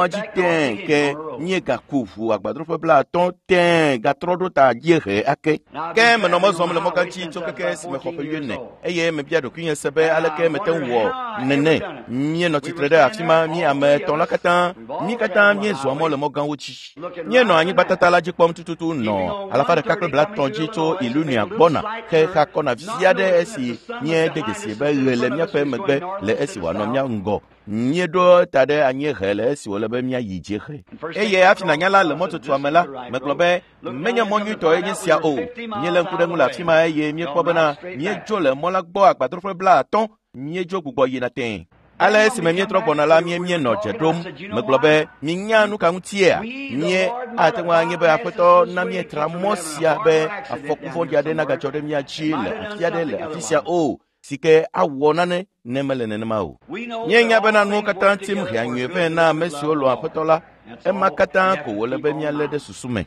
mɔa dzi tẽe ke míegaku ʋu agbadroƒe 50 tẽe gatrɔ ɖo ta dziehe ake. Ke menɔ mɔ zɔm le mɔgã dzi tso keke si mexɔ ƒe 40 eye mebia ɖokuinye se be aleke mete ŋu wɔ nene. Míenɔ tsitre ɖe afi ma mí ame etɔ̃ la katã, mí katã míezɔa mɔ le mɔgãwo dzi. Míenɔ anyigbatata la dzi kpɔm tututu nɔ 130 dzi tso Illinois gbɔna xexa kɔna vi aɖe esi míede dzesi be ɣe le míaƒe megbe le esi wòanɔ mía ŋgɔ. Míeɖo ta ɖe anyiehe le esi wòle be míayi dziehe. Eye hafi nànya la le mɔtutua me la, megblɔ be menye mɔ nyuitɔe nye sia o. Míelé ŋku ɖe ŋu le afi ma eye míekpɔ bena míedzo le mɔ la gbɔ agbadroƒe 50, míedzo gbugbɔ yina tẽe. Ale esime míetrɔ gbɔna la, míenɔ dze ɖom. Megblɔ be, minya nu ka ŋutia? Mie ate ŋu anye be Aƒetɔ na míetra mɔ sia be afɔku vɔ̃ɖi aɖe nagadzɔ ɖe mía dzi le afi aɖe le afi sia o, si ke awɔ nane ne mele nenema o. Míenya bena nuwo katã tim hea nyuie vɛ na ame siwo lɔ̃ Aƒetɔ la. Ema katã ko wòle be míalé ɖe susu me.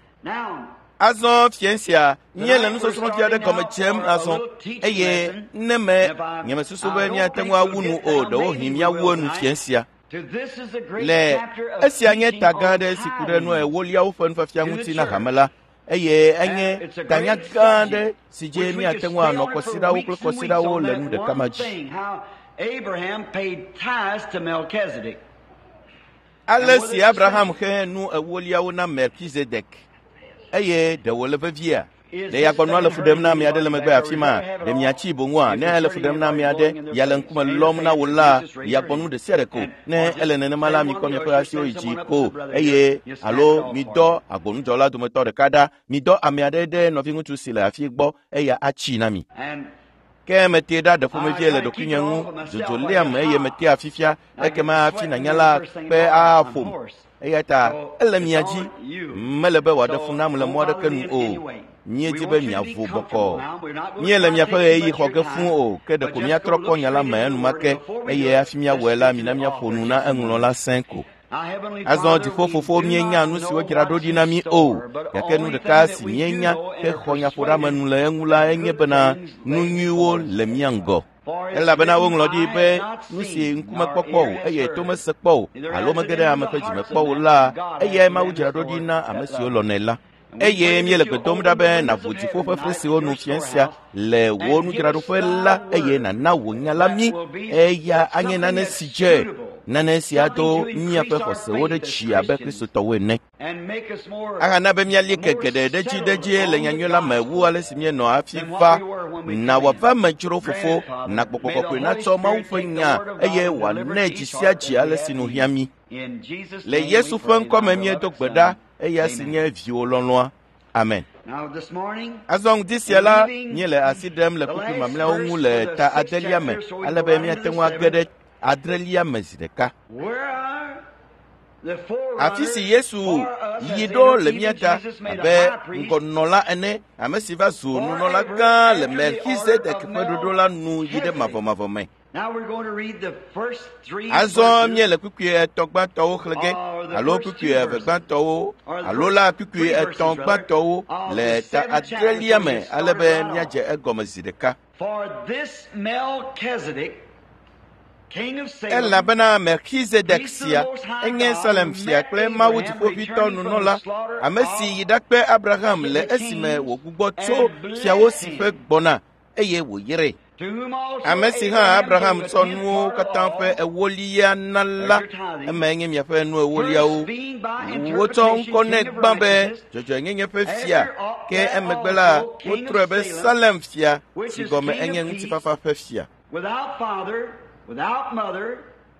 Azɔ fiẽ sia, míele nusɔsrɔ̃vi aɖe gɔme dzem azɔ eye ne me nyemesusu be míate ŋu awu nu o, ɖewohĩ míawu enu fiẽ sia. Le esia nye ta gã aɖe si ku ɖe nu ewoliawo ƒe nufiafia ŋuti na hame la, eye enye tanya gã aɖe si dzi míate ŋu anɔ kɔsiɖawo kple kɔsiɖawo le nu ɖeka ma dzi. Ale si Abraham xe nu ewoliawo na Melkizedek, eye ɖe wòle veviea? Ɖe yagbɔnua le fu ɖem na ame aɖe le megbe afi ma? Ɖe miatsi boŋua? Ne ele fu ɖem na ame aɖe, ya le ŋkume lɔm na wò la, yagbɔnu ɖe sia ɖe ko. Ne ele nenema la, mikɔ miaƒe asiwo yi dzi ko eye alo midɔ agbonudzɔla dometɔ ɖeka ɖa. Midɔ ame aɖe ɖe nɔviŋutsu si le afi gbɔ, eya atsi na mi. Ke metee ɖa ɖe ƒomevie le ɖokuinye ŋu, dzodzo léam eye metea fifia, ekema hafi nànya la kpe aƒom. Eya ta ele mia dzi, mele be wòaɖe fu nam le mɔ aɖeke nu o. Míedi be miavo bɔkɔɔ. Míele miaƒe ɣeyiɣi xɔ ge fũu o, ke ɖeko míatrɔ kpɔ nya la me enumake eye hafi míawɔe la, mina míaƒo nu na eŋlɔla sẽ ko. Azɔ dziƒofofo míenya nu si wodzra ɖo ɖi na mí o, gake nu ɖeka si míenya hexɔ nyaƒoɖeamenu le eŋu la enye bena nu nyuiwo le mía ŋgɔ. Elabena woŋlɔ ɖi be nu si ŋkume kpɔkpɔ o eye to mese kpɔ o alo mege ɖe ame ƒe dzime kpɔ o la, eyae Mawu dzra ɖo ɖi na ame siwo lɔ̃nɛ la. Eye míele gbe dom ɖa be nàʋu dziƒo ƒe fli siwo nu fiẽ sia le wò nudzraɖoƒe la eye nàna wò nya la mí. Eya anye nane si dze, nane si ado míaƒe xɔsewo ɖe dzi abe Kristotɔwo ene. Ahana be míali ke geɖe ɖe dzi ɖe dzi le nyanyui la me wu ale si míenɔ hafi va. Na wòava me dzro fofo, na gbɔgbɔ kɔkɔe natsɔ Mawu ƒe nya eye wòanɛ dzi sia dzi ale si nu hiã mí. Le Yesu ƒe ŋkɔ me míedo gbe ɖa, eya si nye viwò lɔlɔ̃a. Amen. Azɔ ŋdi sia la, míele asi ɖem le kpukpui mamlɛawo ŋu le ta adelia me, ale be míate ŋu age ɖe adrelia me zi ɖeka. Afi si Yesu yi ɖo le mía ta abe ŋgɔnɔla ene, ame si va zu nunɔla gã le Melkizedek ƒe ɖoɖo la nu yi ɖe mavɔmavɔ me. Azɔ míele kpukpui etɔ̃ gbãtɔwo xlẽ ge alo kpukpui eve gbãtɔwo alo la kpukpui etɔ̃ gbãtɔwo le ta adrelia me ale be míadze egɔme zi ɖeka. Elabena Melkizedek sia enye Salem fia kple Mawu dziƒoʋĩtɔ nunɔla, ame si yi ɖakpe Abraham le esime wògbugbɔ tso fiawo si ƒe gbɔna eye wòyrae. Ame si hã Abraham tsɔ nuwo katã ƒe ewolia na la, emae nye miaƒe nu ewoliawo. Wotsɔ ŋkɔ nɛ gbã be dzɔdzɔenyenye ƒe fia, ke emegbe la wotrɔe be Salem fia, si gɔme enye ŋutifafa ƒe fia.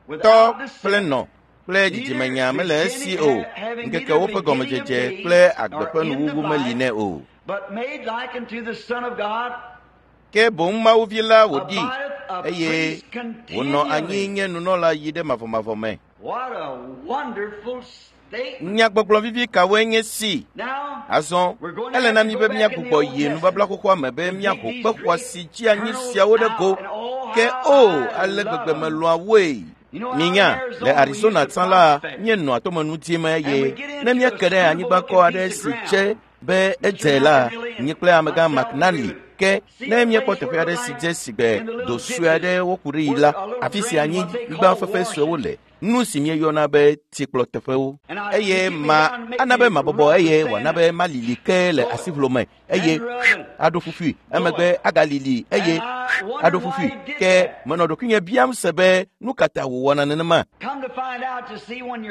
Tɔ kple nɔ kple dzidzimenya mele esi o, ŋkekewo ƒe gɔmedzedze kple agbe ƒe nuwuwu meli nɛ o. Ke boŋ Mawuvi la wòɖi eye wònɔ anyi nye nunɔla yi ɖe mavɔmavɔ me. Nyagbɔgblɔ vivi kawoe nye si? Azɔ, ele na mí be míagbugbɔ yi nubabla xoxoa me be míaho kpe xɔasi dzeanyi siawo ɖe go. Ke o, ale gbegbe melɔ̃a woe. Minya, le Arizona tsã la, míenɔa tomenu dim eye ne míeke ɖe anyigbakɔ aɖe si dze be edze la, nye kple amegã McNally ke ne míekpɔ teƒe aɖe si dze sigbe do sue aɖe woku ɖi yi la, afi si anyigba fefe suewo le, nu si míeyɔna be tsikplɔteƒewo. Eye ma ana be mabɔbɔ eye wòana be malili ke le asiʋlo me eye aɖo fufui, emegbe agalili eye aɖo fufui. Ke menɔ ɖokuinye biam se be nu ka ta wòwɔna nenema.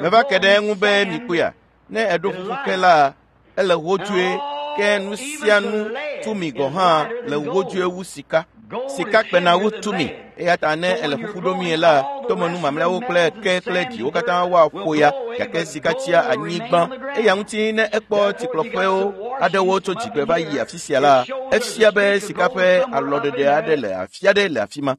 Meva ke ɖe eŋu be mikpɔea, ne eɖo fufu ke la, ele hodzoe, ke nu sia nu tumi gɔ̃ hã le hodzoe wu sika. Sika kpena wu tumi, eya ta ne ele fufu ɖomie la, tomenu mamlɛawo kple ke kple ɖiwo katã woaƒo ya gake sika tsia anyigba. Eya ŋuti ne ekpɔ tsikplɔƒewo aɖewo tso dzigbe va yi afi sia la, efia be sika ƒe alɔɖeɖe aɖe le afi aɖe le afi ma.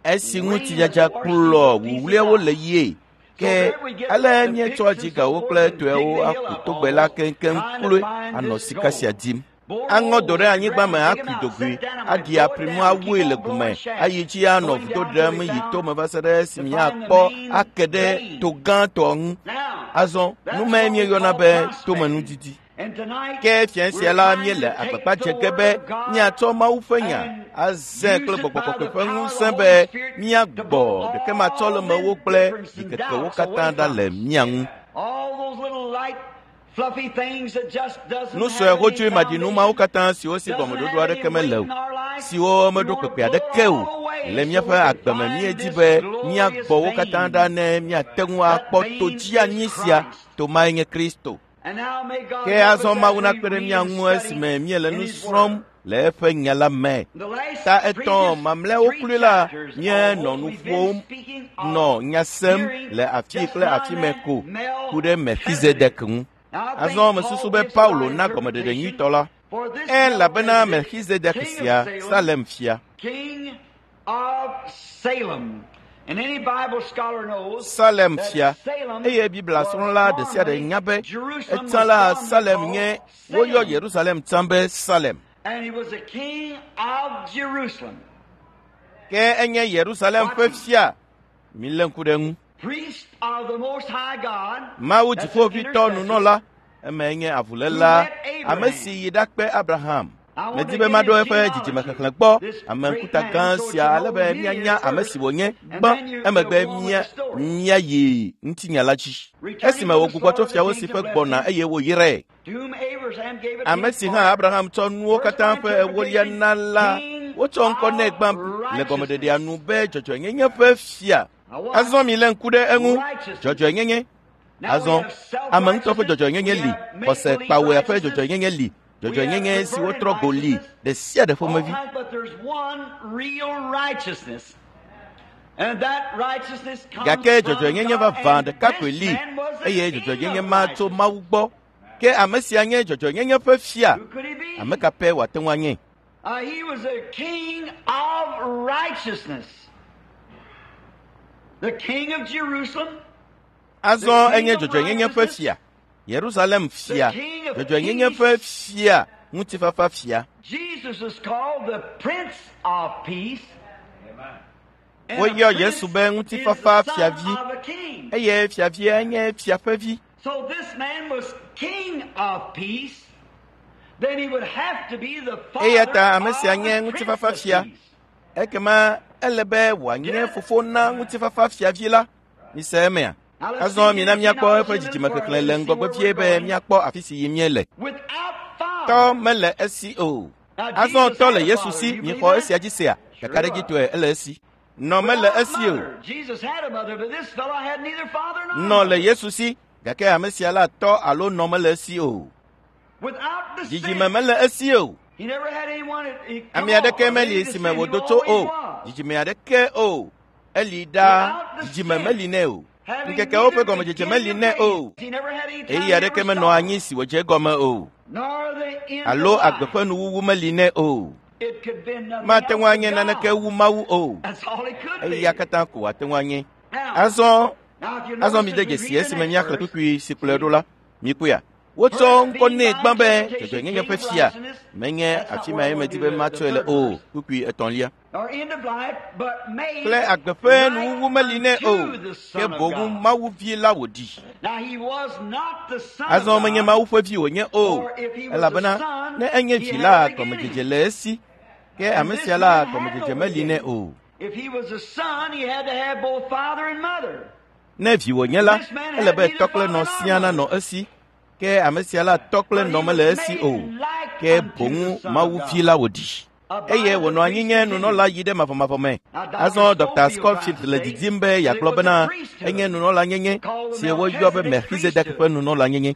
Esi ŋutidzadza kplɔ wuwluiawo le yie. Ke ale míetsɔ dzigawo kple toewo aku togbɛ la keŋkeŋ kloe anɔ sika sia dim. Aŋɔ do ɖe anyigba me akui dogoe, aɖi aprimu awue le gume, ayi dzi anɔ vudo ɖem yi tome va se ɖe esime míakpɔ ake ɖe to gãtɔ ŋu. Azɔ nu mae míeyɔna be tomenudidi. Ke fia sia la míele agbagba dze ge be míatsɔ Mawu ƒe nya azẽ kple gbɔgbɔ kɔkɔe ƒe ŋusẽ be míagbɔ ɖekematsɔlemewo kple ɖikekewo katã ɖa le mía ŋu. Nu sue hodzoe maɖinu mawo katã siwo si gɔmeɖoɖo aɖeke mele o, siwo meɖo kpekpe aɖeke o le míaƒe agbe me míedi be míagbɔ wo katã ɖa ne míate ŋu akpɔ to dzianyi sia. To mae nye Kristo. Ke azɔ Mawu nakpe ɖe mía ŋu esime míele nu srɔ̃m le eƒe nya la me. Ta etɔ̃ mamlɛawo kloe la, míenɔ nu ƒom nɔ nya sem le afi kple afi me ko ku ɖe Melchizedek ŋu. Azɔ mesusu be Paulo na gɔmeɖeɖe nyuitɔ la. Elabena Melchizedek sia Salem fia. Salem fia eye Biblia srɔ̃la ɖe sia ɖe nya be etsã la Salem nye woyɔ Yerusalem tsã be Salem. Ke enye Yerusalem ƒe fia. Milé ŋku ɖe eŋu. Mawu dziƒoʋĩtɔ nunɔla, eme nye avuléla, ame si yi ɖakpe Abraham. Medi be maɖo eƒe dzidzimexexlẽ gbɔ ame ŋkuta gã sia ale be míanya ame si wònye gbã emegbe míayi ŋutinya la dzi. Esime wògbugbɔ tso fiawo si ƒe gbɔna eye wòyrae. Ame si hã Abraham tsɔ nuwo katã ƒe ewolia na la, wotsɔ ŋkɔ nɛ gbã le gɔmeɖeɖea nu be dzɔdzɔenyenye ƒe fia. Azɔ milé ŋku ɖe eŋu, dzɔdzɔenyenye. Azɔ ame ŋutɔ ƒe dzɔdzɔenyenye li, xɔse kpawɔea ƒe dzɔdzɔenyenye li, dzɔdzɔenyenye si wotrɔ go li ɖe sia ɖe ƒomevi. Gake dzɔdzɔenyenye vavã ɖeka koe li eye dzɔdzɔenyenye ma tso Mawu gbɔ. Ke ame sia nye dzɔdzɔenyenye ƒe fia. Ame ka pɛ wòate ŋu anye? Azɔ enye dzɔdzɔenyenye ƒe fia. Yerusalem fia, dzɔdzɔenyenye ƒe fia, ŋutifafa fia. Woyɔ Yesu be ŋutifafa fiavi eye fiavia nye fia ƒe vi. Eya ta ame sia nye ŋutifafa fia. Ekema ele be wòanye fofo na ŋutifafa fiavi la. Mise emea? Azɔ mina míakpɔ eƒe dzidzimexexlẽ le ŋgɔgbe vie be míakpɔ afi si yim míele. Tɔ mele esi o. Azɔ tɔ le Yesu si, mixɔ esia dzi sea? Kakaɖedzitɔe ele esi. Nɔ mele esi o. Nɔ le Yesu si, gake ame sia la tɔ alo nɔ mele esi o. Dzidzime mele esi o. Ame aɖeke meli si me wòdo tso o. Dzidzime aɖeke o. Eli ɖaa, dzidzime meli nɛ o. Ŋkekewo ƒe gɔmedzedze meli nɛ o. Ɣeyiɣi aɖeke menɔ anyi si wòdze egɔme o. Alo agbe ƒe nuwuwu meli nɛ o. Mate ŋu anye naneke wu Mawu o. Eya katã ko wòate ŋu anye. Azɔ azɔ mide dzesi esime míaxlẽ kpukpui si kplɔe ɖo la. Mikpɔea? Wotsɔ ŋkɔ nɛ gbã be dzɔdzɔenyenye ƒe fia. Menye afi mae medi be matsɔe le o. Kpukpui etɔ̃lia. Kple agbe ƒe nuwuwu meli nɛ o, ke boŋ Mawu vi la wòɖi. Azɔ menye Mawu ƒe vi wònye o, elabena ne enye vi la, gɔmedzedze le esi, ke ame sia la, gɔmedzedze meli nɛ o. Ne vi wònye la, ele be tɔ kple nɔ siaa nanɔ esi, ke ame sia la tɔ kple nɔ mele esi o, ke boŋ Mawu vi la wòɖi. Eye wònɔ anyi nye nunɔla yi ɖe mavɔmavɔ me. Azɔ Dr. Scofield le didim be yeagblɔ bena enye nunɔla nyenye si woyɔ be Melchizedek ƒe nunɔla nyenye.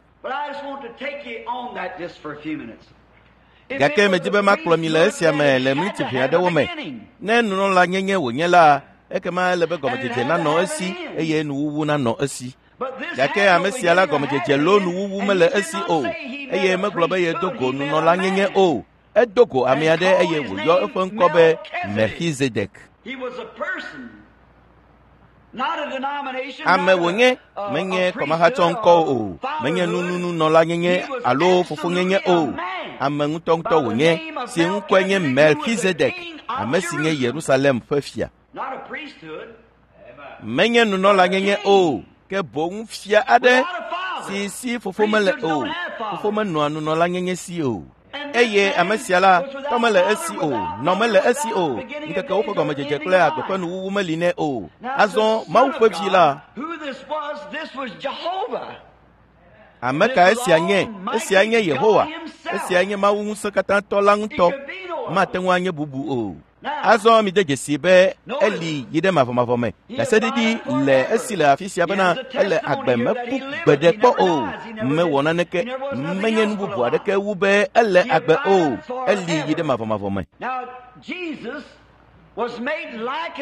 Gake medi be makplɔ mi le esia me le miniti ʋɛ aɖewo me. Ne nunɔla nyenye wònye la, Ekema ele be gɔmedzedze nanɔ esi eye nuwuwu nanɔ esi. Gake ame sia la gɔmedzedze loo nuwuwu mele esi o eye megblɔ be yedo go nunɔlanyenye o. Edo go ame aɖe eye wòyɔ eƒe ŋkɔ be Melchizedek. Ame wònye, menye kɔmahatsɔ ŋkɔ o, menye nunununɔlanyenye alo fofonyenye o. Ame ŋutɔŋutɔ wònye si ŋkɔe nye Melchizedek, ame si nye Yerusalem ƒe fia. Menye nunɔlanyenye o, ke boŋ fia aɖe si si fofo mele o. Fofo menɔa nunɔlanyenye si o. Eye ame sia la, tɔ mele esi o, nɔ mele esi o, ŋkekewo ƒe gɔmedzedze kple agbe ƒe nuwuwu meli nɛ o. Azɔ Mawu ƒe vi la, ame ka esia nye? Esia nye Yehowa. Esia nye Mawu ŋusẽkatãtɔ la ŋutɔ. Mate ŋu anye bubu o. Azɔ mide dzesi be eli yi ɖe mavɔmavɔ me. Ɖaseɖiɖi le esi le afi sia bena ele agbe meku gbeɖe kpɔ o. Mewɔ naneke, menye nu bubu aɖeke wu be ele agbe o. Eli yi ɖe mavɔmavɔ me.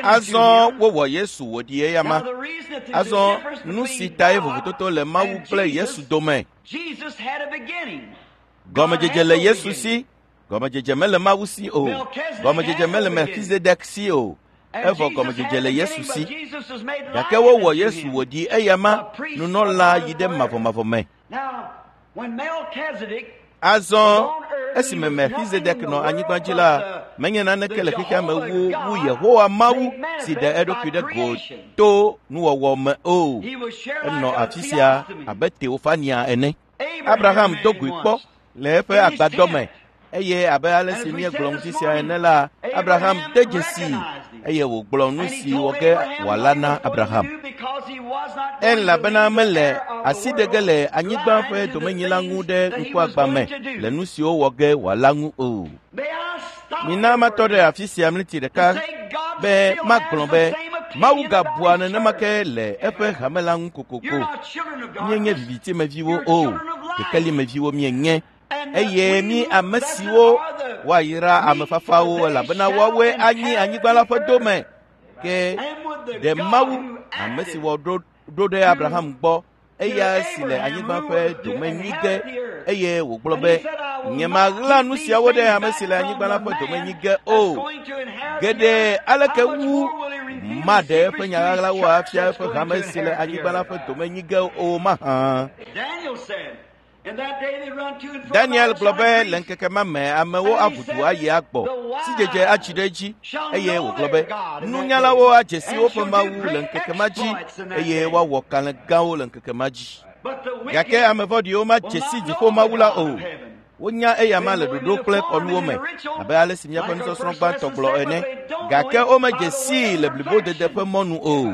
Azɔ wowɔ Yesu wòɖi eyama. Azɔ nu si tae vovototo le Mawu kple Yesu dome. Gɔmedzedze le Yesu si. Gɔmedzedze mele Mawu si o. Gɔmedzedze mele Melchizedek si o. Evɔ gɔmedzedze le Yesu si. Gake wowɔ Yesu wòɖi eyama nunɔla yi ɖe mavɔmavɔ me. Azɔ esime Melchizedek nɔ anyigba dzi la, menye naneke le xexea me wu wu Yehowa Mawu si ɖe eɖokui ɖe go to nuwɔwɔ me o. Enɔ afi sia abe Teofania ene. Abraham do goe kpɔ le eƒe agbadɔ me eye abe ale si míegblɔ ŋuti sia ene la, Abraham de dzesii eye wògblɔ nu si wɔ ge wòala na Abraham. Elabena mele asi ɖe ge le anyigba ƒe domenyila ŋu ɖe ŋkuagbã me le nu siwo wɔ ge wòala ŋu o. Mina matɔ ɖe afi sia mliti ɖeka be magblɔ be Mawu gabua nenema ke le eƒe hame la ŋu kokoko. Míenye vivitimeviwo o, kekelimeviwo míenye. Eye mí ame siwo woayra ame fafawo elabena woawoe anyi anyigba la ƒe dome. Ke ɖe Mawu, ame si wɔ ɖo ɖe Abraham gbɔ, eya si le anyigba ƒe dome nyi ge, eye wògblɔ be, nyemaɣla nu siawo ɖe ame si le anyigba la ƒe dome nyi ge o. Geɖe aleke wu maɖe eƒe nya ɣaɣlawo afia eƒe hame si le anyigba la ƒe dome nyi ge o mahã. Daniel gblɔ be le ŋkeke ma me amewo aʋu du ayi agbɔ, sidzedze atsi ɖe edzi eye wògblɔ be nunyalawo adze si woƒe Mawu le ŋkeke ma dzi eye woawɔ kalẽ gãwo le ŋkeke ma dzi. Gake ame vɔ̃ɖiwo madze si dziƒo Mawu la o. Wonya eyama le ɖoɖo kple kɔnuwo me abe ale si míaƒe nusɔsrɔ̃ gbãtɔ gblɔ ene. Gake womedze sii le blibodede ƒe mɔnu o.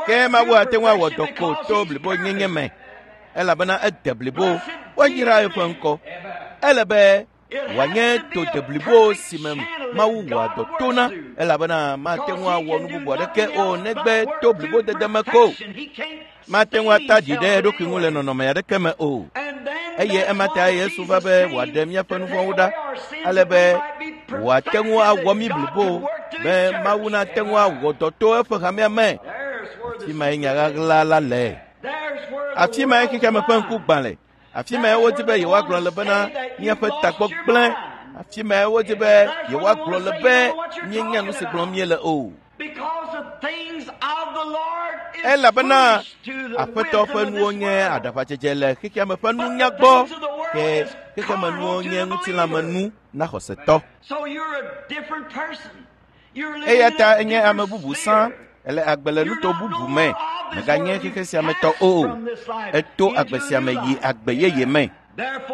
Ke Mawu ate ŋu awɔ dɔ ko to blibonyenye me elabena ede blibo, woayra eƒe ŋkɔ. Ele be wòanye to deblibo si me Mawu wɔa dɔ tona elabena mate ŋu awɔ nu bubu aɖeke o negbe to blibodede me ko. Mate ŋu ata ɖi ɖe eɖokui ŋu le nɔnɔme aɖeke me o. Eye ema ta Yesu va be wòaɖe míaƒe nu vɔ̃wo ɖa ale be wòate ŋu awɔ mí blibo be Mawu nate ŋu awɔ dɔ to eƒe hamea me. Afi mae nya ɣaɣla la le. Afi mae xexeame ƒe ŋku gbã le. Afi mae wodi be yewoagblɔ le bena míaƒe tagbɔ gblẽ. Afi mae wodi be yewoagblɔ le be míenya nu si gblɔm míele o. Elabena Aƒetɔ ƒe nuwo nye aɖaʋadzedze le xexeame ƒe nunya gbɔ, ke xexemenuwo nye ŋutilãmenu na xɔsetɔ. Eya ta enye ame bubu sã, ele agbe le nuto bubu me, meganye xexe sia me tɔ o. Eto agbe sia me yi agbe yeye me.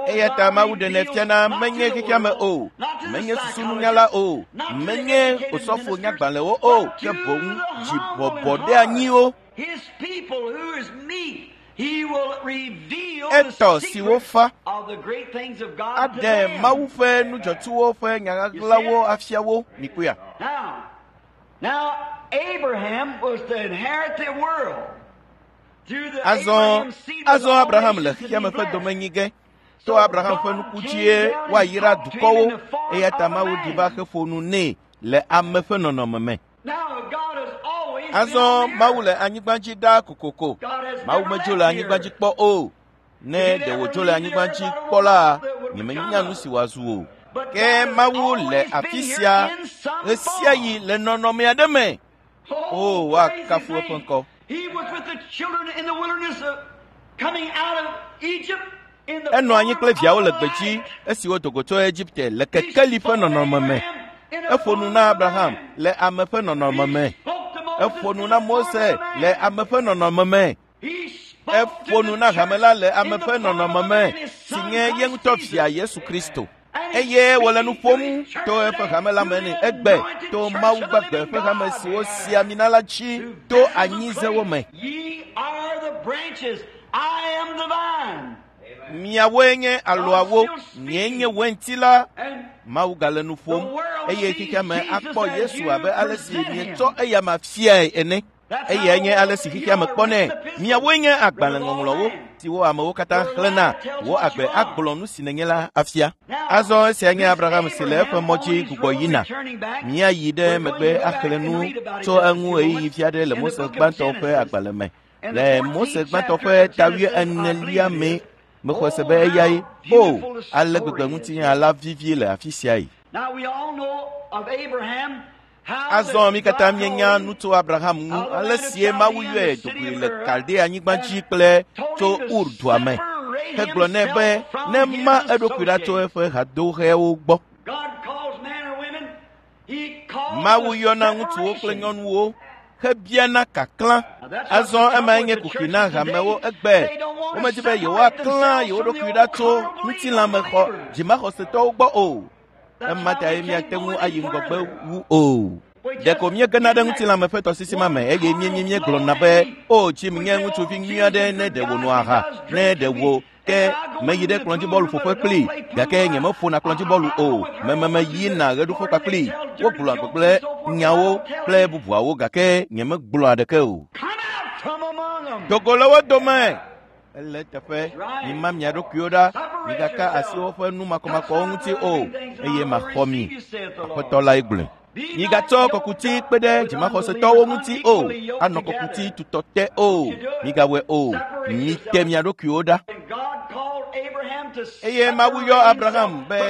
Eya ta Mawu ɖenɛ fiana menye xexea me o, menye susununyala o, menye osɔfo nyagbalẽwo o, ke boŋ dzibɔbɔɖeanyiwo. Etɔ siwo fa aɖe Mawu ƒe nudzɔtsuwo ƒe nya ɣaɣlawo afia wo. Mikpɔea? Now, Abraham was to inherit the world. Azɔ azɔ Abraham le xexeame ƒe domenyi ge. To Abraham ƒe nuku dzie woayra dukɔwo eya ta Mawu ɖi va xe ƒo nu nɛ le ame ƒe nɔnɔme me. Azɔ Mawu le anyigba dzi ɖaa kokoko. Mawu medzo le anyigba dzi kpɔ o. Ne ɖe wòdzo le anyigba dzi kpɔ la, nyemenya nu si wòazu o. Ke Mawu le afi sia ɣesiaɣi le nɔnɔme aɖe me. O, woakafu eƒe ŋkɔ. Enɔ anyi kple viawo le gbedzi esi wodo go tso Egipte le kekeli ƒe nɔnɔme me. Eƒo nu na Abraham le ame ƒe nɔnɔme me. Eƒo nu na Mose le ame ƒe nɔnɔme me. Eƒo nu na hame la le ame ƒe nɔnɔme me si nye ye ŋutɔ via Yesu Kristo. Eye wòle nu ƒom to eƒe hame la me nɛ egbe to Mawu gbagbe ƒe hame si wosi ami na la dzi to anyizewo me. Miawoe nye alɔawo, nyee nye wainti la. Mawu gale nu ƒom eye xexea me akpɔ Yesu abe ale si mietsɔ eyama fiae ene. Eyae nye ale si xexea me kpɔnɛ. Miawoe nye agbalẽŋɔŋlɔwo siwo amewo katã xlẽna. Wò agbe agblɔ nu si nènye la afia. Azɔ esia nye Abraham si le eƒe mɔ dzi gbugbɔ yina. Míayi ɖe megbe axlẽ nu tso eŋu ɣeyiɣi vi aɖe le Mose gbãtɔ ƒe agbalẽ me. Le Mose gbãtɔ ƒe ta wuienelia me, mexɔ se be eyae. O, ale gbegbe ŋutinya la vivi le afi siae. Azɔ mí katã míenya nu tso Abraham ŋu, ale sie Mawu yɔe dogoe le Kaldea anyigba dzi kple tso Ur dua me, hegblɔ nɛ be nema eɖokui ɖa tso eƒe hadoxewo gbɔ. Mawu yɔna ŋutsuwo kple nyɔnuwo hebiana kaklã. Azɔ emae nye kuxi na hamewo egbe. Womedi be yewoaklã yewo ɖokui ɖa tso ŋutilãmexɔ dzimaxɔsetɔwo gbɔ o. Ema tae míate ŋu ayi ŋgɔgbe wu o. Ɖeko míegena ɖe ŋutilãme ƒe tɔsisi ma me eye míegblɔna be, o Jim nye ŋutsuvi nyui aɖe ne ɖe wònɔ aha, ne ɖe wò ke meyi ɖe kplɔdzibɔlu ƒoƒe kplii, gake nyemeƒona kplɔdzibɔlu o. Mememe yina ɣeɖuƒe kpakplii. Wogblɔa gbegblẽ nyawo kple bubuawo gake nyemegblɔa ɖeke o. Dogo le wo dome. Ele teƒe, mima mia ɖokuiwo ɖa, migaka asi woƒe nu makɔmakɔwo ŋuti o, eye maxɔ mi. Aƒetɔ lae gblɔe. Migatsɔ kɔkuti kpe ɖe dzimaxɔsetɔwo ŋuti o, anɔ kɔkuti tutɔ te o, migawɔe o, mite mia ɖokuiwo ɖa. Eye Mawu yɔ Abraham be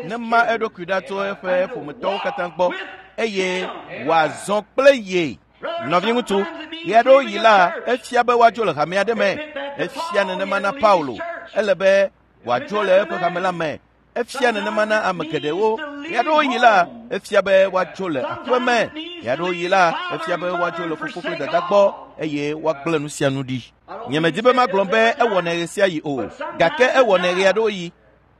nema eɖokui ɖa tso eƒe ƒometɔwo katã gbɔ eye wòazɔ kple ye. Nɔviŋutsu, ɣeaɖewoɣi la, efia be woadzo le hame aɖe me. Efia nenema na Paulo. Ele be wòadzo le eƒe hame la me. Efia nenema na ame geɖewo. Ɣeaɖewoɣi la, efia be woadzo le aƒe me. Ɣeaɖewoɣi la, efia be woadzo le fofo kple dada gbɔ eye woagblẽ nu sia nu ɖi. Nyemedi be magblɔ be ewɔnɛ ɣesiaɣi o, gake ewɔnɛ ɣeaɖewoɣi.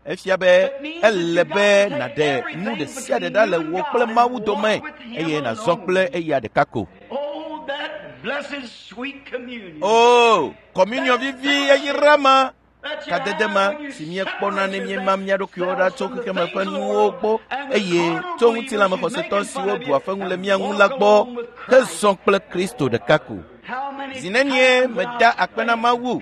Efia be ele be nàɖe nu ɖe sia ɖe ɖa le wò kple Mawu dome eye nàzɔ kple eya ɖeka ko. O, kɔmuniɔ vivi yayra ma, kadede ma si míekpɔna ne míema mía ɖokuiwo ɖa tso xexeme ƒe nuwo gbɔ eye tso ŋutilãmexɔsetɔ siwo ɖua feŋu le mía ŋu la gbɔ hezɔ kple Kristo ɖeka ko. Zi nenie meda akpe na Mawu.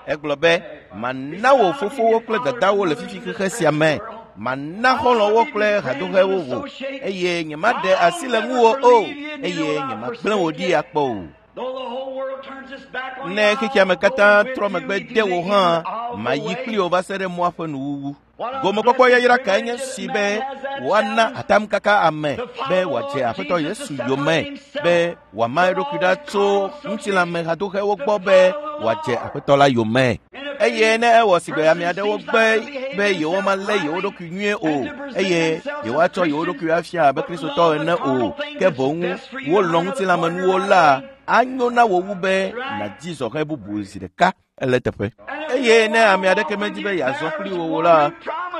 Egblɔ be, mana wò fofowo kple dadawo le fifi xexe sia me. Mana xɔlɔ̃wo kple hadoxewo wò eye nyemaɖe asi le ŋuwò o eye nyemagblẽ wò ɖi akpɔ o. Ne xexea me katã trɔ megbe de wò hã, mayi kpli wò va se ɖe mɔa ƒe nuwuwu. Gomekpɔkpɔ yayra kae nye si be woana atamkaka ame be wòadze Aƒetɔ Yesu yome, be wòama eɖokui ɖa tso ŋutilãme hadoxewo gbɔ be wòadze Aƒetɔ la yome. Eye ne ewɔ sigbe ame aɖewo gbe be yewomalé yewo ɖokui nyuie o eye yewoatsɔ yewo ɖokui afia abe Kristotɔ ene o, ke boŋ wolɔ̃ ŋutilãmenuwo la, anyo na wò wu be nàdi zɔhɛ bubu zi ɖeka. Ele teƒe. Eye ne ame aɖeke medi be yeazɔ kpli wò o la,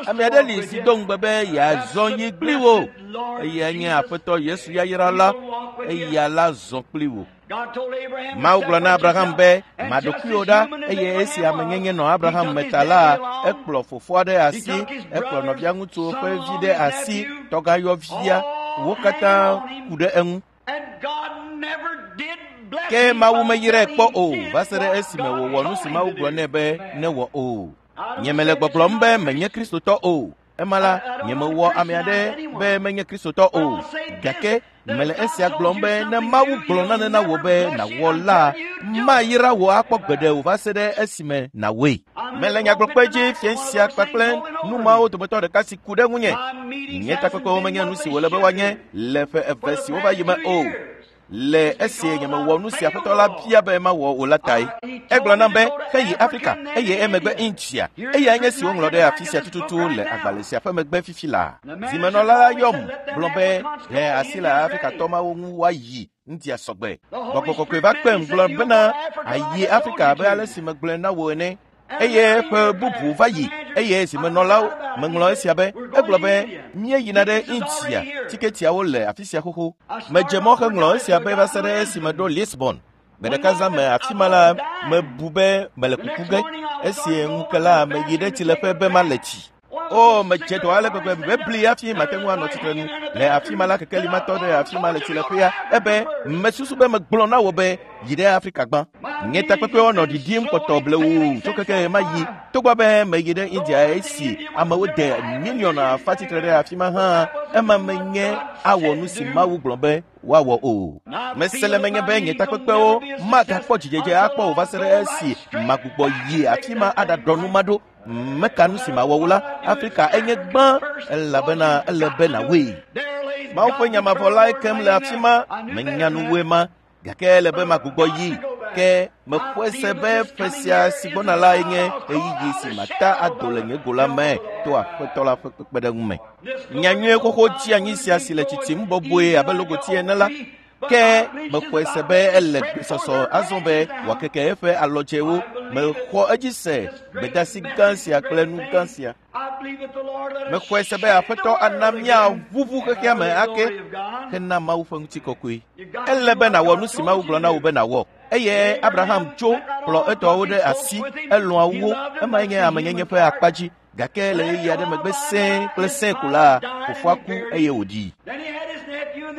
ame aɖe li si do ŋugbe be yeazɔ yi kpli wò. Eyae nye Aƒetɔ Yesu yayra la, eya la zɔ kpli wò. Mawu gblɔ na Abraham be, ma ɖokuiwò ɖa, eye esi amenyenye nɔ Abraham me ta la, ekplɔ fofoa ɖe asi, ekplɔ nɔvia ŋutsuwo ƒe vi ɖe asi, tɔgãyɔvia, wo katã ku ɖe eŋu. Ke Mawu meyrae kpɔ o va se ɖe esime wòwɔ nu si Mawu gblɔ nɛ be newɔ o. Nyemele gbɔgblɔm be menye Kristotɔ o. Ema la, nyemewɔ ame aɖe be menye Kristotɔ o. Gake mele esia gblɔm be ne Mawu gblɔ nane na wò be nàwɔ la, mayra wò akpɔ gbeɖe o va se ɖe esime nàwɔe. Mele nyagblɔkpe dzi fia sia kpakple nu mawo dometɔ ɖeka si ku ɖe ŋunye. Nye takpekpewo menye nu si wòle be woanye le ƒe eve siwo va yi me o. Le esi nyemewɔ nu si Aƒetɔ la bia be mawɔ o la tae. Egblɔ nam be heyi Afrika eye emegbe India. Eyae nye si woŋlɔ ɖe afi sia tututu le agbalẽ sia ƒe megbe fifi laa. Zimenɔla la yɔm gblɔ be ɖe asi le Afrikatɔ mawo ŋu woayi India sɔgbe. Gbɔgbɔ kɔkɔe va kpem gblɔ bena ayi Afrika abe ale si megblɔe na wò ene. Eye ƒe bubu va yi eye zimenɔlawo meŋlɔ esia be egblɔ be míeyina ɖe India tiketiawo le afi sia xoxo. Medze mɔ heŋlɔ esia be va se ɖe esime ɖo Lisbon. Gbe ɖeka zã me afi ma la mebu be mele kuku ge. Esi ŋu ke la meyi ɖe tsileƒe be male tsi. O, medze dɔ ale gbegbe mebli hafi mate ŋu anɔ tsitre nu. Le afi ma la kekeli ma tɔ ɖe afi ma le tsileƒea ebe mesusu be megblɔ na wò be yi ɖe Afrika gbã. Nye takpekpewo nɔ ɖiɖim kpɔtɔ blewu tso keke ma yi. Togbɔ be meyi ɖe India esi amewo de miliɔn afa tsitre ɖe afi ma hã, ema menye awɔ nu si Mawu gblɔ be woawɔ o. Mese le menye be nye takpekpewo magakpɔ dzidzedze akpɔ o va se ɖe esi magbugbɔ yi afi ma aɖaɖɔ nu ma ɖo. Meka nu si mawɔ wo la, Afrika enye gbã elabena ele be nàwɔe. Mawu ƒe nya mavɔ lae kem le afi ma, menya nu woe ma, gake ele be magbugbɔ yi. Ke mexɔe se be ƒe sia si gbɔna lae nye ɣeyiɣi si mata ado le nye go la me to Aƒetɔ la ƒe kpekpeɖeŋu me. Nyanyuie xoxo tsi anyi sia si le tsitsim bɔbɔe abe logoti ene la, ke mexɔe se be ele gbesɔsɔ azɔ be wòakeke eƒe alɔdzewo. Mexɔ edzi se gbedeasi gã sia kple nu gã sia. Mexɔe se be Aƒetɔ ana míaʋuʋu xexea me ake hena Mawu ƒe ŋutikɔkɔe. Ele be nàwɔ nu si Mawu gblɔ na wò be nàwɔ. Eye Abraham tso kplɔ etɔwo ɖe asi, elɔ̃a wo, emae nye amenyenye ƒe akpa dzi. Gake le ɣeyiɣi aɖe megbe sẽe kple sẽe ko la, fofoa ku eye wòɖii.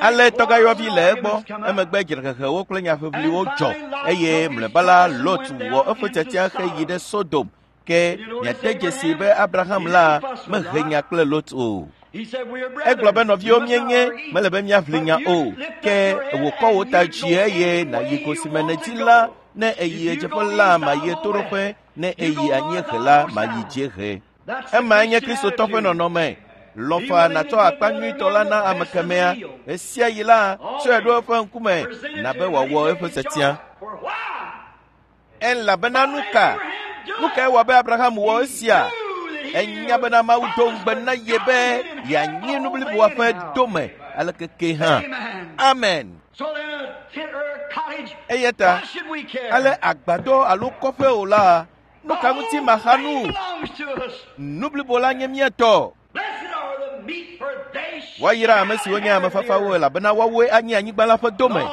Ale tɔgãyɔvi le egbɔ, emegbe dzrehehewo kple nyaʋiʋliwo dzɔ eye mlɔeba la Lot wɔ eƒe tiatia heyi ɖe Sodom. Ke miade dzesi be Abraham la mehe nya kple Lot o. Egblɔ be nɔviwo míenye, mele be míaʋli nya o. Ke wò kɔ wò ta dzi eye nàyi go si me nèdi la, ne èyi ɣedzeƒe la, màyi ɣetoɖoƒe, ne èyi anyiehe la, màyi dziehe. Emae nye Kristotɔ ƒe nɔnɔme. Lɔ̃ faa nàtsɔ akpa nyuitɔ la na ame kemɛa. Ɣe sia ɣi la, tsɔe ɖo eƒe ŋkume nabe wòawɔ eƒe tiatia. Elabena nu ka? Nu kae wɔ be Abraham wɔ esia? Enya bena Mawu do ŋugbe na ye be yeanyi nu bliboa ƒe dome aleke ke hã. Amen. Eya ta ale agbadɔ alo kɔƒe o la, nu ka ŋuti maxa nu? Nu blibo la nye mía tɔ. Woayra ame siwo nye ame fafawo elabena woawoe anyi anyigba la ƒe dome.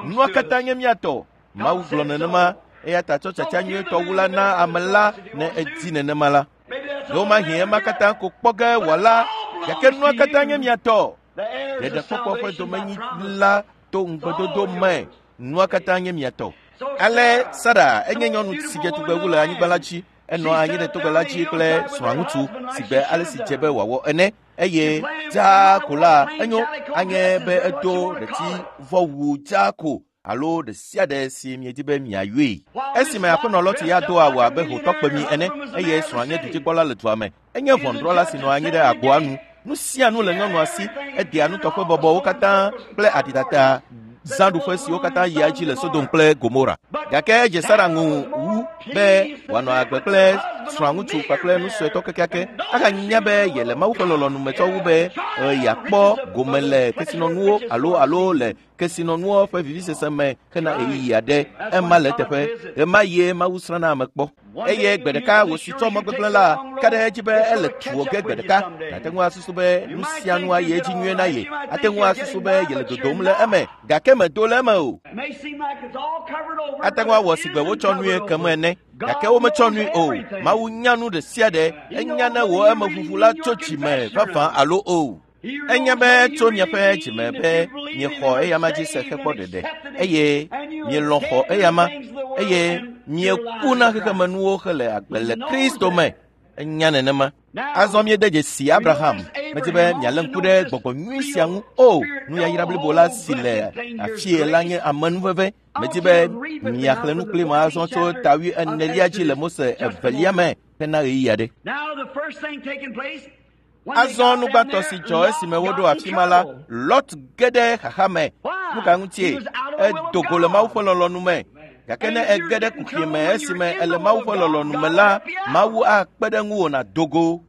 Nua katã nye mía tɔ. Mawu gblɔ nenema eya ta tsɔ tsatsa nyuietɔ wu la na ame la ne edi nenema la. Ɖewomahi ema katã ko kpɔ ge wòala, gake nua katã nye mía tɔ. Ɖeɖekpɔkpɔ ƒe domenyila to ŋugbedodo me, nua katã nye mía tɔ. Ale Sara enye nyɔnu si dze tugbe wu le anyigba la dzi. Enɔ anyi ɖe togbɛ la dzi kple srɔ̃aŋutsu si gbe ale si dze be wòawɔ ene. Eye dzaa ko la enyo anye be edo ɖetivɔwu dzaa ko alo ɖe sia ɖe si miedi be miayɔe. Esime aƒenɔ Lɔti ya do awu abe hotɔkpemi ene eye srɔ̃a nye dudzikpɔla le dua me. Enye ʋɔnudrɔ̃la si nɔ anyi ɖe agboa nu. Nu sia nu le nyɔnua si, edea nutɔƒe bɔbɔwo katã kple aɖidada zãɖuƒe siwo katã yia edzi le Sodom kple Gomora. Gake edze Sara ŋu wu be wòanɔ agbe kple srɔ̃aŋutsu kpakple nu suetɔ kekeake ahanya be yele Mawu ƒe lɔlɔ̃nu me tsɔ wu be yeakpɔ gome le kesinɔnuwo alo alo le kesinɔnuwo ƒe vivisese me hena ɣeyiɣi aɖe. Ema le eteƒe. Ɣemaɣie Mawu srãna ame kpɔ. Eye gbe ɖeka wò si tsɔ mɔ gbegblẽ la ka ɖe edzi be ele tuwò ge gbe ɖeka. Nàte ŋu asusu be nu sia nu ayi edzi nyuie na ye. Ate ŋu asusu be yele dodom le eme, gake medo le eme o. Ate ŋu awɔ si gbe wotsɔ nue kem ene, gake wometsɔ nui o. Mawu nya nu ɖe sia ɖe. Enya ne wò emeʋuʋu la tso dzime vavã alo o. Enya be tso miaƒe dzime be miexɔ eyama dzi se hekpɔ ɖeɖe eye mielɔ̃ xɔ eyama eye mieku na xexemenuwo hele agbe le Kristo me. Enya nenema. Azɔ míede dzesi Abraham. Medi be mialé ŋku ɖe gbɔgbɔ nyui sia ŋu. O, nuyayra blibo la si le afie la nye amenuveve. Medi be miaxlẽ nu kplim azɔ tso ta 40 dzi le Mose 2 me hena ɣeyiɣi aɖe. Azɔ nu gbãtɔ si dzɔ esime woɖo afi ma la, Lot ge ɖe xaxa me. Nu ka ŋutie? Edo go le Mawu ƒe lɔlɔ̃nu me. Gake ne ege ɖe kuxi me esime ele Mawu ƒe lɔlɔ̃nu me la, Mawu akpe ɖe ŋuwò nàdo go.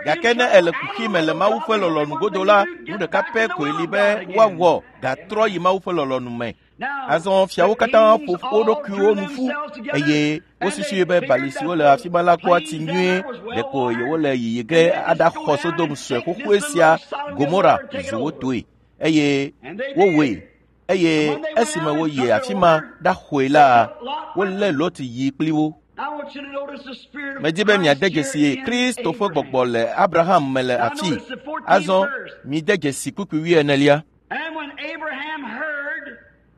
Gake ne ele kuxi me le Mawu ƒe lɔlɔ̃nu godo la, nu ɖeka pɛ koe li be woawɔ gatrɔ yi Mawu ƒe lɔlɔ̃nu me. Azɔ fiawo katã ƒo wo ɖokuiwo nu ƒu eye wosusui be bali siwo le afi ma la kpɔa tsi nyuie ɖeko yewole yiyi ge aɖaxɔ Sodom sue xoxoe sia Gomora zu wo toe eye wowɔe. Eye esime woyi afi ma ɖaxɔe la, wolé Lot yi kpli wo. Medi be miade dzesi Kristo ƒe gbɔgbɔ le Abraham me le afii. Azɔ mide dzesi kpukpui 40.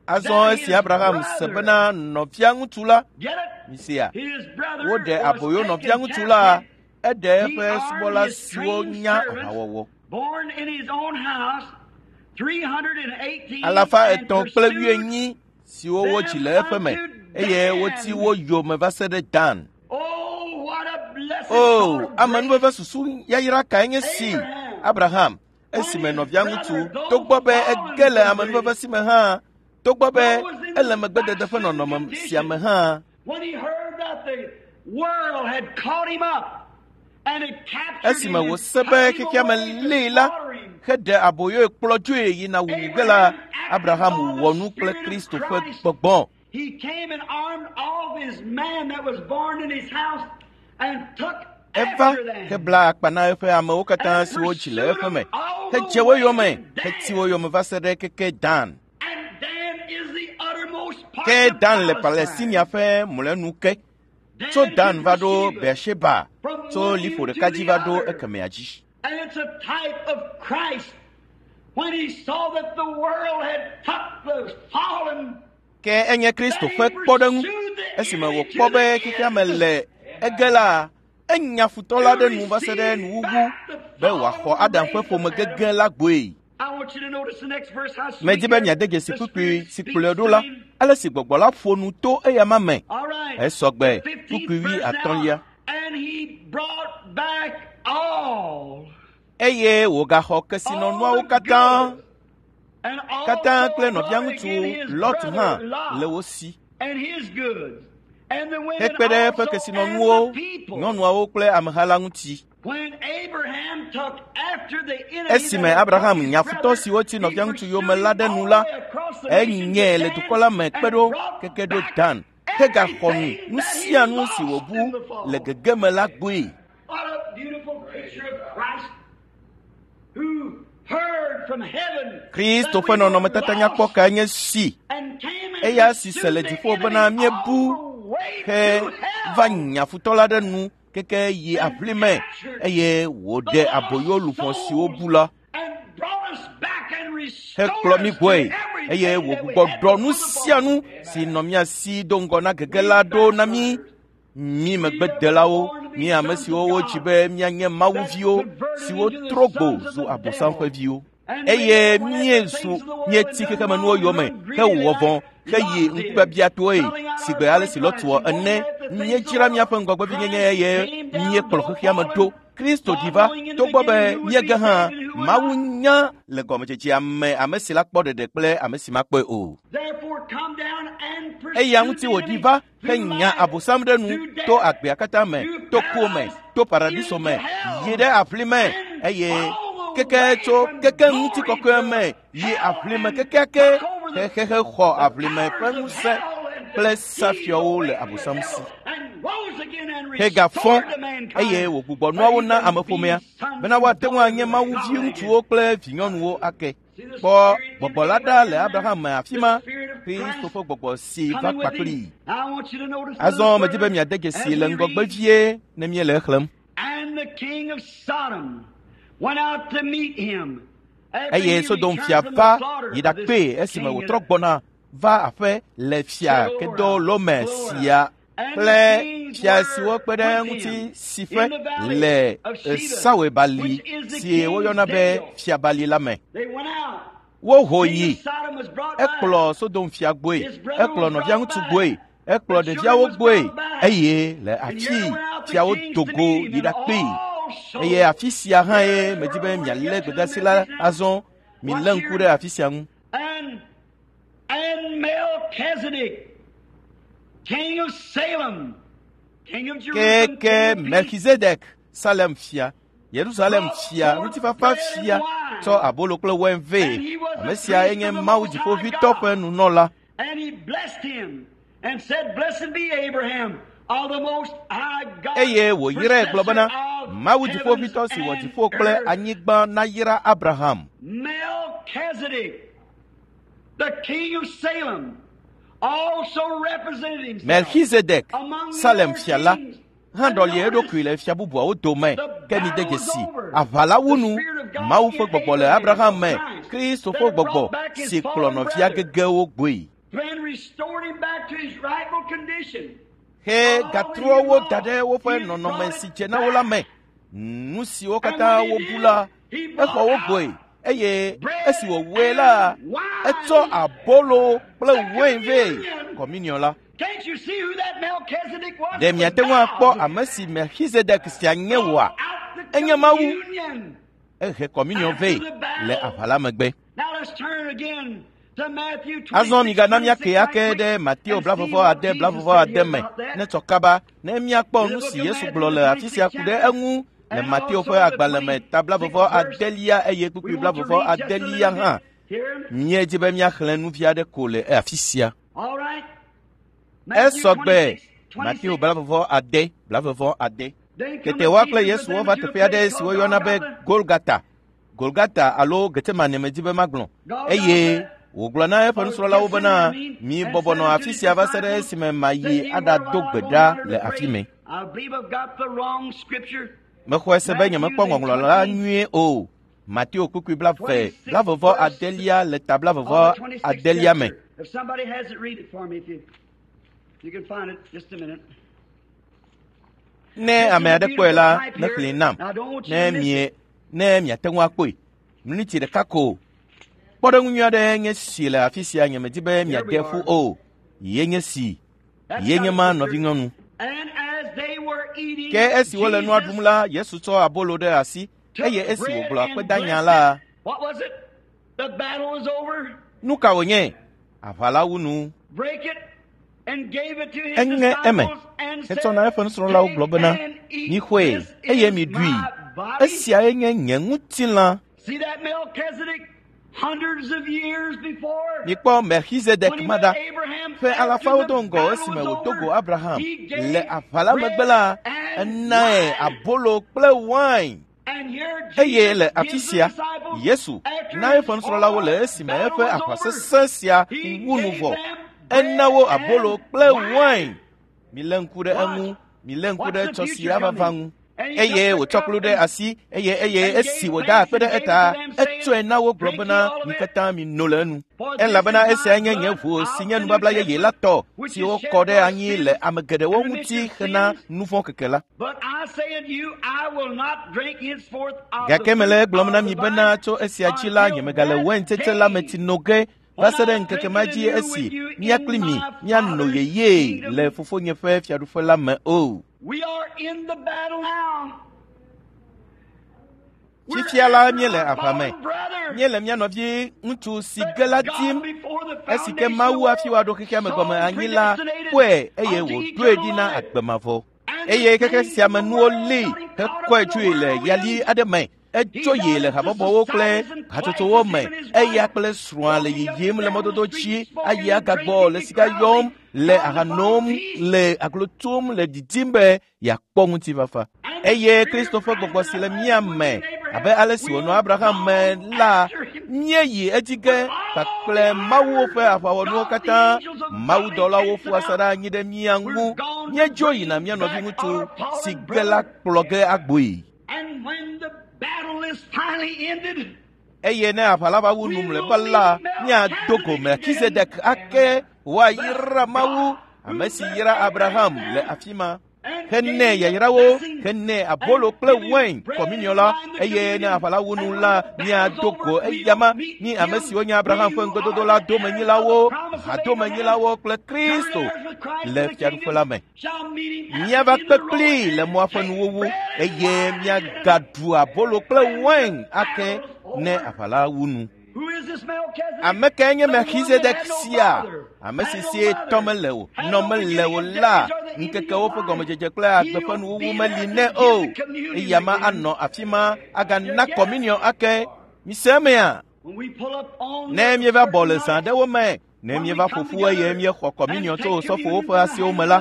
Azɔ esi Abraham se bena nɔvia ŋutsu la, misia, woɖe aboyo nɔvia ŋutsu la, eɖe eƒe subɔla siwo nya aʋawɔwɔ. 324 siwo wodzi le eƒe me eye woti wo yome va se ɖe Dan. O, amenuveve susu yayra kae nye si Abraham esime nɔvia ŋutsu togbɔ be ege le amenuveve si me hã, togbɔ be ele megbedede ƒe nɔnɔme sia me hã. Esime wòse be xexea me lée la, heɖe aboyoe kplɔ dzoe yina wuwu ge la, Abraham wɔ nu kple Kristo ƒe gbɔgbɔ. Eva hebla akpa na eƒe amewo katã siwo dzi le eƒe me, hedze wo yome, heti wo yome va se ɖe keke Dan. Ke Dan le Palestinia ƒe mlɔenu ke. Tso Dan va ɖo Beersheba, tso liƒo ɖeka dzi va ɖo ekemɛa dzi. Ke enye Kristo ƒe kpɔɖeŋu. Esime wòkpɔ be xexea me le ege la, enya futɔ la ɖe nu va se ɖe nuwuwu be wòaxɔ Adam ƒe ƒome gege la gbɔe. Medi be miade dzesi kpukpui si kplɔe ɖo la, ale si gbɔgbɔ la ƒo nu to eyama me. Esɔgbe kpukpui 50. Eye wògaxɔ kesinɔnuawo katã kple nɔvia ŋutsu Lot hã le wo si. Hekpe ɖe eƒe kesinɔnuwo, nyɔnuawo kple ameha la ŋuti. Esime Abraham nya futɔ siwo ti nɔvia ŋutsu yome la ɖe nu la, enyae le dukɔ la me kpe ɖo keke ɖo Dan, hegaxɔ nu sia nu si wòbu le gegeme la gbɔe. Kristo ƒe nɔnɔmetata nyakpɔ kae nye si? Eya si se le dziƒo bena míebu he va nya futɔ la ɖe nu keke yi aʋli me eye wòɖe aboyo luʋɔ siwo bu la hekplɔ mí gbɔe eye wògbugbɔ ɖɔ nu sia nu si nɔ mía si do ŋgɔ na gege la ɖo na mí. Mí megbedelawo, mí ame siwo wodzi be míanye Mawu viwo siwo trɔ gbo zu Abosam ƒe viwo. Eye míezu míeti xexemenuwo yome hewɔ vɔ̃ heyi ŋkubiabiatɔe sigbe ale si Lot wɔ ene. Míedzra míaƒe ŋgɔgbevinyenye eye míekplɔ xexea me ɖo. Kristo ɖi va togbɔ be míege hã, Mawu nya le gɔmedzedzea me ame si la kpɔ ɖeɖe kple ame si makpɔe o. Eya ŋuti wòɖi va henya Abosam ɖe nu to agbea katã me, to ku me, to paradiso me, yi ɖe aʋli me eye keke tso keke ŋutikɔkɔe me yi aʋli me kekeake xexexe xɔ aʋli me ƒe ŋusẽ kple safiawo le Abosam si. Hegafɔ eye wògbugbɔ nuawo na ameƒomea bena woate ŋu anye Mawu viŋutsuwo kple vinyɔnuwo ake. Kpɔ gbɔgbɔ la ɖa le Abraham me afi ma, Kristo ƒe gbɔgbɔ si va kpakplii. Azɔ medi be miade dzesi le ŋgɔgbe vie ne míele exlẽm. Eye Sodom fia va yi ɖakpee esime wòtrɔ gbɔna va aƒe le fia Kedorlaomer sia. Kple fia siwo kpe ɖe eŋuti si ƒe le Sawebali si woyɔna be Fiabali la me. Woho yi. Ekplɔ Sodom fia gbɔe, ekplɔ nɔvia ŋutsu gbɔe, ekplɔ ɖeviawo gbɔe eye le afi fiawo do go yi ɖakpee. Eye afi sia hã ye medi be mialé gbedeasi la azɔ. Milé ŋku ɖe afi sia ŋu. And Melchizedek, king of Salem, king of Jerusalem, Keke king of peace, Melchizedek, Salem fia, Yerusalem fia, ŋutifafa fia, tsɔ abolo kple wain vɛ. Ame sia enye Mawu dziƒoʋĩtɔ ƒe nunɔla. and he blessed him and said, Blessed be Abraham of the Most High God, Eye wòyrae gblɔ bena, possessor of Mawu heavens dziƒoʋĩtɔ si wɔ and dziƒo kple earth. anyigba nayra Abraham. Melchizedek, the king of Salem, also represented himself Melchizedek, among the Salem other fia la, kings. hã ɖɔli eɖokui le fia bubuawo dome. Ke mide dzesi, aʋa la wu nu. Mawu ƒe gbɔgbɔ le Abraham me, Kristo ƒe gbɔgbɔ si kplɔ nɔvia gegewo gbɔe. And restored him back to his rightful condition. He gatrɔ wo da ɖe woƒe nɔnɔme si dze na wo la me. Nu siwo katã wobu la, exɔ wo gbɔe eye esi wòwɔe la, etsɔ abolo kple wain vɛ kɔminiɔ la. Can't you see who that Melchizedek was? Ɖe miate ŋu akpɔ ame si Melchizedek sia nye woa? Out the Enye Mawu. communion. Ehe kɔminiɔ vɛ le aʋa la megbe. Now let's turn again to Matthew 26, Azɔ migana míake ake 26, ɖe Mateo and see blavɔvɔ what ade Jesus blavɔvɔ said ade here me about that. ne tsɔ kaba ne míakpɔ nu si Yesu gblɔ le afi sia ku ɖe eŋu le Mateo ƒe agbalẽ me ta blavɔvɔ adelia eye We kpukpui want to blavɔvɔ read just a adelia little hã. bit here. Míedzi be míaxlẽ nu vi aɖe ko le afi sia. All right. Matthew Esɔ gbe 26, Mateo 26. blavɔvɔ ade blavɔvɔ ade. Then Tete cometh woa kple Jesus Yesu with them wova to a teƒe aɖe place si called woyɔna be Golgotha. Golgata. Golgata alo Getsemane medzi be magblɔ. Eye wògblɔ na eƒe nusrɔ̃lawo bena, mi bɔbɔ nɔ afi sia va se ɖe esime mayi aɖado gbe ɖa le afi mɛ. I believe I've got the wrong scripture. Mexɔe se be nyemekpɔ ŋɔŋlɔ la nyuie o. Mateo kpukpui blaeve, blavɔvɔ adelia le ta blavɔvɔ Of the 26th adelia me. chapter. If somebody has it, read it for me if you, you can find it. Just a minute. Ne ame aɖe kpɔe la, nexlẽe nam. Ne mie, ne miate ŋu akpɔe. Miniti ɖeka ko. Kpɔɖeŋu nyui aɖe nye si le afi sia nyemedi be miade ƒu o. Ye nye si. That's Ye nye got ma it, sister. nɔvinyɔnu. And as they were eating, Ke esi wole nua Jesus ɖum la, Yesu tsɔ abolo ɖe asi took eye esi bread wògblɔ and akpedanya blessed la, it. What was it? The battle was over. nu ka wònye? Aʋa la wu nu. Break it and gave it to his Eŋe eme disciples and hetsɔ said, na eƒe nusrɔ̃lawo gblɔ Take bena, and eat. mixɔe This eye is miɖui. my body. Esiae nye nye ŋutilã. See that Melchizedek hundreds of years before? Mikpɔ Melchizedek When he ma met ɖa. Abraham Ƒe after alafawo the do ŋgɔ battle esime was wòdo go over, Abraham he le gave aʋa la megbe bread la, and enae wine. abolo kple wain. And here Eye Jesus le afi gives the sia, disciples Yesu after na his eƒe nusrɔ̃lawo le all esime battle eƒe was aʋa over, sesẽ sia he wu nu gave vɔ. them Ena wo bread abolo and kple wine. wain. Milé ŋku ɖe Watch. eŋu, milé ŋku Watch ɖe the tsɔ si future ava va coming. ŋu. And he Eye took the wòtsɔ cup kplu ɖe and asi eye eye and esi gave wòda thanks akpe and ɖe gave it eta, to them, saying, etsɔe na wo gblɔ Drink ye bena, all of mi it, katã mino le enu. for this Elabena is esia my nye nye blood ʋu si of nye the New nubabla yeye la Testament, tɔ which si is wokɔ shed ɖe for anyi le sins ame geɖewo and ŋuti remission of hena sins. nu vɔ̃ keke la. But I say unto you, I will not drink henceforth of the Gake mele fruit egblɔm na of mi the bena vine tso esia dzi la until nyemegale that waintsetse la me day tsi no ge va when se ɖe I ŋkeke drink ma it dzi anew esi with you mía in kpli mi my míano Father's yeyee kingdom. le fofonye ƒe fiaɖuƒe la me o. We are in the battle now. We're Fifia la after míele our aʋa me. fallen brother. Míele mía nɔvi ŋutsu si That ge la God dim before the esi ke foundation of Mawu the hafi world wòaɖo xexea me saw gɔme and anyi la predestinated kpɔe eye unto wòɖoe eternal ɖi na life. agbe mavɔ. And the Eye xexe things sia of me the nuwo world lée got him caught up hekɔe in the tsoe le yali whirlwind. aɖe me. He Etso got yi le into habɔbɔwo kple societies and hatsotsowo classes, me. him and his Eya wife, kple srɔ̃a le walking up yiyim and le down the mɔdodo street, dzi, smoking ayi and agagbɔ drinking le and sika yɔm, carousing, le trying to aha find nom, peace. le aglo tom, le didim be yeakpɔ ŋutifafa. And the Eye Spirit Kristo of ƒe Christ gbɔgbɔ in si le us mía was me in Abraham. abe ale si We wònɔ are Abraham me gone la, after him míeyi edzi ge with all kpakple the Mawu iron ƒe of aʋawɔnuwo God, the katã. angels of God Mawudɔlawo encamped ƒu asaɖa about. anyi ɖe mía We're ŋu. gone to Míedzo yina bring mía nɔvi back ŋutsu our si fallen ge la brother. kplɔ ge agboe. And when the battle is finally ended, Eye ne aʋa la va wu nu we mlɔeba will la, meet míado go Melchizedek again. Melchizedek ake Bless wòayra Mawu God. Ame si yra Abraham le afi ma henɛ yayrawo, henɛ abolo kple wain kɔminiɔ la, eye ne aʋa la wu nu la, míado go eyama, mí ame siwo nye Abraham ƒe ŋugbedodo la domenyilawo, hadomenyilawo kple Kristo le fiaɖuƒe la me. Míava kpe kplii le mɔa ƒe nuwuwu eye míagaɖu abolo kple wain ake ne aʋa la wu nu. Ame kae nye Melchizedek sia? Ame si sie tɔ mele o, nɔ mele o la, ŋkekewo ƒe gɔmedzedze kple agbe ƒe nuwuwu meli nɛ o. Eya ma anɔ afi ma agana kɔminiɔ ake. Mise emea? Ne míeva bɔ le zã aɖewo me, ne míeva ƒo ƒu eye míexɔ kɔminiɔ tso osɔfowo ƒe asiwo me la,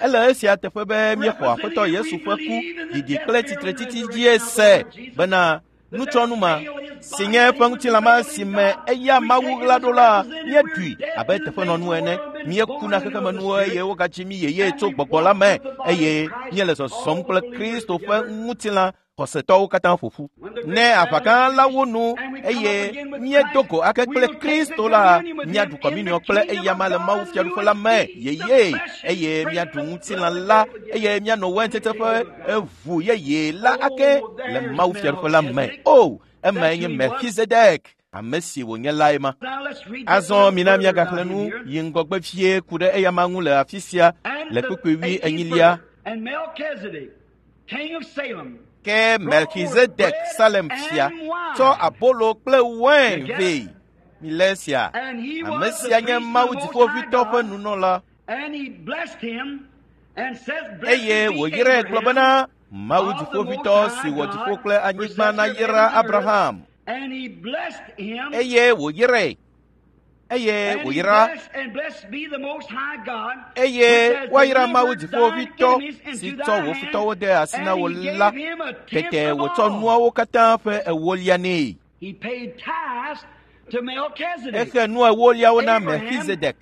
ele esia teƒe be míexɔ Aƒetɔ Yesu ƒe ku, didi kple tsitretsitsi dzie se bena nutsɔnu ma si nye eƒe ŋutilã si me eya Mawu ɣla ɖo la, míeɖui abe teƒenɔnu ene. Míekuna xexemenuwo eye wogadzi mí yeye tso gbɔgbɔ la me eye míele zɔzɔm kple Kristo ƒe ŋutilã xɔsetɔwo katã ƒo ƒu. Ne aʋa gã la wu nu eye míedo go ake kple Kristo la, míaɖu kɔminiɔ kple eyama le Mawu fiaɖuƒe la me yeye eye míaɖu ŋutilã la eye míanɔ waintsetse ƒe eʋu yeye la ake le Mawu fiaɖuƒe la me. O, emae nye Melchizedek, ame si wònye lae ma. Azɔ mina míagaxlẽ nu yi ŋgɔgbe vie ku ɖe eyama ŋu le afi sia le kpukpui 24. Ke Melchizedek Salem fia tsɔ abolo kple wain vɛ. Milé esia. Ame sia nye Mawu Dziƒoʋĩtɔ ƒe nunɔla. Eye wòyrae gblɔ bena, Mawu Dziƒoʋĩtɔ si wɔ dziƒo kple anyigba nayra Abraham. Eye wòyrae. Eye wòyra. Eye woayra Mawu Dziƒoʋĩtɔ si tsɔ wò futɔwo de asi na wò la. Tete wòtsɔ nuawo katã ƒe ewolia nɛ. Exe nu ewoliawo na Melchizedek.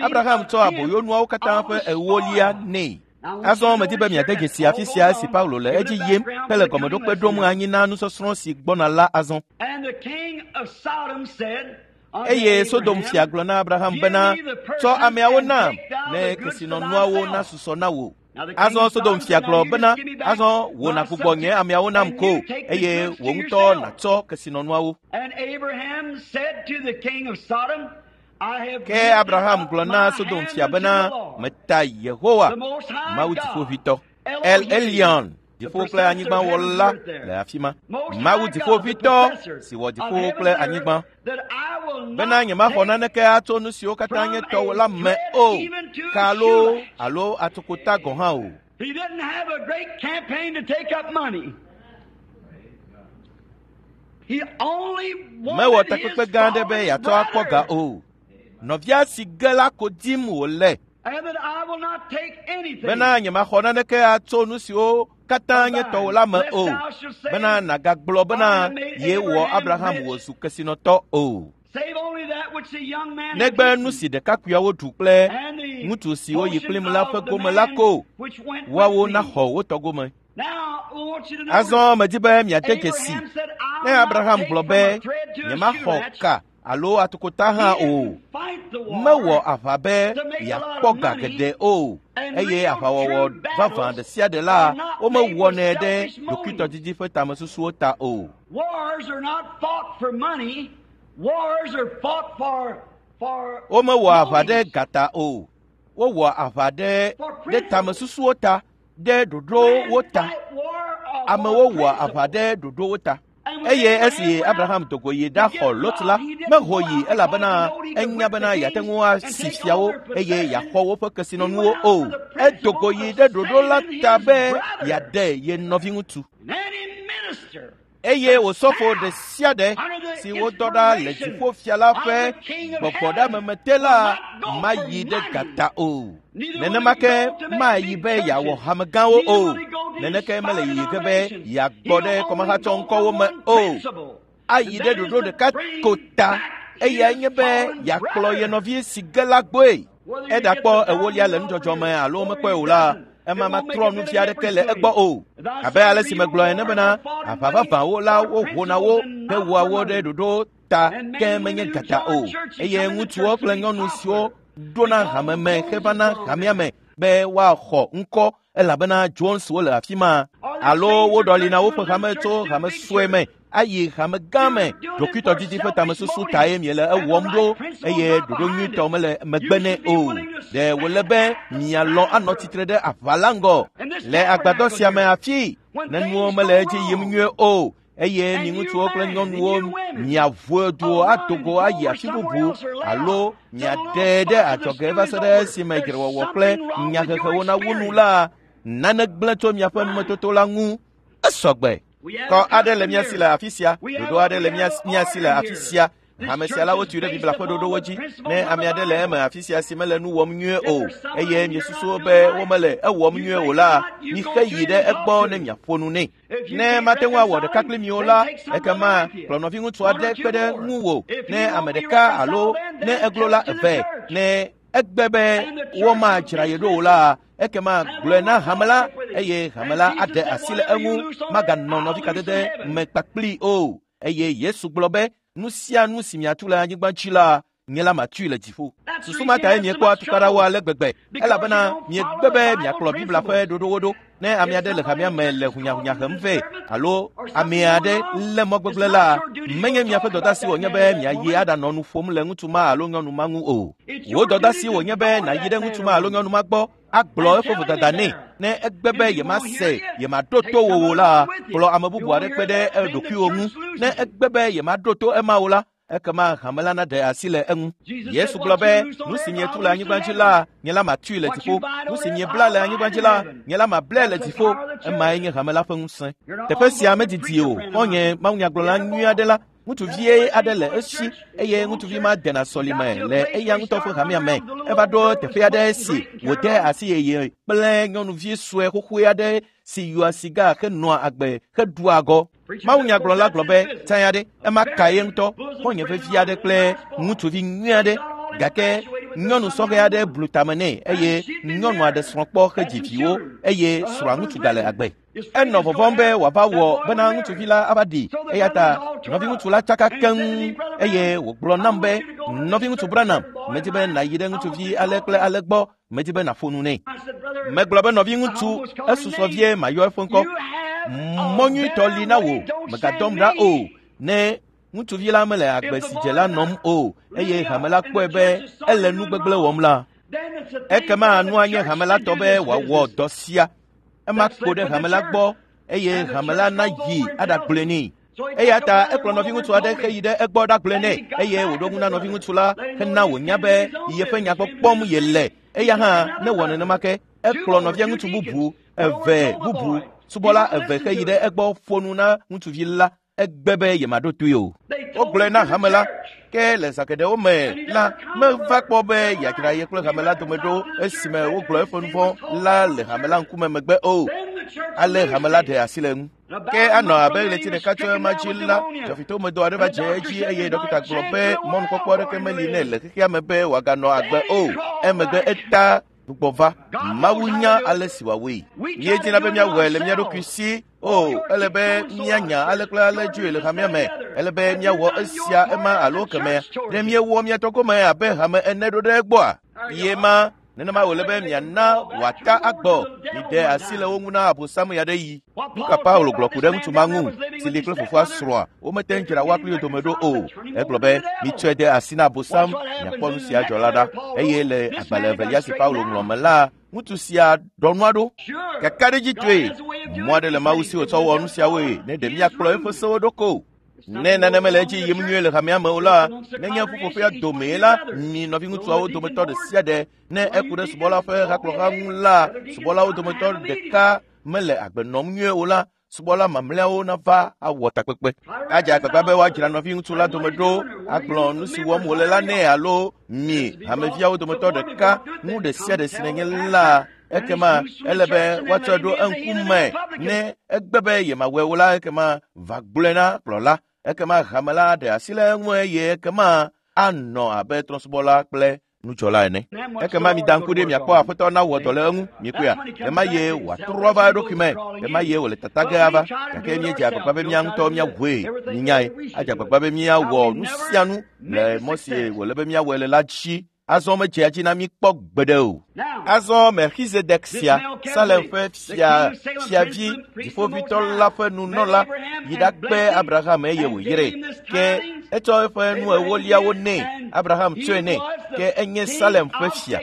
Abraham tsɔ aboyonuawo katã ƒe ewolia nɛ. Azɔ medi be miade dzesi afi sia esi Paulo le edzi yim hele gɔmeɖokpe ɖom anyi na nusɔsrɔ̃ si gbɔna la azɔ. Eye Sodom fia gblɔ na Abraham bena, tsɔ ameawo nam ne kesinɔnuawo nasusɔ na wò. Azɔ Sodom fia gblɔ bena, azɔ wò nàgbugbɔ nye ameawo nam ko eye wò ŋutɔ nàtsɔ kesinɔnuawo. Ke Abraham gblɔ na Sodom fia bena, meta Yehowa, Mawu Dziƒoʋĩtɔ, El Elyon, dziƒo kple anyigba wɔla le afi ma. Mawu Dziƒoʋĩtɔ si wɔ dziƒowo kple anyigba bena nyemaxɔ naneke atso nu siwo katã nye tɔwò la me o, ka loo alo atukota gɔ̃ hã o. Mewɔ takpekpe gã aɖe be yeatsɔ akpɔ ga o. Nɔvia si ge la ko dim wòle. Bena nyemaxɔ naneke atso nu siwo katã nye tɔwò la me o, bena nàgagblɔ bena yewɔ Abraham wòzu kesinɔtɔ o. Negbe nu si ɖekakpuiawo ɖu kple ŋutsu siwo yi kplim la ƒe gome la ko, woawo naxɔ wo tɔ gome. Azɔ medi be miade dzesi ne Abraham gblɔ be nyemaxɔ ka alo atukota hã o. Mewɔ aʋa be yeakpɔ ga geɖe o, eye aʋawɔwɔ vavã ɖe sia ɖe la womewɔnɛ ɖe ɖokuitɔdidi ƒe tamesusuwo ta o. Womewɔ aʋa ɖe ga ta o. Wowɔ aʋa ɖe tamesusuwo ta, ɖe ɖoɖowo ta. Amewo wɔ aʋa ɖe ɖoɖowo ta. Eye esi Abraham do go yi ɖaxɔ Lot la, meho yi elabena enya bena yeate ŋu asi fiawo eye yeaxɔ woƒe kesinɔnuwo o. Edo go yi ɖe ɖoɖo la ta be yeaɖe ye nɔviŋutsu. Eye osɔfo ɖe sia ɖe si wodɔ ɖa le dziƒofia la ƒe gbɔgbɔɖeameme te la mayi ɖe gata o. Nenema ke mayi be yeawɔ hamegãwo o. Neneke mele yiyi ge be yeagbɔ ɖe kɔmahatsɔŋkɔwo me o. Ayi ɖe ɖoɖo ɖeka ko ta, eyae nye be yeakplɔ ye nɔvi si ge la gbɔe. Eɖakpɔ ewolia le nudzɔdzɔ me alo mekpɔe o la, ema matrɔ nu vi aɖeke le egbɔ o. Abe ale si megblɔ ene bena, aʋa vavãwo la wohona wo hewɔa wo ɖe ɖoɖo ta ke menye gata o. Eye ŋutsuwo kple nyɔnu siwo ɖona hame me hevana hamea me be woaxɔ ŋkɔ elabena Joneswo le afi ma alo woɖɔlina woƒe hame tso hame sue me ayi hame gã me. Ɖokuitɔdidi ƒe tamesusu tae miele ewɔm ɖo eye ɖoɖo nyuitɔ mele megbe nɛ o. Ɖe wòle be mialɔ̃ anɔ tsitre ɖe aʋa la ŋgɔ le agbadɔ sia me afi ne nuwo mele edzi yim nyuie o eye mi ŋutsuwo kple nyɔnuwo miaʋu duwo ado go ayi afi bubu alo miaɖe ɖe adzɔge va se ɖe esime dzrewɔwɔ kple nyahehewo nawu nu la, nane gblẽ tso miaƒe numetoto la ŋu. Esɔgbe. Kɔ aɖe le mía si le afi sia, ɖoɖo aɖe le mía si le afi sia. Hame sia la wotui ɖe Biblia ƒe ɖoɖowo dzi. Ne ame aɖe le eme afi sia si mele nu wɔm nyuie o eye miesusu be womele ewɔm nyuie o la, mixe yi ɖe egbɔ ne miaƒo nu nɛ. Ne mate ŋu awɔ ɖeka kpli mi o la, ekema kplɔ nɔviŋutsu aɖe kpe ɖe ŋuwò ne ame ɖeka alo ne eglo la eve. Ne egbe be womadzra ye ɖo o la, ekema gblɔe na hame la eye hame la aɖe asi le eŋu maganɔ nɔvikadede me kpakpli o. Eye Yesu gblɔ be nu sia nu si miatu le anyigba dzi la, nye la matui le dziƒo. Susu ma tae miekpɔa tukaɖawo ale gbegbe elabena miegbe be miakplɔ Biblia ƒe ɖoɖowo ɖo. Ne ame aɖe le hamea me le hunyahunya hem vɛ alo ame aɖe lé mɔ gbegblẽ la, menye miaƒe dɔdasi wònye be miayi aɖanɔ nu ƒom le ŋutsu ma alo nyɔnu ma ŋu o. Wò dɔdasi wònye be nàyi ɖe ŋutsu ma alo nyɔnu ma gbɔ agblɔ eƒe vodada nɛ. Ne egbe be yemase yemaɖo to wò o la, kplɔ ame bubu aɖe kpe ɖe eɖokuiwò ŋu. Ne egbe be yemaɖo to ema o la, ekema hame la naɖe asi le eŋu. Yesu gblɔ be nu si mietu le anyigba dzi la, nye la matui le dziƒo. Nu si miebla le anyigba dzi la, nye la mablae le dziƒo. Emae nye hame la ƒe ŋusẽ. Teƒe sia medidi o. Xɔ̃nye mawunyagblɔla nyui aɖe la, ŋutsuvi aɖe le esi eye ŋutsuvi ma dena sɔlime le eya ŋutɔ ƒe hamea me. Eva ɖo teƒe aɖe si wòde asi yeye kple nyɔnuvi sue xoxoe aɖe si yɔa siga henɔa agbe heɖua agɔ. Mawunyagblɔla gblɔ be tsã aɖe ema ka ye ŋutɔ xɔ̃nye vevi aɖe kple ŋutsuvi nyui aɖe gake nyɔnu sɔhɛ aɖe blu tame nɛ eye nyɔnu aɖe srɔ̃ kpɔ hedzi viwo eye srɔ̃a ŋutsu gale agbe. Enɔ vɔvɔ̃m be wòava wɔ bena ŋutsuvi la ava ɖi eya ta nɔviŋutsu la tsaka keŋ eye wògblɔ nam be nɔviŋutsu Branham, medi be nàyi ɖe ŋutsuvi ale kple ale gbɔ, medi be nàƒo nu nɛ. Megblɔ be nɔviŋutsu, esusɔ vie mayɔ eƒe ŋkɔ. Mɔ nyuitɔ li na wò, mègadɔm ɖa o. Ne ŋutsuvi la mele agbe si dze la nɔm o eye hame la kpɔe be ele nu gbegblẽ wɔm la, ekema nua nye hame la tɔ be wòawɔ dɔ sia. Ema kpo ɖe hame la gbɔ eye hame la nayi aɖagblɔe nɛ. Eya ta ekplɔ nɔviŋutsu aɖe heyi ɖe egbɔ ɖagblɔe nɛ eye wòɖo ŋu na nɔviŋutsu la hena wònya be yeƒe nya gbɔ kpɔm yele. Eya hã newɔ nenema ke. Ekplɔ nɔvia ŋutsu bubu eve bubu subɔla eve heyi ɖe egbɔ ƒo nu na ŋutsuvi la. Egbe be yemaɖo toe o. Wogblɔe na hame la ke le zã geɖewo me la meva kpɔ be yeadzra ye kple hame la dome ɖo esime wogblɔ eƒe nu vɔ̃ la le hame la ŋkume megbe o. Ale hame la ɖe asi le eŋu. Ke anɔ abe ɣleti ɖeka tso ema dzi la, dzɔfitomedɔ aɖe va dze edzi eye ɖɔkita gblɔ be mɔnukpɔkpɔ aɖeke meli nɛ le xexea me be wòaganɔ agbe o. Emegbe eta gbugbɔ va. Mawu nya ale si wòawɔe. Míedina be míawɔe le mía ɖokui si. O, ele be míanya ale kple ale dzoe le hamea me. Ele be míawɔ esia ema alo kemea. Ɖe míewɔ mía tɔ gome abe hame ene ɖo ɖe egbɔa? Ye ma nenema wòle be miana wòata agbɔ. Miɖe asi le wo ŋu na Abosam ya ɖe yi. Nu ka Paulo gblɔ ku ɖe ŋutsu ma ŋu si li kple fofoa srɔ̃a womete ŋu dzra woa kpli wo dome ɖo o. Egblɔ be mitsɔe de asi na Abosam miakpɔ nu sia dzɔ la ɖa. Eye le agbalẽ evelia si Paulo ŋlɔ me la, ŋutsu sia ɖɔ nua ɖo. Kakaɖedzitɔe, mɔ aɖe le Mawu si wòtsɔ wɔ nu siawoe ne ɖe míakplɔ eƒe sewo ɖo ko. Ne nane mele edzi yim nyuie le hamea me o la, nenye ƒuƒoƒea domee la, mi nɔviŋutsuawo dometɔ ɖe sia ɖe ne eku ɖe subɔla ƒe hakplɔha ŋu la, subɔlawo dometɔ ɖeka mele agbe nɔm nyuie o la, subɔla mamlɛawo nava awɔ takpekpe. Adze agbagba be woadzra nɔviŋutsu la dome ɖo agblɔ nu si wɔm wòle la nɛ alo mi hameviawo dometɔ ɖeka nu ɖe sia ɖe si nenye la, ekema ele be woatsɔe ɖo eŋkume. Ne egbe be yemawɔe o la, ekema va gblɔe na kplɔla. Ekema hame la aɖe asi le eŋu eye ekema anɔ abe trɔ̃subɔla kple nudzɔla ene. Ekema mida ŋku ɖe miakpɔ aƒetɔ nawɔ dɔ le eŋu. Mikpɔea, ɣema ye wòatrɔ va eɖokui me, ɣema ye wòle tata ge ava. Gake míedze agbagba be mía ŋutɔ míawɔe. Minyae, adze agbagba be míawɔ nu sia nu le mɔ si wòle be míawɔe le la dzi. Azɔ medzea dzi na mí kpɔ gbeɖe o. Azɔ Melchizedek sia, Salem ƒe fia fiavi dziƒoʋĩtɔ la ƒe nunɔla, yi ɖakpe Abraham eye wòyrae. Ke etsɔ eƒe nu ewoliawo nɛ. Abraham tsɔe nɛ. Ke enye Salem ƒe fia.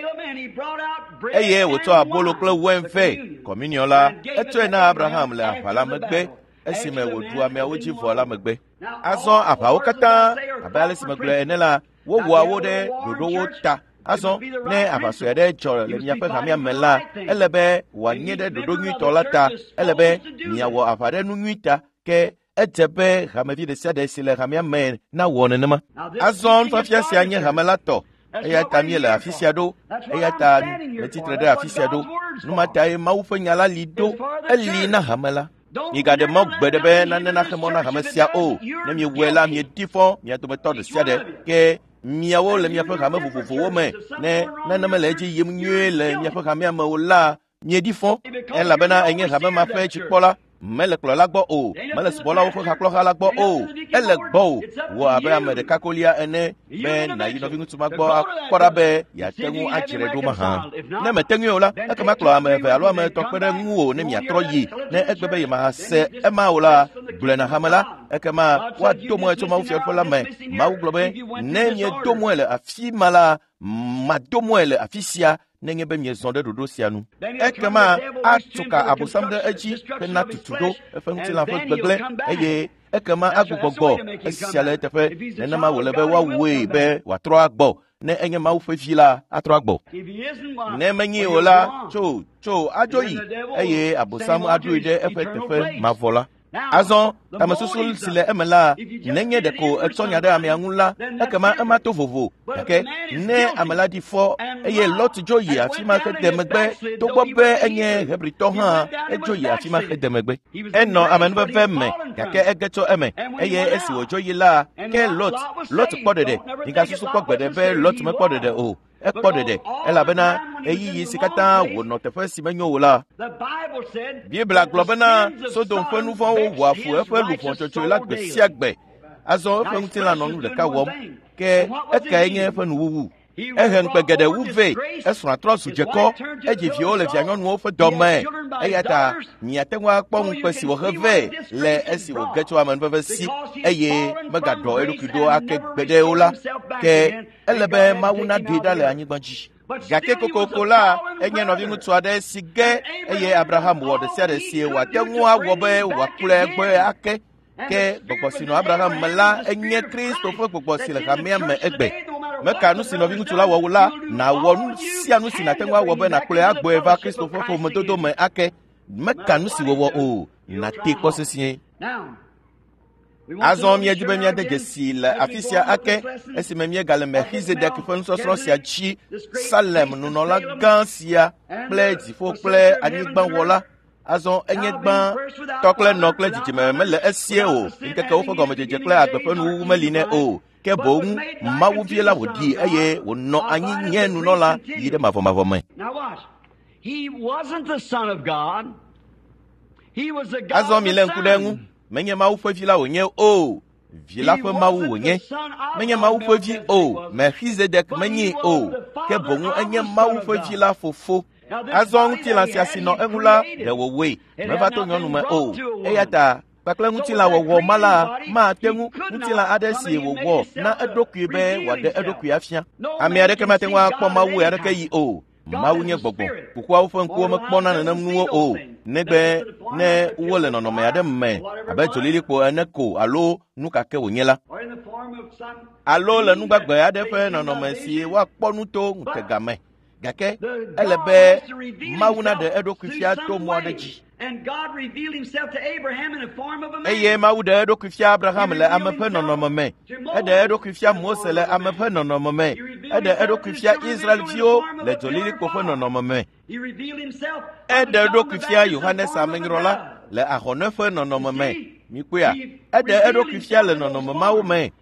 Eye wòtsɔ abolo kple wain vɛ, kɔminiɔ la, etsɔe na Abraham le aʋa la megbe esime wòɖu ameawo dzi vɔ la megbe. Azɔ aʋawo katã, abe ale si megblɔe ene la, wowɔa wo ɖe ɖoɖowo ta. Azɔ ne aʋa sue aɖe dzɔ le miaƒe hamea me la, ele be wòanye ɖe ɖoɖo nyuitɔ la ta. Ele be miawɔ aʋa ɖe nu nyui ta. Ke edze be hamevi ɖe sia ɖe si le hamea me nawɔ nenema. Azɔ nufiafia sia nye hame la tɔ. Eya ta míele afi sia ɖo. Eya ta metsitre ɖe afi sia ɖo. Nu ma tae Mawu ƒe nya la li ɖo. Eli na hame la. Migaɖe mɔ gbe ɖe be nane naxe mɔ na hame sia o. Ne miewɔe la, mieɖi fɔ mia dometɔ ɖe sia ɖe. Ke miawo le miaƒe hame vovovowo me, ne nane mele edzi yim nyuie le miaƒe hamea me o la, mieɖi fɔ elabena enye hame ma ƒe dzikpɔla. Mele kplɔla gbɔ o, mele subɔlawo ƒe hakplɔha la gbɔ o, ele gbɔ o. Wɔ abe ame ɖeka kolia ene be nàyi nɔviŋutsu ma gbɔ akpɔ ɖa be yeate ŋu adzrae ɖo mahã. Ne mète ŋui o la, ekema kplɔ ame eve alo ame etɔ̃ kpe ɖe ŋuwò ne miatrɔ yi. Ne egbe be yemahase ema o la, gblɔe na hame la, ekema woado mɔe tso Mawu fiaɖuƒe la me. Mawu gblɔ be, ne miedo mɔe le afi ma la, mado mɔe le afi sia nenye be miezɔ ɖe ɖoɖo sia nu. Ekema atso ka Abosam ɖe edzi hena tutu ɖo eƒe ŋutilã ƒe gbegblẽ eye ekema agbugbɔ esia le eteƒe. Nenema wòle be woawɔe be wòatrɔ agbɔ. Ne enye Mawu ƒe vi la, atrɔ agbɔ. Ne menyi o la, tso tso adzo yi eye Abosam aɖoe ɖe eƒe teƒe mavɔ la. Azɔ tamesusu si le eme la, nenye ɖeko etsɔ nya ɖe amea ŋu la, ekema ema to vovo. Gake ne ame la ɖi fɔ eye Lot dzo yi afi ma hede megbe, togbɔ be enye Hebritɔ hã, edzo yi afi ma hede megbe. Enɔ amenuveve me, gake ege tso eme. Eye esi wòdzo yi la, ke Lot kpɔ ɖeɖe. Migasusu kpɔ gbeɖe be Lot mekpɔ ɖeɖe o. Ekpɔ ɖeɖe elabena ɣeyiɣi si katã wònɔ teƒe si menyo o la. Biblia gblɔ bena Sodom ƒe nu vɔ̃wo wɔa fu eƒe luʋɔ dzɔdzɔe la gbe sia gbe. Azɔ eƒe ŋutilã nɔ nu ɖeka wɔm. Ke ekae nye eƒe nuwuwu? Ehe ŋukpe geɖe wu vɛ. Esrɔ̃a trɔ zu dzekɔ. Edzi viwo le vianyɔnuwo ƒe dɔme. Eya ta miate ŋu akpɔ ŋukpe si wòhe vɛ le esi wòge tso amenuveve si eye megaɖɔ eɖokui ɖo ake gbeɖe o la. Ke ele be Mawu naɖoe ɖa le anyigba dzi. Gake kokoko la, enye nɔviŋutsu aɖe si ge eye Abraham wɔ ɖe sia ɖe si wòate ŋu awɔ be wòakplɔe gbɔe ake. Ke gbɔgbɔ si nɔ Abraham me la enye Kristo ƒe gbɔgbɔ si le hamea me egbe. Meka nu si nɔviŋutsu la wɔ o la, nàwɔ nu sia nu si nàte ŋu awɔ be nàkplɔe agbɔe va Kristo ƒe ƒomedodo me ake. Meka nu si wòwɔ o, nàtee kpɔ sesĩe. Azɔ míedi be míade dzesi le afi sia ake esime míegale Melchizedek ƒe nusɔsrɔ̃ sia dzi. Salem nunɔla gã sia kple dziƒo kple anyigbawɔla. Azɔ enye gbã tɔ kple nɔ kple dzidzime mele esie o. Ŋkekewo ƒe gɔmedzedze kple agbe ƒe nuwuwu meli nɛ o. Ke boŋ Mawu vie la wòɖi eye wònɔ anyi nye nunɔla yi ɖe mavɔmavɔ me. Azɔ milé ŋku ɖe eŋu. Menye Mawu ƒe vi la wònye o. Vi la ƒe Mawu wònye. Menye Mawu ƒe vi o. Melchizedek menyee o. Ke boŋ enye Mawu ƒe vi la fofo. Azɔ ŋutilã sia si nɔ eŋu la ɖe wòwɔe. Meva to nyɔnu me o. Eya ta kpakple ŋutilã wɔwɔ ma la mate ŋu ŋutilã aɖe si wòwɔ na eɖokui be wòaɖe eɖokui afia. Ame aɖeke mate ŋu akpɔ Mawu aɖeke yi o. Mawu nye gbɔgbɔ. Kukuawo ƒe ŋkuwo mekpɔna nenem nuwo o, negbe ne wole nɔnɔme aɖe me abe dzolilikpo ene ko alo nu ka ke wònye la, alo le nugbagbe aɖe ƒe nɔnɔme si woakpɔ nu to ŋutega me. Gake ele be Mawu naɖe eɖokui fia to mɔ aɖe dzi. Eye Mawu ɖe eɖokui fia Abraham le ame ƒe nɔnɔme me. Eɖe eɖokui fia Mose le ame ƒe nɔnɔme me. Eɖe eɖokui fia Israelviwo le dzolilikpo ƒe nɔnɔme me. Eɖe eɖokui fia Yohanes Amenyrɔla le ahɔne ƒe nɔnɔme me. Mikpɔea? Eɖe eɖokui fia le nɔnɔme mawo me.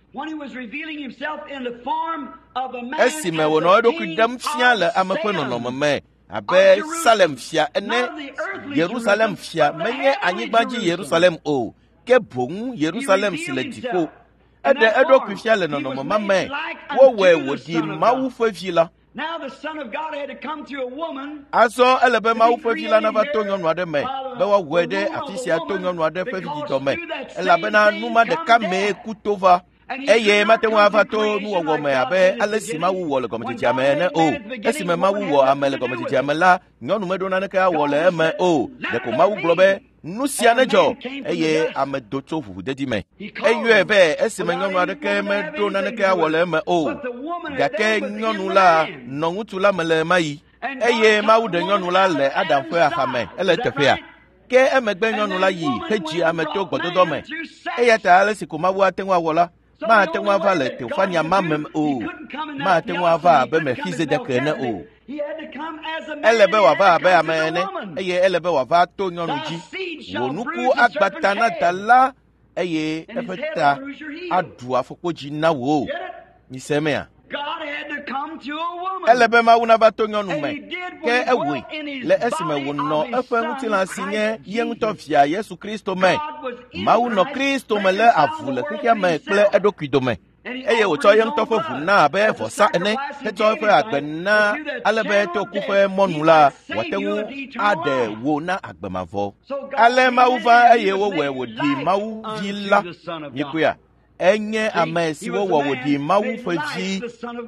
Esime wònɔ eɖokui ɖem fia le ame ƒe nɔnɔme me abe Salem fia ene, Yerusalem fia menye anyigba dzi Yerusalem o, ke boŋ Yerusalem si le dziƒo. Eɖe eɖokui fia le nɔnɔme ma me. Wowɔe wòɖi Mawu ƒe vi la. Azɔ ele be Mawu ƒe vi la nava to nyɔnu aɖe me be woawɔe ɖe afi sia to nyɔnu aɖe ƒe vidzidɔ me elabena nu ma ɖeka mee ku to va. Eye mate ŋu ava to nuwɔwɔ me abe ale si Mawu wɔ le gɔmedzedzea me ene o. Esime Mawu wɔ ame le gɔmedzedzea me la, nyɔnu meɖo naneke awɔ le eme o. Ɖeko Mawu gblɔ be nu sia nedzɔ eye ame do tso ʋuʋudedi me. Eyɔe be esime nyɔnu aɖeke meɖo naneke awɔ le eme o. Gake nyɔnu la nɔ ŋutsu la me le ɣemaɣi. Eye Mawu ɖe nyɔnu la le Adam ƒe axame. Ele eteƒea? Ke emegbe nyɔnu la yi hedzi ame to gbɔdɔdɔ me. Eya ta ale si ko Mawu ate ŋu awɔ la, mate ŋu ava le Teofania ma me o. Mate ŋu ava abe Melchizedek ene o. Ele be wòava abe ame ene eye ele be wòava to nyɔnu dzi. Wò nuku agba ta na da la eye eƒe ta aɖu afɔkpodzi na wò. Mise emea? Ele be Mawu nava to nyɔnu me, ke ewɔe le esime wònɔ eƒe ŋutilã si nye ye ŋutɔ via Yesu Kristo me. Mawu nɔ Kristo me lé avu le xexea me kple eɖokui dome. Eye wòtsɔ ye ŋutɔ ƒe ʋu na abe vɔsa ene hetsɔ eƒe agbe na ale be to ku ƒe mɔnu la wòate ŋu aɖe wò na agbe mavɔ. Ale Mawu va eye wowɔe wòɖi Mawu vi la. Mikpɔea? Enye ame si wowɔ wòɖi Mawu ƒe vi.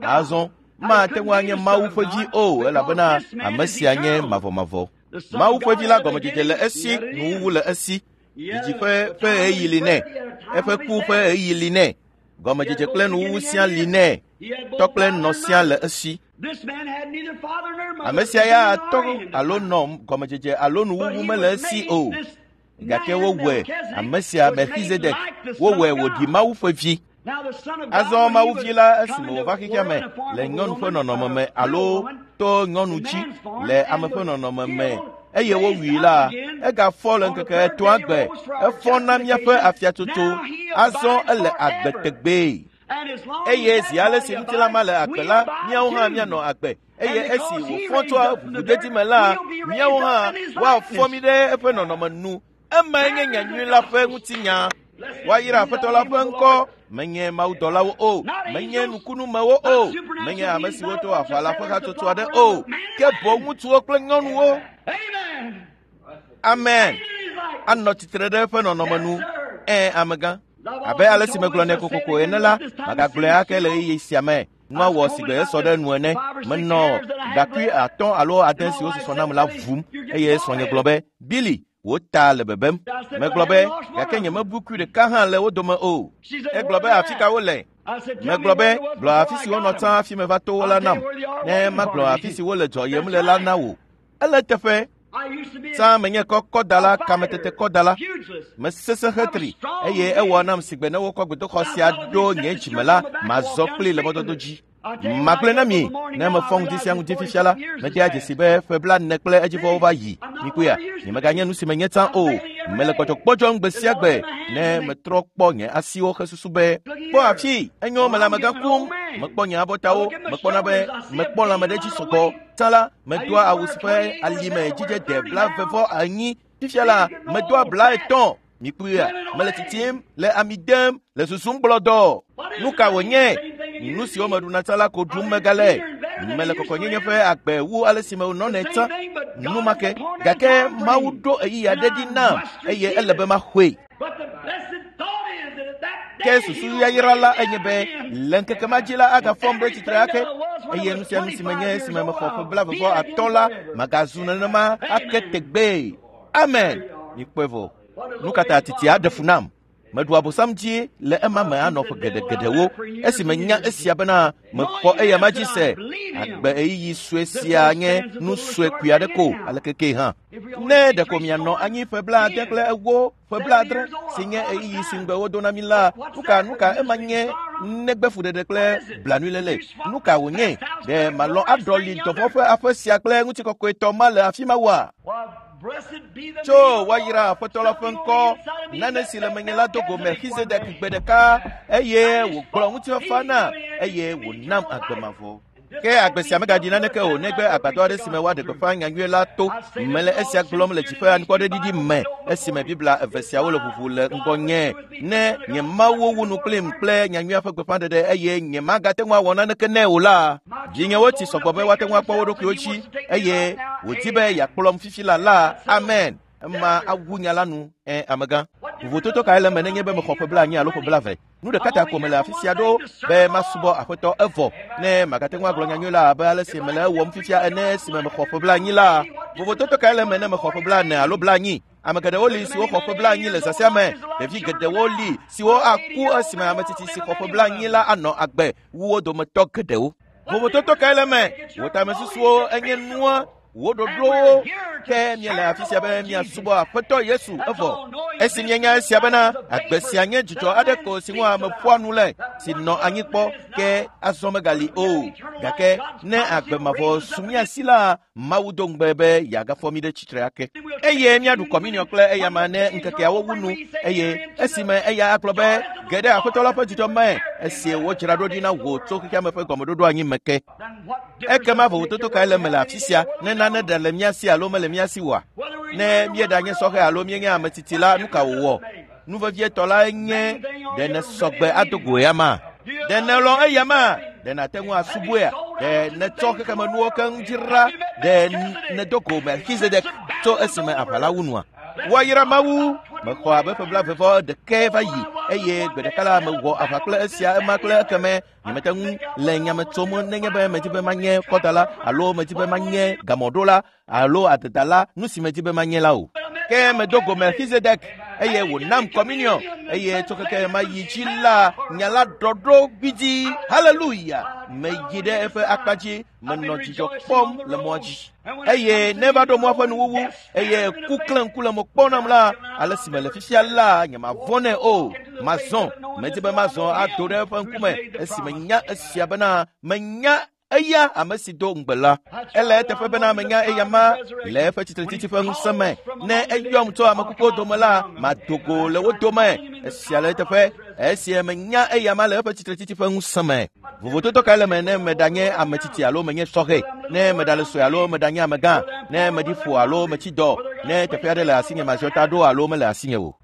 Azɔ mate ŋu anye Mawu ƒe vi o elabena ame sia nye mavɔmavɔ. Mawu ƒe vi la gɔmedzedze le esi, nuwuwu le esi. Dzidzi ƒe ɣeyiɣi li nɛ, eƒe ku ƒe ɣeyiɣi li nɛ. Gɔmedzedze kple nuwuwu sia li nɛ. Tɔ kple nɔ sia le esi. Ame sia ya tɔ alo nɔ gɔmedzedze alo nuwuwu mele esi o. Gake wowɔe ame sia Melchizedek wowɔe wòɖi Mawu ƒe vi. Azɔ Mawu vi la esime wòva xexea me le nyɔnu ƒe nɔnɔme me alo to nyɔnu dzi le ame ƒe nɔnɔme me eye wowui la, egafɔ le ŋkeke etɔ̃a gbe. Efɔ na míaƒe afiatsotso. Azɔ ele agbe tegbee. Eye zi ale si ŋutilã ma le agbe la, míawo hã míanɔ agbe. Eye esi wòfɔ tso ʋuʋudedi me la, míawo hã woafɔ mí ɖe eƒe nɔnɔme nu. Emae nye nyanyui la ƒe ŋutinya. Woayra Aƒetɔ la ƒe ŋkɔ. Menye mawudɔlawo o, menye nukunumewo o, menye ame siwo to aʋa la ƒe hatsotso aɖe o, ke boŋ ŋutsuwo kple nyɔnuwo. Amen. Anɔ tsitre ɖe eƒe nɔnɔme nu. Ẽ, amegã. Abe ale si megblɔ nɛ kokoko ene la, magagblɔe ake le ɣeyiɣi sia me. Nua wɔ sigbe esɔ ɖe nu ene. Menɔ ɖakui 5 alo 6 siwo susɔ nam la vum eye srɔ̃nye gblɔ be, Billy, wò ta le bebem. Megblɔ be, gake nyemebu kui ɖeka hã le wo dome o. Egblɔ be afi ka wole? Megblɔ be, gblɔ afi si wonɔ tsã hafi meva to wo la nam. Ne magblɔ afi si wole dzɔyem le la na wò. Ele teƒe. Tsã menye kɔkɔdala, kametetekɔdala. Mesesẽ hetri eye ewɔ nam sigbe ne wokɔ gbedoxɔ sia ɖo nye dzime la, mazɔ kpli le mɔdodo dzi. Magblɔe na mi, ne mefɔ ŋdi sia ŋdi fifia la, medea dzesi be ƒe 40 kple edzivɔwo va yi. Mikpɔea, nyemeganye nu si menye tsã o. Mele gbɔdzɔgbɔdzɔm gbe sia gbe ne metrɔ kpɔ nye asiwo hesusu be, kpɔ afi, enyo mele amegã kum. Mekpɔ nye abɔtawo, mekpɔna be mekpɔ lãme ɖe dzi sɔgbɔ. Tsã la, medoa awu si ƒe alime dzidze de 40+. Fifia la, medoa 30. Mikpɔea, mele tsitsim, le ami dem, le susum gblɔdɔ. Nu ka wònye? Nu siwo meɖuna tsã la ko ɖum megale. Mele kɔkɔnyenye ƒe agbe wu ale si menɔnɛ tsã. Nu ma ke. Gake Mawu ɖo ɣeyiɣi aɖe ɖi nam eye ele be maxɔe. Ke susu yayra la enye be le ŋkeke ma dzi la agafɔm ɖe tsitre ake eye nu sia nu si menye esime mexɔ ƒe 40+, la magazu nenema ake tegbee. Amen. Mikpɔe vɔ. Nu ka ta titia ɖe fu nam? Meɖu abosam dzi le ema me anɔ ƒe geɖegeɖewo esime nya esia bena mexɔ eya ma dzi se. Agbe ɣeyiɣi sue sia nye nu sue kui aɖe ko aleke ke hã. Ne ɖeko mianɔ anyi ƒe 84, ƒe 70 si nye ɣeyiɣi si ŋugbe wodo na mi la, nuka ema nye negbe fuɖeɖe kple blanuiléle? Nu ka wònye? Ɖe malɔ̃ aɖɔli dɔvɔ̃ ƒe aƒe sia kple ŋutikɔkɔetɔ ma le afi ma woa? Tso woayra Aƒetɔ la ƒe ŋkɔ. Nane si le menye la do go Melchizedek gbe ɖeka eye wògblɔ ŋutifafa na eye wònam agbe mavɔ. Ke agbe sia megaɖi naneke o negbe agbadɔ aɖe si me woaɖe gbeƒã nyanyui la to. Mele esia gblɔm le dziƒo anukwaɖeɖiɖi me esime Biblia eve siawo le ʋuʋu le ŋgɔnye. Ne nye Mawu wu nu kplim kple nyanyuia ƒe gbeƒãɖeɖe eye nyemagate ŋu awɔ naneke nɛ o la, vinyewo tsi sɔgbɔ be woate ŋu akpɔ wo ɖokuiwo dzi eye wòdi be yeakplɔm fifi la la. Amen. Ema awu nya la nu. Ẽ, amegã. Vovototo kae le eme nenye be mexɔ ƒe blaenyi alo ƒe blaeve? Nu ɖeka ta ko mele afi sia ɖo be masubɔ Aƒetɔ evɔ ne magate ŋu agblɔ nyanyui la abe ale si mele ewɔm fifia ene esime mexɔ ƒe blaenyi la. Vovototo kae le eme ne mexɔ ƒe blaene alo blaenyi? Ame geɖewo li siwo xɔ ƒe blaenyi le zã sia me. Ɖevi geɖewo li siwo aku esime ame tsitsi si xɔ ƒe blaenyi la anɔ agbe wu wo dometɔ geɖewo. Vovototo kae le eme? Wò tamesusuwo enye nua wò ɖoɖowo ke míele afi sia be míasubɔ Aƒetɔ Yesu evɔ. Esi míenya esia bena agbe sia nye dzidzɔ aɖe ko si ŋu ame ƒoa nu le si nɔ anyi kpɔ ke azɔ megali o. Gake ne agbe mavɔ su mía si la, Mawu do ŋugbe be yeagafɔ mí ɖe tsitre ake. Eye míaɖu kɔminiɔ kple eyama ne ŋkekeawo wu nu eye esime eya agblɔ be ge ɖe Aƒetɔ la ƒe dzidzɔ me esi wodzra ɖo ɖi na wò tso xexeame ƒe gɔmeɖoɖo anyi me ke. Ekema vovototo kae le eme le afi sia ne nane ɖe le mía si alo mele mía si oa? Ne míeɖanye sɔhɛ alo míenye ame tsitsi la, nu ka wòwɔ? Nu vevietɔ lae nye ɖe nèsɔgbe ado go eyama? Ɖe nèlɔ̃ eyama? Ɖe nàte ŋu asubɔea? Ɖe nètsɔ xexemenuwo keŋ dzra? Ɖe nèdo go Melchizedek tso esime aʋa la wu nua? Woayra Mawu! Mexɔ abe ƒe blaeve vɔ ɖekɛ va yi eye gbe ɖeka la mewɔ aʋa kple esia ema kple ekeme. Nyemete ŋu le nyame tsom nenye be medi be manye kɔdala alo medi be manye gamɔɖola alo adedala, nu si medi be manye la o. Ke medo go Melchizedek eye wònam kɔminiɔ eye tso keke mayi dzi la, nya la ɖɔɖo gbidzi. Haleluya! Meyi ɖe eƒe akpa dzi, menɔ dzidzɔ kpɔm le mɔa dzi. Eye ne va ɖo mɔa ƒe nuwuwu eye ku klẽ ŋku le mo kpɔm nam la, ale si mele fifia la, nyemavɔ̃ nɛ o. Mazɔ, medi be mazɔ ado ɖe eƒe ŋkume esi menya esia bena menya eya ame si do ŋugbe la. Ele eteƒe bena menya eya ma le eƒe tsitretsitsi ƒe ŋusẽ me. Ne eyɔm tso ame kukuwo dome la, mado go le wo dome. Esia le eteƒe esi menya eya ma le eƒe tsitretsitsi ƒe ŋusẽ me. Vovototo kae le eme ne meɖanye ame tsitsi alo menye sɔhɛ, ne meɖale sue alo meɖanye amegã, ne meɖi ƒo alo metsi dɔ, ne teƒe aɖe le asinye maziɔ ta ɖo alo mele asinye o.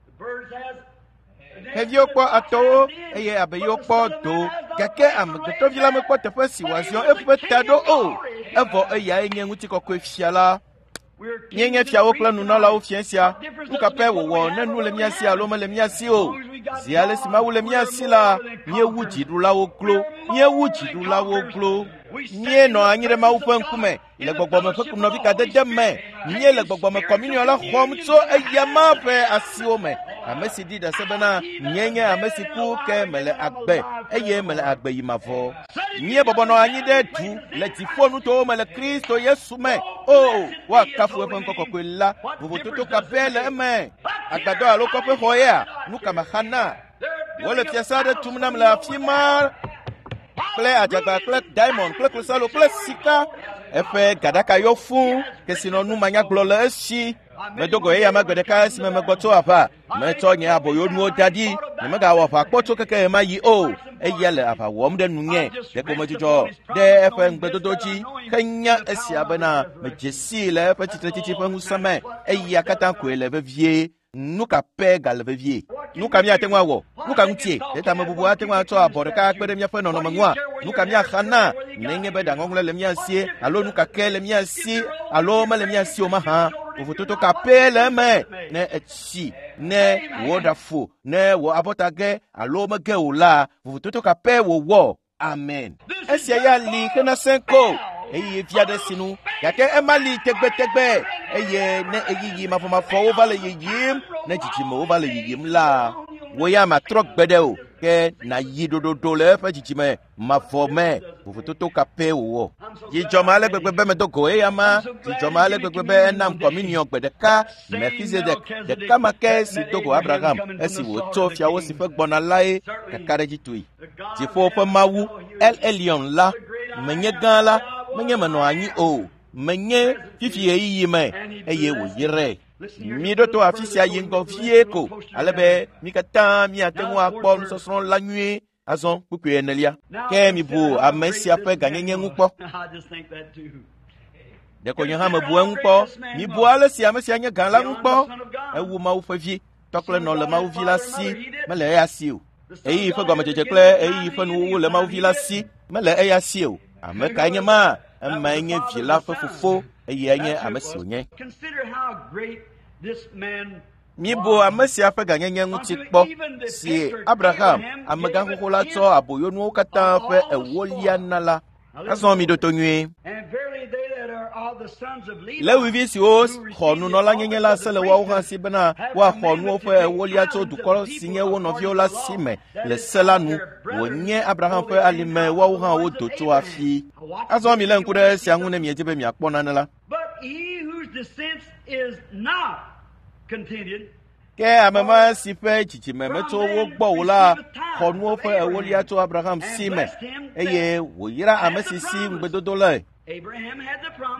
Xeviwo kpɔ atɔwo eye abeyiwo kpɔ do, gake amegbetɔvi la mekpɔ teƒe si wòaziɔ eƒe ta ɖo o. Evɔ eyae nye ŋutikɔkɔe fia la. Míenye fiawo kple nunɔlawo fia sia. Nu ka pɛ wòwɔ ne nu le mía si alo mele mía si o? Zi ale si Mawu le mía si la, míewu dziɖulawo glo. Míewu dziɖulawo glo. Míenɔ anyi ɖe Mawu ƒe ŋkume le gbɔgbɔme ƒe nɔvikadede me. Míele gbɔgbɔme kɔminiɔ la xɔm tso eyama ƒe asiwo me. Ame si ɖi ɖase bena nyee nye ame si ku ke mele agbe eye mele agbe yi mavɔ. Míebɔbɔ nɔ anyi ɖe du le dziƒonutowo me le Kristo Yesu me. O, woakafu eƒe ŋkɔ kɔkɔe la. Vovototo ka pɛ le eme? Agbadɔ alo kɔƒe xɔ yea? Nu ka mexa na? Wole fiasa aɖe tum nam le afi ma kple adzagba kple diamond kple klosalo kple sika. Eƒe gaɖaka yɔ fũ, kesinɔnu manyagblɔ le esi. Medo go eya ma gbe ɖeka esime megbɔ tso aʋa. Metsɔ nye aboyonuwo da ɖi. Nyemegawɔ aʋa kpɔ tso keke ɣe ma ɣi o. Eya le aʋa wɔm ɖe nunye. Ɖeko medzudzɔ ɖe eƒe ŋugbedodo dzi henya esia bena medze sii le eƒe tsitretsitsi ƒe ŋusẽ me. Eya katã koe le vevie. Nu ka pɛ gale vevie? Nu ka míate ŋu awɔ? Nu ka ŋutie? Ɖe tamebubu ate ŋu atsɔ abɔ ɖeka akpe ɖe míaƒe nɔnɔme ŋua? Nu ka míaxa na nenye be ɖaŋɔŋlɔe le mía sie alo nu ka ke le mía si alo mele mía si o mahã? Vovototo ka pɛ le eme ne etsi, ne wò ɖa fu, ne wò abɔta ge alo mege o la, vovototo ka pɛ wòwɔ? Amen. Esia ya li hena sẽ ko eye vi aɖe sinu gake ema li tegbetegbe eye ne ɣeyiɣi mafɔmafɔwo va le yiyim, ne dzidzimewo va le yiyim la, wò ya matrɔ gbe ɖe o ke nàyi ɖoɖoɖo le eƒe dzidzime mavɔ me. Vovototo ka pɛ wòwɔ? Dzidzɔ ma ale gbegbe be medo go eya ma. Dzidzɔ ma ale gbegbe be enam kɔminiɔ gbe ɖeka Melchizedek ɖeka ma ke si do go Abraham esi wòtso fiawo si ƒe gbɔna lae kakaɖedzitɔe. Dziƒo ƒe Mawu El Elyon la, menye gã la, menye menɔ anyi o, menye fifi ɣeyiɣi me eye wòyrae. Míɖo to afi sia yi ŋgɔ vie ko ale be mí katã míate ŋu akpɔ nusɔsrɔ̃ la nyuie. Azɔ kpukpui enelia. Ke mibu ame sia ƒe gãnyenye ŋu kpɔ. Ɖeko nye hã mebu eŋu kpɔ. Mibu ale si ame sia nye gã la ŋu kpɔ. Ewu Mawu ƒe vi. Tɔ kple nɔ le Mawu vi la si, mele eya si o. Ɣeyiɣi ƒe gɔmedzedze kple ɣeyiɣi ƒe nuwuwu le Mawu vi la si, mele eya si o. Ame kae nye ma? Emae nye vi la ƒe fofo, eyae nye ame si wònye. Mibu ame sia ƒe gãnyenye ŋuti kpɔ, si Abraham, amegã xoxo la tsɔ aboyonuwo katã ƒe ewolia na la. Azɔ miɖo to nyuie. Lewi siwo xɔ nunɔlanyenye la se le woawo hã si bena woaxɔ nuwo ƒe ewolia tso dukɔ si nye wo nɔviwo la si me le se la nu. Wònye Abraham ƒe alime woawo hã wodo tso hafi. Azɔ milé ŋku ɖe esia ŋu ne miedi be miakpɔ nane la. Ke ame ma si ƒe dzidzime metso wo gbɔ o la xɔ nuwo ƒe ewolia tso Abraham si me eye wòyra ame si si ŋugbedodo le.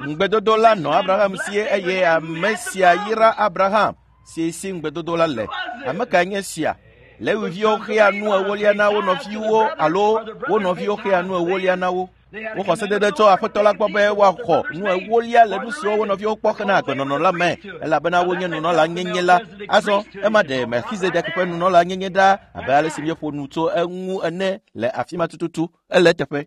Ŋugbedodo la nɔ Abraham si eye ame sia yra Abraham si si ŋugbedodo la le. Ame kae nye sia? Lewiviwo xea nu ewolia na wo nɔviwo alo wo nɔviwo xea nu ewolia na wo. Woxɔ sedede tso Aƒetɔ la gbɔ be woaxɔ nu ewolia le nu siwo wo nɔviwo kpɔ hena agbenɔnɔ la me, elabena wonye nunɔlanyenye la. Azɔ ema ɖe Melchizedek ƒe nunɔlanyenye ɖa abe ale si míeƒo nu tso eŋu ene le afi ma tututu. Ele eteƒe.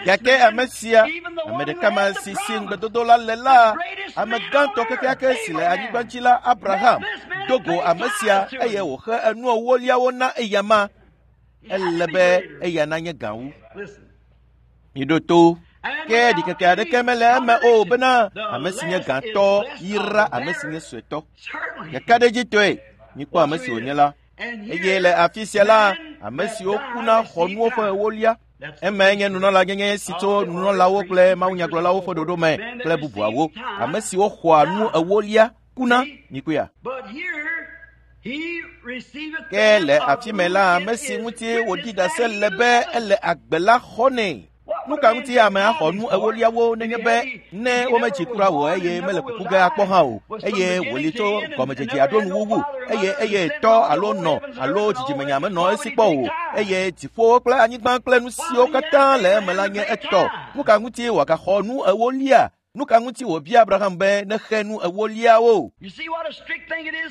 Gake ame sia, ame ɖeka ma si si ŋugbedodo la le la, ame gãtɔ kekeake si le anyigba dzi la, Abraham, do go ame sia eye wòxe enu ewoliawo na eyama. Ele be eya nanye gã wu. Miɖo to. Ke ɖikeke aɖeke mele eme o bena ame si nye gãtɔ yra ame si nye suetɔ. Ɖekaɖedzitɔe mikpɔ ame si wònye la. Eye le afi sia la, ame siwo kuna xɔ nuwo ƒe ewolia. Emae nye nunɔlanyenye si tso nunɔlawo kple mawunyagblɔlawo ƒe ɖoɖo me kple bubuawo. Ame siwo xɔa nu ewolia kuna mikpɔea. Ke le afi me la, ame si ŋuti wòɖi ɖase le be ele agbe la xɔnɛ. Nu ka ŋuti ame axɔ nu ewoliawo nenye be ne womedzi kura o eye mele kuku ge akpɔ hã o eye wòli tso gɔmedzedze aɖo nuwuwu eye eye tɔ alo nɔ alo dzidzimenya menɔ esi kpɔ o eye dziƒowo kple anyigba kple nu siwo katã le eme la nye etɔ. Nu ka ŋuti wòagaxɔ nu ewolia? Nu ka ŋuti wòbia Abraham be nexe nu ewoliawo?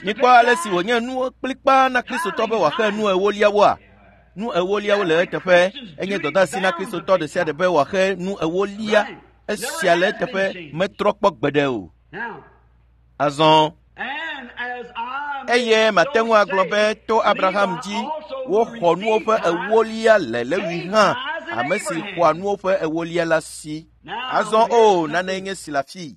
Mikpɔ ale si wònye nu kplikpaa na Kristotɔ be wòaxe nu ewoliawoa? Nu ewoliawo le eteƒe. Enye dɔdeasi na Kristotɔ ɖe sia ɖe be wòaxe nu ewolia. Esia le eteƒe metrɔ kpɔ gbeɖe o. Azɔ eye mate ŋu agblɔ be to Abraham dzi woxɔ nuwo ƒe ewolia le Lewi hã, ame si xɔa nuwo ƒe ewolia la si. Azɔ o nane nye si le afii.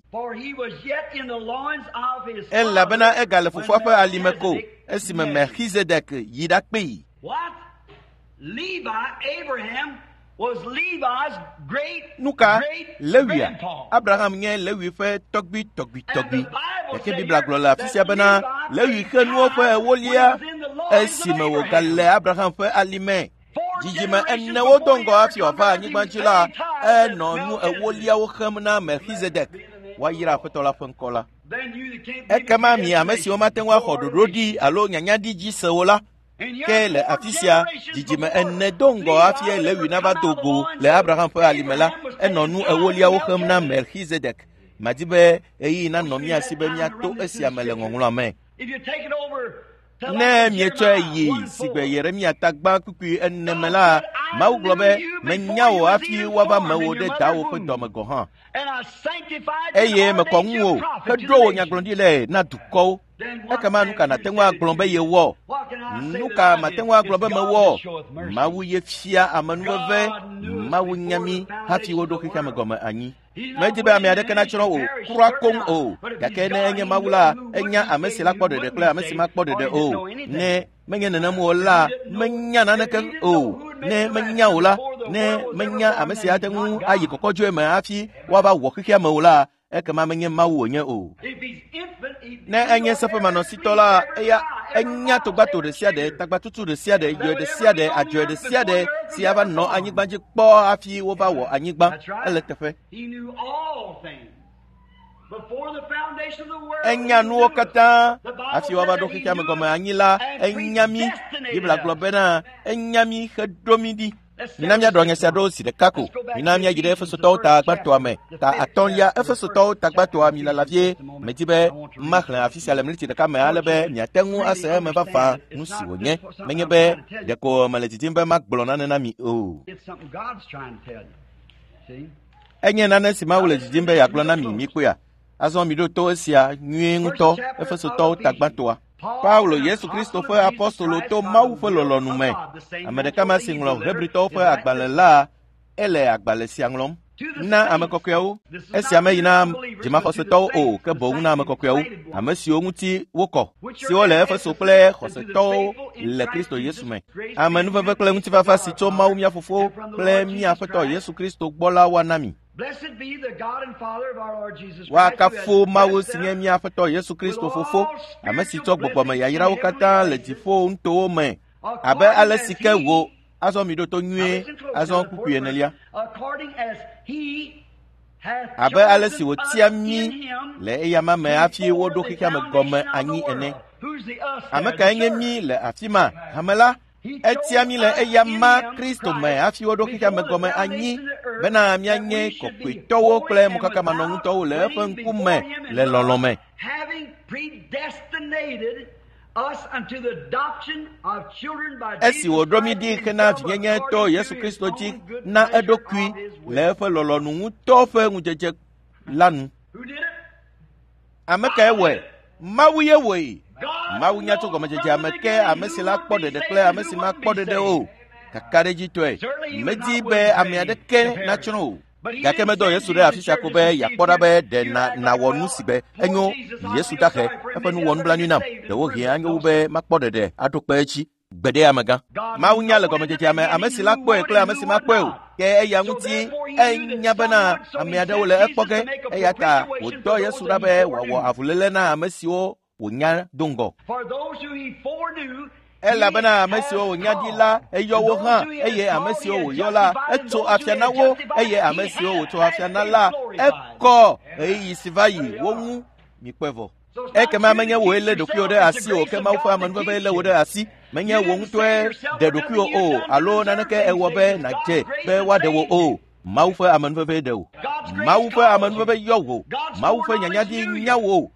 Elabena egale fofoa ƒe alime ko esime Melchizedek yi ɖakpee. Nu ka? Lewia. Abraham nye Lewi ƒe tɔgbui tɔgbui tɔgbui. Gake Biblia gblɔ le afi sia bena Lewi xe nuwo ƒe ewolia esime wògale Abraham ƒe alime. Dzidzime enewo do ŋgɔ hafi wòava anyigba dzi la, enɔ nu ewoliawo xem na Melchizedek. Woayra Aƒetɔ la ƒe ŋkɔ la. Ekema mi ame siwo mate ŋu axɔ ɖoɖo ɖi alo nyanya ɖi dzi se o la, ke le afi sia dzidzime ene do ŋgɔ hafi Lewi nava do go le Abraham ƒe alime la, enɔ nu ewoliawo xem na Melchizedek. Madi be ɣeyiɣi nanɔ mía si be míato esia me le ŋɔŋlɔa me. Ne mietsɔe yi sigbe Yeremia tagba kpukpui ene me la, Mawu gblɔ be menya wò hafi woava mewò ɖe dawò ƒe dɔme gɔ̃ hã. Eye mekɔ ŋuwò heɖo wò nyagblɔɖi le na dukɔwo. Ekema nu ka nàte ŋu agblɔ be yewɔ? Nu ka mate ŋu agblɔ be mewɔ? Mawu ye fia amenuveve, Mawu nya mí hafi woɖo xexea me gɔme anyi. Medi be ame aɖeke natsrɔ̃ o, kura koŋ o. Gake ne enye Mawu la, enya ame si la kpɔ ɖeɖe kple ame si makpɔ ɖeɖe o. Ne menye nenem o la, menya naneke o. Ne menya o la, ne menya ame si ate ŋu ayi kɔkɔdzoe me hafi woava wɔ xexea me o la, ekema menye Mawu wònye o. Ne enye seƒemanɔsitɔ la, eya enya togbato ɖe sia ɖe, tagbatutu ɖe sia ɖe, yɔe ɖe sia ɖe, adzɔe ɖe sia ɖe si ava nɔ anyigba dzi kpɔ hafi wova wɔ anyigba. Ele teƒe. Enya nuwo katã hafi woava ɖo xexea me gɔme anyi la, enya mí. Biblia gblɔ bena enya mí heɖo mí ɖi. Mina míaɖɔ nya sia ɖo zi ɖeka ko. Mina míayi ɖe Efesotɔwo ta gbãtɔa me. Ta atɔ̃lia Efesotɔwo ta gbãtɔa mi lala vie. Medi be maxlẽ afi sia le miniti ɖeka me ale be miate ŋu ase eme vavã nu si wònye. Menye be ɖeko mele didim be magblɔ nane na mi o. Enye nane si Mawu le didim be yeagblɔ na mi mikpɔea. Azɔ miɖo to esia nyuie ŋutɔ Efesotɔwo ta gbãtɔa. Paulo Yesu Kristo ƒe apɔstolo to Mawu ƒe lɔlɔ̃nu me. Ame ɖeka ma si ŋlɔ Hebritɔwo ƒe agbalẽ la, ele agbalẽ sia ŋlɔm na ame kɔkɔeawo. Esia meyi na dzimaxɔsetɔwo o, ke boŋ na ame kɔkɔeawo, ame siwo ŋuti wokɔ, siwo le Efeso kple xɔsetɔwo le Kristo Yesu me. Amenuveve kple ŋutifafa si tso Mawu mía Fofo kple mía Aƒetɔ Yesu Kristo gbɔ la woana mi. Woakafu Mawu si nye mía Aƒetɔ Yesu Kristo Fofo, ame si tsɔ gbɔgbɔme yayrawo katã le dziƒo nutowo me, abe ale si ke wò azɔ mi ɖo to nyuie azɔ kpukpui enelia. Abe ale si wòtia mí le eyama me hafi woɖo xexea me gɔme anyi ene. Ame kae nye mí le afi ma? Hame la? Etia mí le eyama Kristo me hafi woɖo xexea me gɔme anyi bena míanye kɔkɔetɔwo kple mokakamanɔŋutɔwo le eƒe ŋkume le lɔlɔ̃ me. Esi wòɖo mí ɖi hena vinyenye to Yesu Kristo dzi na eɖokui le eƒe lɔlɔ̃nu ŋutɔ ƒe ŋudzedze la nu. Ame kae wɔe? Mawu ye wɔe. Mawu nya tso gɔmedzedzea me ke ame si la kpɔ ɖeɖe kple ame si makpɔ ɖeɖe o. Kakaɖedzitɔe, medi be ame aɖeke natsrɔ̃ o. Gake medɔ Yesu ɖe afi sia ko be yeakpɔ ɖa be ɖe na nawɔ nu si be enyo. Yesu dahe eƒe nu wɔ nublanui nam. Ɖewohĩ anyo wu be makpɔ ɖeɖe aɖo kpe edzi. Gbeɖe amegã. Mawu nya le gɔmedzedzea me ame si la kpɔe kple ame si makpɔe o. Ke eya ŋuti enya bena ame aɖewo le ekpɔ ge eya ta wòdɔ Yesu ɖa be wòawɔ avuléle na ame siwo wònya do ŋgɔ. Elabena ame siwo wònya ɖi la, eyɔ wo hã, eye ame siwo wòyɔ la, etso afia na wo, eye ame siwo wòtso afia na la, ekɔ ɣeyiɣi si va yi wo ŋu. Mikpɔe vɔ. Ekema menye wòe lé ɖokuiwò ɖe asi o, ke Mawu ƒe amenuveve lé wò ɖe asi. Menye wò ŋutɔe ɖe ɖokuiwò o, alo naneke ewɔ be nàdze be woaɖe wò o. Mawu ƒe amenuveve ɖe wò. Mawu ƒe amenuveve yɔ wò. Mawu ƒe nyanyaɖi nya wò.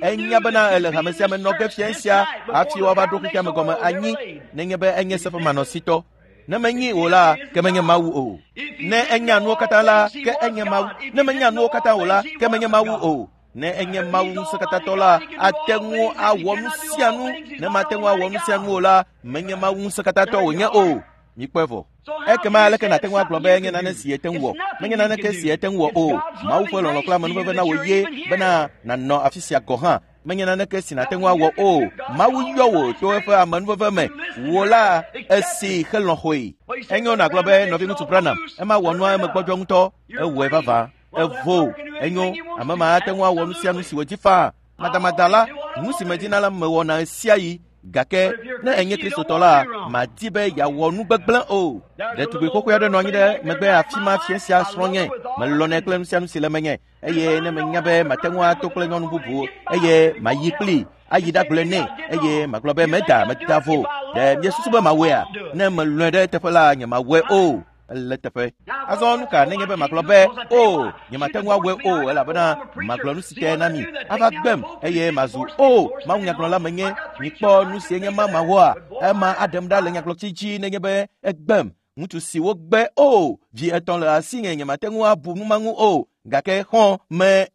Enya bena ele hame sia me nɔ ge fia sia hafi woava ɖo xexea me gɔme anyi nenye be enye seƒemanɔsitɔ. Ne menyi o la, ke menye Mawu o. Ne enya nuwo katã la, ke enye Mawu. Ne menya nuwo katã o la, ke menye Mawu o. Ne enye Mawu ŋusẽkatãtɔ la, ate ŋu awɔ nu sia nu. Ne mate ŋu awɔ nu sia nu o la, menye Mawu ŋusẽkatãtɔ wònye o. Mikpɔe vɔ. Ekema aleke nàte ŋu agblɔ be enye nane si yete ŋu wɔ? Menye naneke si yete ŋu wɔ o. Mawu ƒe lɔlɔ̃ kple amenuveve na wò ye bena nànɔ afi sia gɔ̃ hã. Menye naneke si nàte ŋu awɔ o. Mawu yɔ wò to eƒe amenuveve me. Wò la, esi helɔ̃ xɔe. Enyo nàgblɔ be nɔviŋutsu Branham, ema wɔ nua eme gbɔdzɔ ŋutɔ. Ewɔe vavã. Evo. Enyo, ame ma ate ŋu awɔ nu sia nu si wòdi faa. Madamada la, nu si medina la mewɔna ɣesiaɣi. Gake ne enye Kristotɔ la, madi be yeawɔ nu gbegblẽ o. Ɖetugbi xoxoe aɖe nɔ anyi ɖe megbe afi ma fia sia srɔ̃nye. Melɔ̃nɛ kple nu sia nu si le menye eye ne menya be mate ŋu ato kple nyɔnu bubu eye mayi kplii ayi ɖagblɔe nɛ eye magblɔ be meda meda vo. Ɖe miesusu be mawɔea? Ne melɔ̃e ɖe eteƒe la, nyemawɔe o. Ele teƒe. Azɔ nu ka nenye be magblɔ be, o, nyemate ŋu awɔe o, elabena magblɔ nu si te na mi. Ava gbem eye mazu, o, Mawu nyagblɔla menye. Mikpɔ nu si enye ma mawɔa? Ema aɖem ɖa le nyagblɔtsi dzi nenye be egbem. Ŋutsu si wogbe, o, vi etɔ̃ le asinye, nyemate ŋu abu nu ma ŋu o. Gake xɔ me.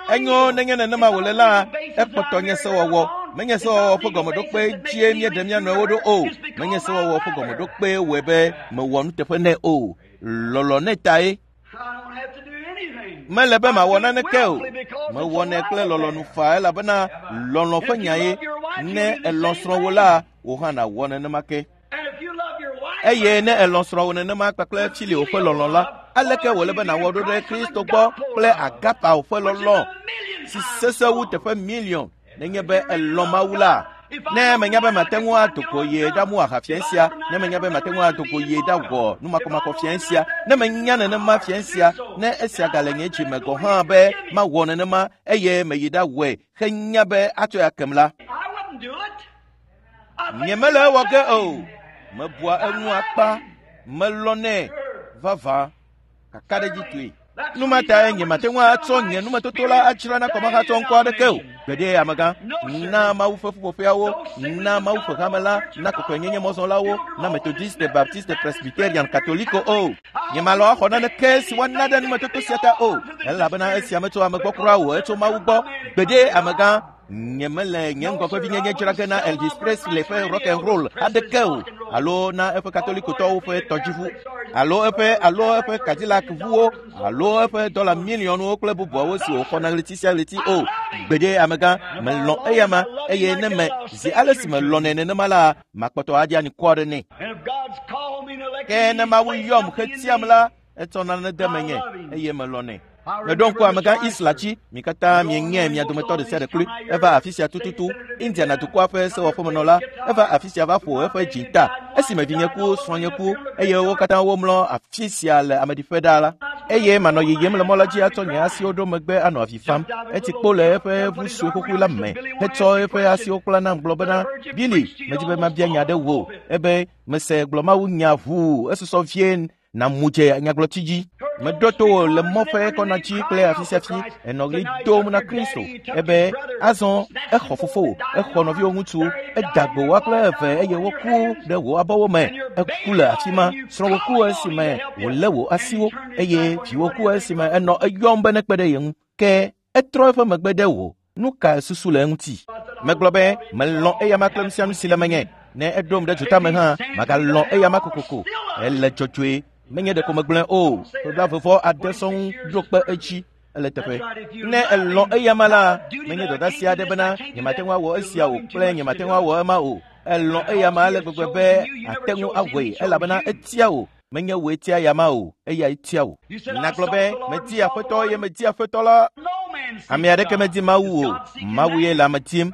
Enyo nenye nenema wòle la, ekpɔtɔ nye sewɔwɔ. Menye sewɔwɔ ƒe gɔmeɖokpe dzie míeɖe mía nɔewo ɖo o. Menye sewɔwɔ ƒe gɔmeɖokpe wɔe be mewɔ nuteƒe nɛ o. Lɔlɔ̃ nɛ tae. Mele be mawɔ naneke o. Mewɔnɛ kple lɔlɔ̃nu faa elabena lɔlɔ̃ ƒe nyae. Ne èlɔ̃ srɔ̃wò la, wò hã nàwɔ nenema ke. Eye ne èlɔ̃ srɔ̃wò nenema kpakple Filio ƒe lɔlɔ̃ la, aleke wòle be nàwɔ ɖo ɖe Kristo gbɔ kple Agapao ƒe lɔlɔ̃ si sesẽ wu teƒe miliɔn nenye be èlɔ̃ Mawu la? Ne menya be mate ŋu ado go ye ɖamu aha fiẽ sia, ne menya be mate ŋu ado go ye ɖawɔ numakɔmakɔ fiẽ sia, ne menya nenema fiẽ sia, ne esia gale nye dzi me gɔ̃ hã be mawɔ nenema eye meyi ɖawɔe henya be atsɔe akem la, nyemele ewɔ ge o. Mebua eŋu akpa, melɔnɛ vavã kakaɖedzitɔe. Nu ma tae nyemate ŋu atsɔ nye numetoto la adzra na kɔmahatsɔ ŋkɔ aɖeke o. Gbeɖe amegã, na Mawu ƒe ƒuƒoƒeawo, na Mawu ƒe hame la, na kɔkɔenyenye mɔzɔlawo, na Methodiste, Baptiste, Presbyterian, Katoliko o. Nyemalɔ axɔ naneke si woana ɖe numetoto sia ta o, elabena esia metso ame gbɔ kura o, etso Mawu gbɔ. Gbeɖe amegã, nyemele nye ŋgɔgbevinyenye dzra ge na Elvis Presley ƒe rock and roll aɖeke o, alo na eƒe katolikotɔwo ƒe tɔdziʋu, alo eƒe alo eƒe Cadillac ʋuwo, alo eƒe dɔla miliɔnwo kple bubuawo si wòxɔna ɣleti sia ɣleti o. Gbeɖe amegã, melɔ̃ eyama, eye ne me zi ale si melɔ̃nɛ nenema la, makpɔtɔ aɖi anikɔ aɖe nɛ. Ke ne Mawu yɔm hetiam la, etsɔ nane de menye eye melɔ̃nɛ. Meɖo ŋku amegã Isla dzi, mi katã mienyae mia dometɔ ɖe sia ɖe kloe. Eva afi sia tututu, Indiana dukɔa ƒe sewɔƒemenɔla, eva afi sia va ƒo eƒe dzinta. Esime vinye ku, srɔ̃nye ku, eye wo katã womlɔ afi sia le ameɖiƒe ɖaa la, eye manɔ yiyim le mɔ la dzi atsɔ nye asiwo ɖo megbe anɔ avi fam. Etsi kpo le eƒe ʋu sue xoxoe la me hetsɔ eƒe asiwo kpla nam gblɔ bena, Billy, medi be mabia nya ɖe wò. Ebe, mese gblɔ Mawu nya ʋuu esusɔ vie namu dze nyagblɔtsi dzi. Meɖo to wò le mɔ ƒe kɔna dzi kple afi sia afi, enɔ ɣli dom na Kristo. Ebe, azɔ exɔ fofowò, exɔ nɔviwò ŋutsu, eda gbe woa kple eve eye woku ɖe wò abɔwo me. Eku le afi ma, srɔ̃wò ku esime wòlé wò asiwo eye viwò ku esime enɔ eyɔm be nekpe ɖe ye ŋu. Ke etrɔ eƒe megbe ɖe wò. Nu ka susu le eŋuti? Megblɔ be melɔ̃ eyama kple nu sia nu si le menye. Ne eɖom ɖe dzotame hã, magalɔ̃ eyama kokoko. Ele dzɔdzɔe, menye ɖeko megblɔe o. Ƒe 69 sɔŋ ɖo kpe edzi. Ele teƒe. Ne elɔ̃ eyama la, menye dɔdeasi aɖe bena nyemate ŋu awɔ esia o kple nyemate ŋu awɔ ema o. Elɔ̃ eyama ale gbegbe be ate ŋu awɔe elabena etia wò. Menye wòe tia eyama o, eyae tia wò. Nagblɔ be, medi Aƒetɔ eye medi Aƒetɔ la. Ame aɖeke medi Mawu o. Mawu ye le ame dim.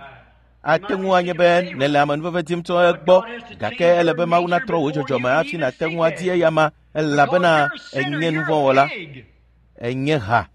Ate ŋu anye be nèle amenuveve dim tso egbɔ, gake ele be Mawu natrɔ wò dzɔdzɔme hafi nàte ŋu adi eyama, elabena enye nuvɔ̃wɔla, enye ha.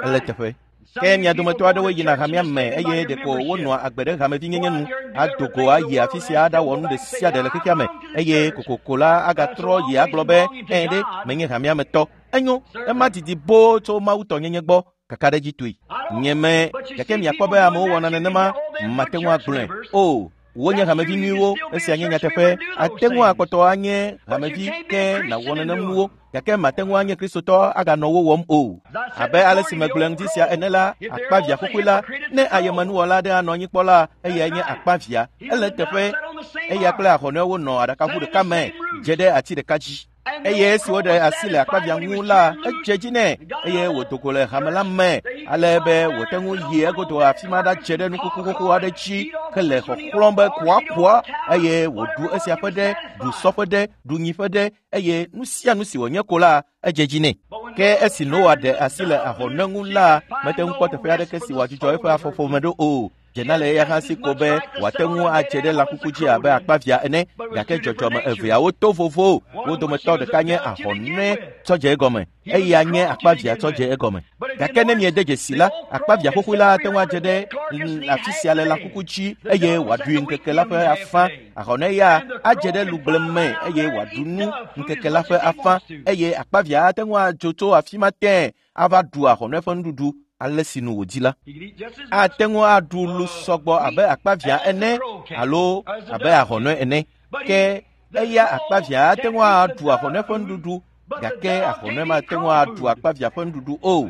Ele teƒe. Ke mia dometɔ aɖewo yina hamea me eye ɖeko wonɔa agbe ɖe hamevinyenye nu, ado go ayi afi sia aɖawɔ nu ɖe sia ɖe le xexea me, eye kokoko la agatrɔ yi agblɔ be, ɛ̃ ɖe, menye hamea me tɔ. Enyo, ema didi boo tso Mawu tɔnyenye gbɔ, kakaɖedzitɔe. Nye me, gake miakpɔ be amewo wɔna nenema, mate ŋu agblɔe. O, wonye hamevi nyuiwo, esia nye nyateƒe. Ate ŋu akpɔtɔ anye hamevi ke nàwɔ nenem nuwo, gake mate ŋu anye Kristotɔ aganɔ wo wɔm o. Abe ale si megblɔe ŋdi sia ene la, akpavia xoxoe la, ne ayemenuwɔla aɖe anɔ anyi kpɔ la, eyae nye akpavia. Ele eteƒe, eya kple ahɔnɔewo nɔ aɖakaʋu ɖeka me, dze ɖe ati ɖeka dzi. Eye esi woɖe asi le akpavia ŋu la, edze dzi nɛ eye wòdo go le hame la me ale be wòte ŋu yi egodo afi ma ɖadze ɖe nukuku xoxo aɖe dzi hele xɔxlɔ̃m be kuakua eye wòɖu esia ƒe ɖe, ɖu sɔ ƒe ɖe, ɖu nyi ƒe ɖe eye nu sia nu si wònye ko la, edze dzi nɛ. Ke esi Noa ɖe asi le ahɔnɛ ŋu la, mete ŋu kpɔ teƒe aɖeke si wòadzudzɔ eƒe afɔƒome ɖo o. Dzena le eya hã si ko be wòate ŋu adze ɖe lãkuku dzi abe akpavia ene, gake dzɔdzɔme eveawo to vovo. Wo dometɔ ɖeka nye ahɔnɛ tsɔ dze egɔme, eya nye akpavia tsɔ dze egɔme. Gake ne miede dzesi la, akpavia xoxoe la ate ŋu adze ɖe afi sia le lãkuku dzi eye wòaɖui ŋkeke la ƒe afã. Ahɔnɛ ya adze ɖe lugble me eye wòaɖu nu ŋkeke la ƒe afã eye akpavia ate ŋu adzo tso afi ma tẽe ava ɖu ahɔnɛ ƒe nuɖuɖu ale si nu wòdi la. Ate ŋu aɖu lu sɔgbɔ abe akpavia ene alo abe ahɔnɛ ene. Ke eya akpavia ate ŋu aɖu ahɔnɛ ƒe nuɖuɖu, gake ahɔnɛ mate ŋu aɖu akpavia ƒe nuɖuɖu o.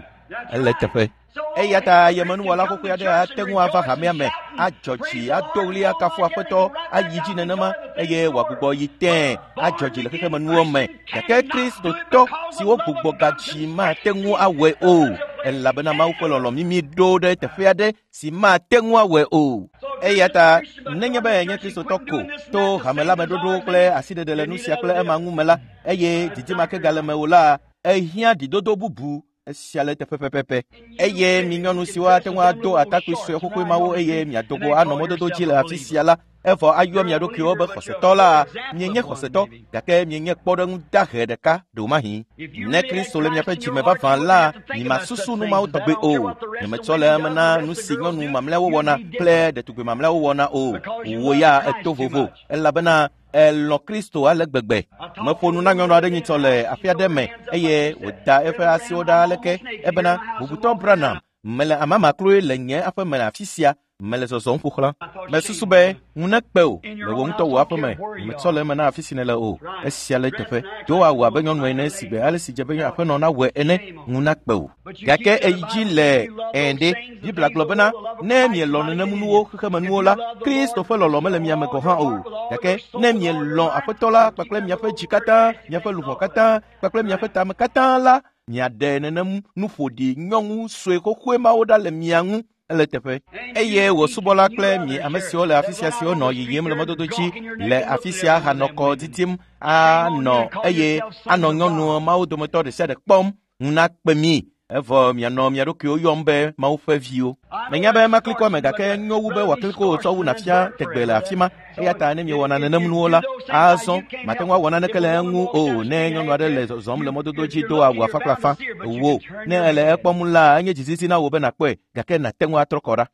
Ele teƒe. Eya ta yemenuwɔla xoxoe aɖe ate ŋu ava hamea me, adzɔ dzi, ado ɣli akafu Aƒetɔ, ayi dzi nenema eye wòagbugbɔ yi tẽe adzɔ dzi le xexemenuwo me. Gake Kristotɔ siwo gbugbɔ gadzi mate ŋu awɔe o, elabena Mawu ƒe lɔlɔ̃ mimi ɖo ɖe teƒe aɖe si mate ŋu awɔe o. Eya ta nenye be enye Kristotɔ ko to hame la me ɖoɖo kple asiɖeɖe le nu sia kple ema ŋu me la, eye didi ma ke gale mewò la, ehiã ɖidodo bubu. Esia le teƒe pɛpɛpɛ. Eye mi nyɔnu siwo ate ŋu ado atakpui sue xoxoe mawo eye miado go anɔ mɔdodo dzi le afi sia la, Evɔ ayɔ mia ɖokuiwo be xɔsetɔ la, mienye xɔsetɔ, gake mienye kpɔɖeŋu dahe ɖeka ɖewomahi. Ne Kristo le miaƒe dzime vavã la, miemasusu nu mawo tɔgbe o. Nyemetsɔ le eme na nu si nyɔnu mamlɛawo wɔna kple ɖetugbi mamlɛawo wɔna o. Wò ya èto vovo, elabena elɔ̃ Kristo ale gbegbe. Meƒo nu na nyɔnu aɖe nyitsɔ le aƒe aɖe me eye wòda eƒe asiwo ɖa aleke ebena, Bubutɔ Branham, mele amama kloe le nye aƒe me le afi sia, mele zɔzɔm ƒo xlã. Mesusu be ŋu nekpe o le wò ŋutɔ wò aƒe me, nyemetsɔ le eme na afi si nèle o. Esia le eteƒe. Do awu abe nyɔnu ene si gbe ale si dze be aƒenɔ nawɔe ene, ŋu nakpe o. Gake eyi dzi le ẽ ɖe. Biblia gblɔ bena, ne mielɔ̃ nenemunuwo xexemenuwo la, Kristo ƒe lɔlɔ̃ mele mia me gɔ̃ hã o. Gake ne mielɔ̃ Aƒetɔ la kpakple miaƒe dzi katã, miaƒe luʋɔ katã kpakple miaƒe tame katã la, miaɖe nenem nuƒoɖi nyɔnu sue xoxoe mawo ɖa le mia ŋu. Ele teƒe. Eye wò subɔla kple mi ame siwo le afi sia siwo nɔ yiyim le mɔdodo dzi le afi sia hanɔ kɔ didim anɔ eye anɔ nyɔnu mawo dometɔ ɖe sia ɖe kpɔm ŋu nakpe mi. Evɔ mianɔ mia ɖokuiwo yɔm be Mawu ƒe viwo. Menya be maklikɔ ame gake nyo wu be wòakliko tsɔ wu nàfia tegbe le afi ma. Eya ta ne miewɔna nenem nuwo la, azɔ mate ŋu awɔ naneke le eŋu o ne nyɔnu aɖe le zɔzɔm le mɔdodo dzi do awu afã kple afã. Wò, ne èle ekpɔm la, enye dzizizi na wò be nàkpɔe, gake nàte ŋu atrɔ kɔ ɖa.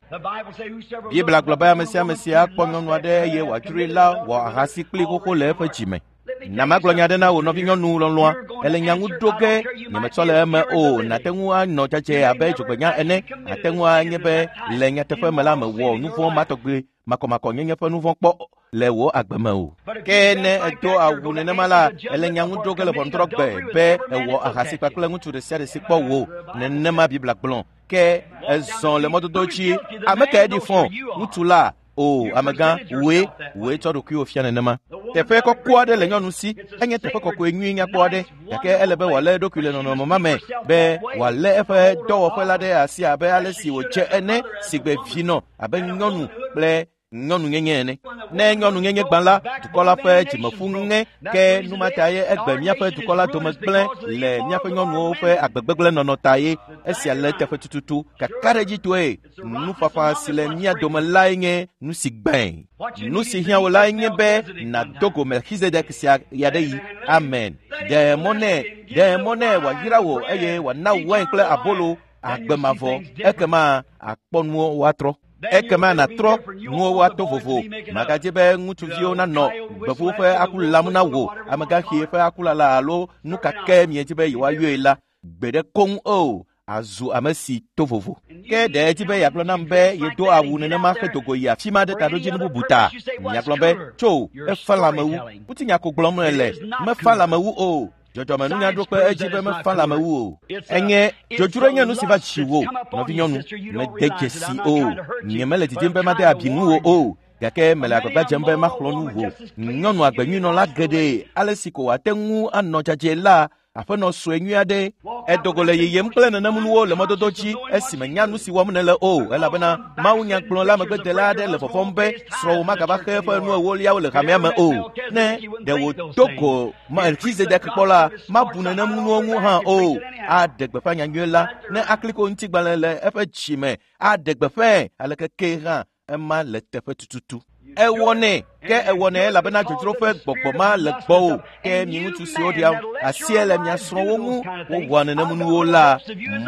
Biblia gblɔ be ame sia ame si akpɔ nyɔnu aɖe eye wòadzroe la wɔ ahasi kpli xoxo le eƒe dzime. Na magblɔ nya aɖe na wò nɔvinyɔnu lɔlɔ̃a, ele nya ŋu ɖo ge, nyemetsɔ le eme o, nàte ŋu anɔ dzadzɛ abe dzogbenya ene, nàte ŋu anye be le nyateƒe me la mèwɔ nu vɔ̃ ma tɔgbe makɔmakɔnyenye ƒe nu vɔ̃ kpɔ le wò agbe me o. Ke ne èdo awu nenema la, ele nya ŋu ɖo ge le ʋɔnudrɔ̃gbe be èwɔ ahasi kpakple ŋutsu ɖe sia ɖe si kpɔ wò. Nenema Biblia gblɔ. Ke èzɔ le mɔdodo dzi. Ame kae ɖi fɔ? Ŋutsu la? O, amegã, wòe, wòe tsɔ ɖokuiwò fia nenema. Teƒe kɔkɔ aɖe le nyɔnu si, enye teƒe kɔkɔe nyui nyakpɔ aɖe, gake ele be wòalé eɖokui le nɔnɔme ma me be wòalé eƒe dɔwɔƒe la ɖe asi abe ale si wòdze ene si gbe vinɔ abe nyɔnu kple nyɔnunyenye ene. Ne nyɔnunyenye gbã la, dukɔ la ƒe dzimeƒu ŋe, ke nu ma ta ye egbe míaƒe dukɔ la dome gblẽ le míaƒe nyɔnuwo ƒe agbegbegblẽ nɔnɔ ta ye. Esia le teƒe tututu kakaɖedzitɔe. Nufafa si le mía dome lae nye nu si gbãe. Nu si hiã wò lae nye be nàdo go Melchizedek sia ɣeaɖeɣi. Amen. Ɖe mɔ nɛ, ɖe mɔ nɛ wòayra wò eye wòana wain kple abolo agbe mavɔ. Ekema akpɔ nuwo woatrɔ. Ekema nàtrɔ nuwo woato vovo. Màgadze be ŋutsuviwo nanɔ gbevuwo ƒe aku lam na wò, amegãxi ƒe akulala alo nu ka ke miedzi be yewoayɔe la, gbe ɖe koŋ o. Azu ame si to vovo. Ke ɖe edzi be yeagblɔ nam be yedo awu nenema hedo go yi afi ma ɖe taɖodzinu bubu ta. Miagblɔ be, tso, efa lãme wu. Ŋutinya ko gblɔm nèle. Mefa lãme wu o. Dzɔdzɔmenunya ɖo kpe edzi be mefa lãme wu o. Enye dzodzroe nye nu si va dziwò, nɔvinyɔnu. Mede dzesi o. Nyemele didim be made abi ŋuwò o. Gake mele agbagba dzem be maxlɔ̃ nu wò. Nyɔnu agbenyuinɔla geɖe ale si ko wòate ŋu anɔ dzadzɛ la, aƒenɔ sue nyui aɖe. Edo go le yiyim kple nenemunuwo le mɔdodo dzi esime nya nu si wɔm nèle o, elabena mawunyagblɔla megbedela aɖe le vɔvɔ̃m be srɔ̃wò magava xe eƒe nu ewoliawo le hamea me o. Ne ɖe wòdo go Melchizedek kpɔ la, mabu nenemunuwo ŋu hã o. Aɖe gbeƒã nyanyui la ne akliko ŋutigbalẽ le eƒe dzime. Aɖe gbeƒãe aleke ke hã ema le teƒe tututu. Ewɔnɛ, ke ewɔnɛ elabena dzodzro ƒe gbɔgbɔ ma le gbɔwò. Ke mi ŋutsu siwo ɖia asie le mia srɔ̃wo ŋu wowɔa nenemunuwo la,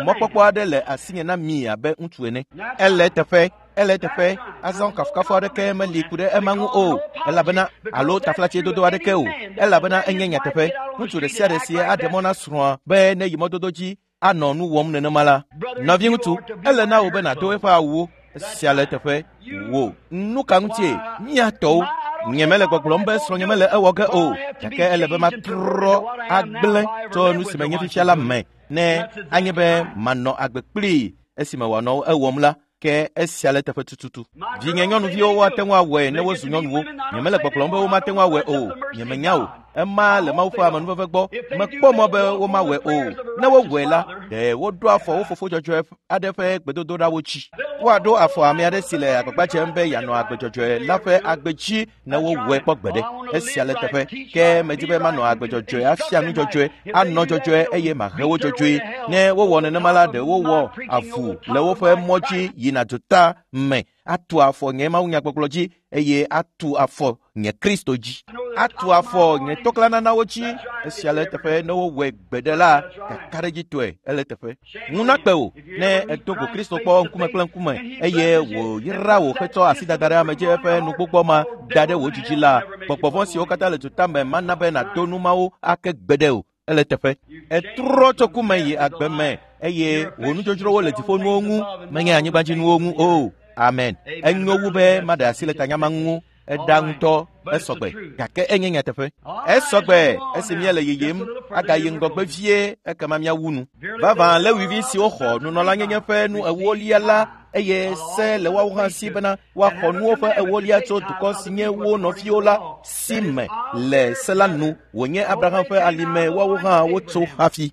mɔkpɔkpɔ aɖe le asinye na mi abe ŋutsu ene. Ele teƒe, ele teƒe. Azɔ kafukafu aɖeke meli ku ɖe ema ŋu o, elabena alo taflatsedodo aɖeke o, elabena enye nyateƒe. Ŋutsu ɖe sia ɖe si aɖe mɔ na srɔ̃a be neyi mɔdodo dzi anɔ nu wɔm nenema la, nɔviŋutsu, ele na wò be nàdo eƒe awuwo. Esia le teƒe. Wò, nu ka ŋutie? Mía tɔwo. Nye mele gbɔgblɔm be srɔ̃nye mele ewɔ ge o, gake ele be matrɔ agblẽ tso nu si menye fifia la me ne anye be manɔ agbe kplii esime wòanɔ ewɔm la, ke esia le teƒe tututu. Vinye nyɔnuviwo woate ŋu awɔe ne wozu nyɔnuwo. Nyemele gbɔgblɔm be womate ŋu awɔe o. Nyemenya o. Ema le Mawu ƒe amenuveve gbɔ. Mekpɔ mɔ be womawɔe o. Ne wowɔe la, Ɖe woɖo afɔ wo fofo dzɔdzɔe aɖe ƒe gbedodoɖawo dzi. Woaɖo afɔ ame aɖe si le agbagba dzem be yeanɔ agbe dzɔdzɔe la ƒe agbe dzi ne wowɔe kpɔ gbeɖe. Esia le teƒe. Ke medi be manɔ agbe dzɔdzɔe afia nu dzɔdzɔe, anɔ dzɔdzɔe eye mahe wo dzɔdzɔe. Ne wowɔ nenema la, ɖe wowɔ avu le woƒe mɔ dzi yina duta me atu afɔ nye mawunyagbɔgblɔ dzi eye atu afɔ nye Kristo dzi. Atu afɔ nye toklananawo dzi. Esia le teƒe ne wowɔe gbeɖe la, kakaɖedzitɔe ele teƒe. Ŋu nakpe wò ne èdo go Kristo kpɔ ŋkume kple ŋkume eye wòyra wò hetsɔ asi dada ɖe ame dzi eƒe nugbɔgbɔ ma da ɖe wò dzidzi la, gbɔgbɔ vɔ̃ siwo katã le duta me mana be nàdo nu mawo ake gbeɖe o. Ele teƒe. Etrɔ tso ku me yi agbe me eye wò nudzodzrowo le dziƒonuwo ŋu, menye anyigbadzinuwo ŋu o. Amen. Enyo wu be maɖe asi le tanyama ŋu. Eɖa ŋutɔ, esɔgbe, gake enye nyateƒe. Esɔgbe esi míele yiyim agayi ŋgɔgbe vie ekema míawu nu. Vavã Lewivi siwo xɔ nunɔlanyenye ƒe nu ewolia la eye se le woawo hã si bena woaxɔ nuwo ƒe ewolia tso dukɔ si nye wo nɔviwo la si me le se la nu wònye Abraham ƒe alime woawo hã wotso hafi.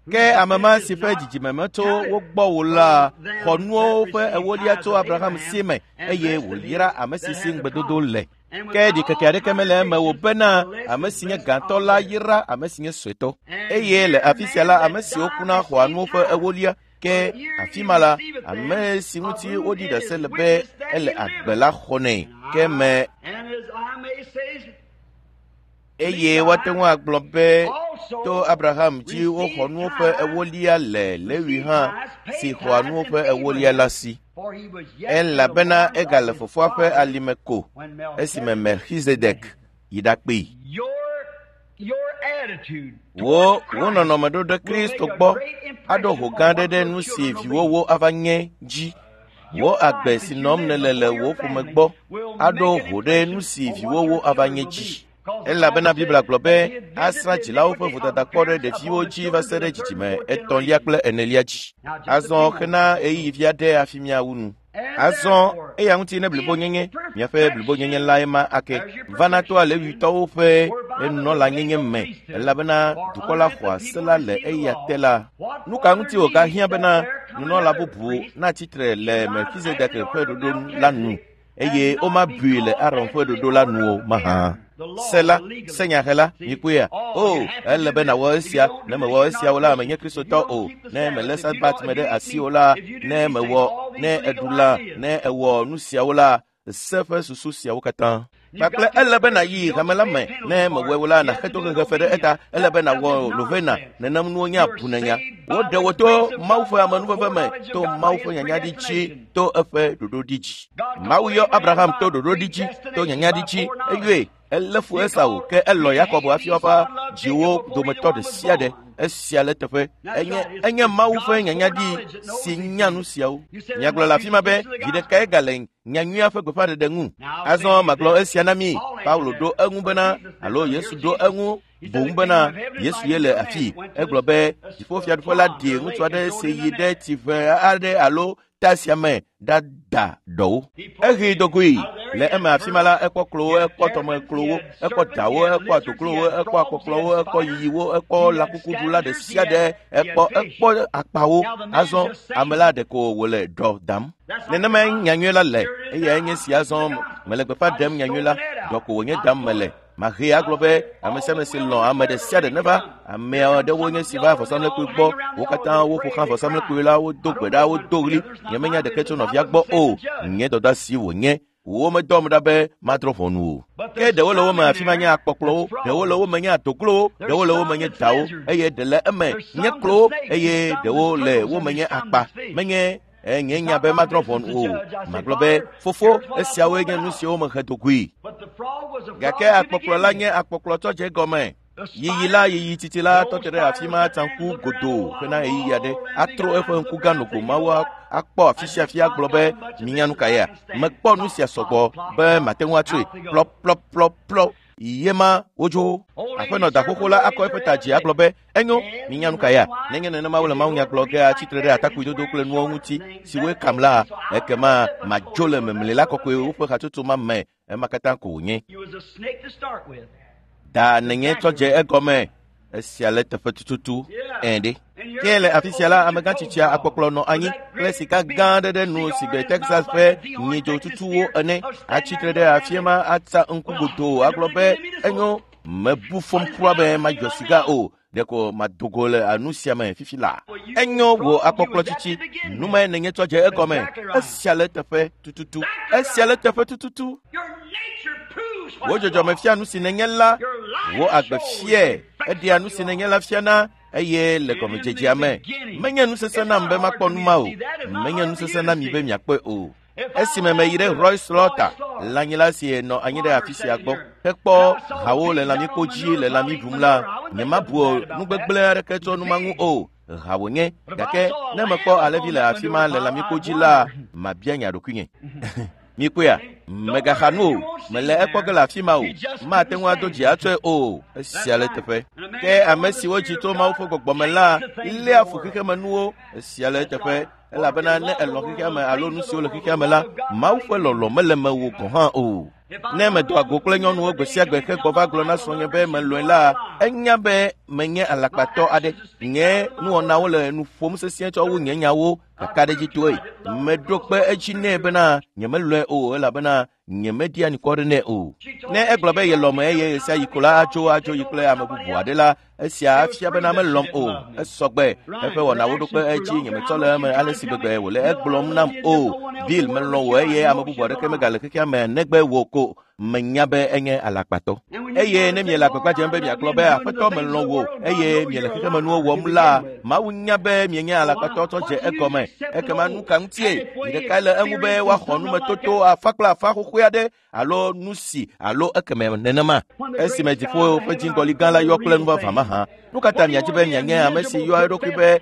Ke ame ma si ƒe dzidzime metso wo gbɔ o la xɔ nuwo ƒe ewolia tso Abraham si me eye wòyra ame si si ŋugbedodo le. Ke ɖikeke aɖeke mele eme o bena ame si nye gãtɔ la yra ame si nye suetɔ. Eye le afi sia la ame siwo kuna xɔa nuwo ƒe ewolia ke afi ma la ame si ŋuti woɖi ɖase le be ele agbe la xɔnɛ ke me eye woate ŋu agblɔ be to Abraham dzi woxɔ nuwo ƒe ewolia le Lewi hã si xɔa nuwo ƒe ewolia la si. Elabena egale fofoa ƒe alime ko esime Melchizedek yi ɖakpee. Wò wò nɔnɔme ɖo ɖe Kristo gbɔ aɖo ho gã aɖe ɖe nu si viwòwo ava nye dzi. Wò agbe si nɔm nèle le wò ƒome gbɔ aɖo ho ɖe nu si viwòwo ava nye dzi. Elabena Biblia gblɔ be asrã dzilawo ƒe vodada kpɔ ɖe ɖeviwo dzi va se ɖe dzidzime etɔ̃lia kple enelia dzi. Azɔ xena ɣeyiɣi vi aɖe hafi míawu nu. Azɔ eya ŋuti ne blibonyenye, miaƒe blibonyenye lae ma ake vana toa Lewitɔwo ƒe nunɔlanyenye me elabena dukɔ la xɔa se la le eya te la. Nu ka ŋuti wògahiã bena nunɔla bubu natsi tre le Melchizedek ƒe ɖoɖo la nu eye womabui le Aron ƒe ɖoɖo la nu o mahã? Se la, senyahela, mikpɔea? O, ele be nàwɔ esia, ne mewɔ esia o la, menye Kristotɔ o. Ne mèlé Sabat me ɖe asi o la, ne mewɔ, ne èɖu lã, ne èwɔ nu siawo la, se ƒe susu siawo katã. Kpakple ele be nàyi hame la me, ne mewɔe o la, nàxe tohehe fe ɖe eta, ele be nàwɔ novena, nenem nuwo nye abunenya. Woɖe wò to Mawu ƒe amenuveve me, to Mawu ƒe nyanyaɖi dzi, to eƒe ɖoɖoɖi dzi. Mawu yɔ Abraham to ɖoɖoɖi dzi, to nyanyaɖi dzi, eyɔe elé fu Esau ke elɔ̃ Yakob hafi woava dziwo dometɔ ɖe sia ɖe. Esia le teƒe. Enye enye Mawu ƒe nyanyaɖi si nya nu siawo. Miagblɔ le afi ma be vi ɖekae gale nyanyuia ƒe gbeƒãɖeɖe ŋu. Azɔ magblɔ esia na mi. Paulo ɖo eŋu bena alo Yesu ɖo eŋu boŋ bena Yesu ye le afi. Egblɔ be dziƒofiaɖuƒe la ɖi ŋutsu aɖe si yi ɖe tsiʋe aɖe alo ta sia me ɖada ɖɔwo. Ehee dogoe le eme afi ma la ekpɔ klowo, ekpɔ tɔmeklowo, ekpɔ dawo, ekpɔ adoklowo, ekpɔ akpɔkplɔwo, ekpɔ yiyiwo, ekpɔ lãkukuɖula ɖe sia ɖe, ekpɔ ekpɔ akpawo. Azɔ ame la ɖeko wòle ɖɔ dam. Nenemae nyanyui la le eyae nye si azɔ mele gbeƒã ɖem nyanyui la, ɖɔ ko wònye dam mele. Mahee agblɔ be ame sia ame si lɔ̃ ame ɖe sia ɖe neva. Ame aɖewo nye si va vɔsamlekpui gbɔ. Wo katã woƒo xlã vɔsamlekpui la, wodo gbe ɖa, wodo ɣli. Nyemenya ɖeke tso nɔvia gbɔ o. Nye dɔdeasi wònye. Womedɔm ɖa be madrɔ̃ ʋɔnu o. Ke ɖewo le wo me afi ma nye akpɔkplɔwo, ɖewo le wo me nye adoklowo, ɖewo le wo me nye dawo, eye ɖe le eme nye klowo, eye ɖewo le wo me nye akpa. Menye nye nya be madrɔ̃ ʋɔnu o. Magblɔ be, fofo, esiawoe nye nu siwo mehe dogoe. Gake akpɔkplɔ la nye akpɔkplɔ tsɔ dze egɔme. Yiyi la, yiyi tsitsi la tɔ te ɖe afi ma tsaŋku godoo hena ɣeyiɣi aɖe. Atro eƒe ŋku gã nogo mawo akpɔ afi sia afi agblɔ be, minya nu ka yea? Mekpɔ nu sia sɔgbɔ be mate ŋu atsoe. Plɔplɔplɔplɔ. Ye ma wodzo. Aƒenɔ da xoxo la akɔ eƒe ta dzi agblɔ be, enyo, minya nu ka ya? Nenye nenema wole mawunya gblɔ ge atsi tre ɖe atakpuidodo kple nuwo ŋuti siwoe kam la, ekema madzo le memli la kɔkɔe woƒe hatsotso ma me. Ema katã ko wònye. Da nènye tsɔ dze egɔme. Esia le teƒe tututu. Ẽ ɖe. Ke le afi sia la, amegã tsitsia akpɔkplɔ nɔ anyi kple sika gã aɖe ɖe nu si gbe Texas ƒe nyidzo tutuwo ene. Atsitre ɖe afi ma atsa ŋku godoo agblɔ be enyo mebu fɔm kura be madzɔ sika o. Ɖeko mado go le nu sia me fifi la. Enyo wò akpɔkplɔ tsitsi. Numae nènye tsɔ dze egɔme. Esia le teƒe tututu. Esia le teƒe tututu. Wò dzɔdzɔme fia nu si nènye la. Wò agbe fiae. Eɖea nu si nènye la fiana eye le gɔmedzedzea me. Menye nu sesẽ nam be makpɔ nu ma o. Menye nu sesẽ na mi be miakpɔe o. Esime meyi ɖe Roy Slaughter, lãnyila si nɔ anyi ɖe afi sia gbɔ, hekpɔ hawo le lãmikpo dzi le lãmi ɖum la, nyemabu nu gbegblẽ aɖeke tso nu ma ŋu o. Ha wònye, gake ne mekpɔ alẽvi le afi ma le lãmikpo dzi la, mabia nya ɖokuinye. Mikpɔea, megaxa nu o, mele ekpɔ ge le afi ma o, mate ŋu ado dzi atsɔe o, esia le teƒe. Ke ame siwo dzi tso Mawu ƒe gbɔgbɔ me la léa fu xexemenuwo, esia le eteƒe. Elabena ne elɔ̃ xexea me alo nu siwo le xexea me la, Mawu ƒe lɔlɔ̃ mele mewò gɔ̃ hã o. Ne medoa go kple nyɔnuwo gbe sia gbe hegbɔ va gblɔ na srɔ̃nye be melɔ̃e la, enya be menye alakpatɔ aɖe. Nye nuwɔnawo le nu ƒom sesĩe tsɔ wu nye nyawo kakaɖedzitɔe. Meɖo kpe edzi nɛ bena nyemelɔ̃e o elabena nyemeɖia anukware nɛ o. Ne egblɔ be yelɔ̃me eye ɣe sia ɣi ko la atso adzo yi kple ame bubu aɖe la, esia afia bena melɔ̃m o. Esɔgbe. Eƒe wɔnawo ɖo kpe edzi nyemetsɔ le eme ale si gbegbe wòle egblɔm nam o. Bill melɔ̃ wò eye ame bubu aɖeke megale xexea me negbe wò ko. Menya be enye alakpatɔ. Eye ne miele agbagba dzem be miagblɔ be aƒetɔ melɔ̃ wò eye miele xexemenuwo wɔm la, Mawu nya be mienye alakpatɔ tsɔ dze egɔme. Ekema nu ka ŋutie? Zi ɖekae le eŋu be woaxɔ numetoto afa kple afa xoxoe aɖe alo nu si alo ekeme nenema. Esime dziƒo ƒe dziŋgɔli gã la yɔ kple nuvavã mahã. Nu ka ta miadi be mianye ame si yɔa eɖokui be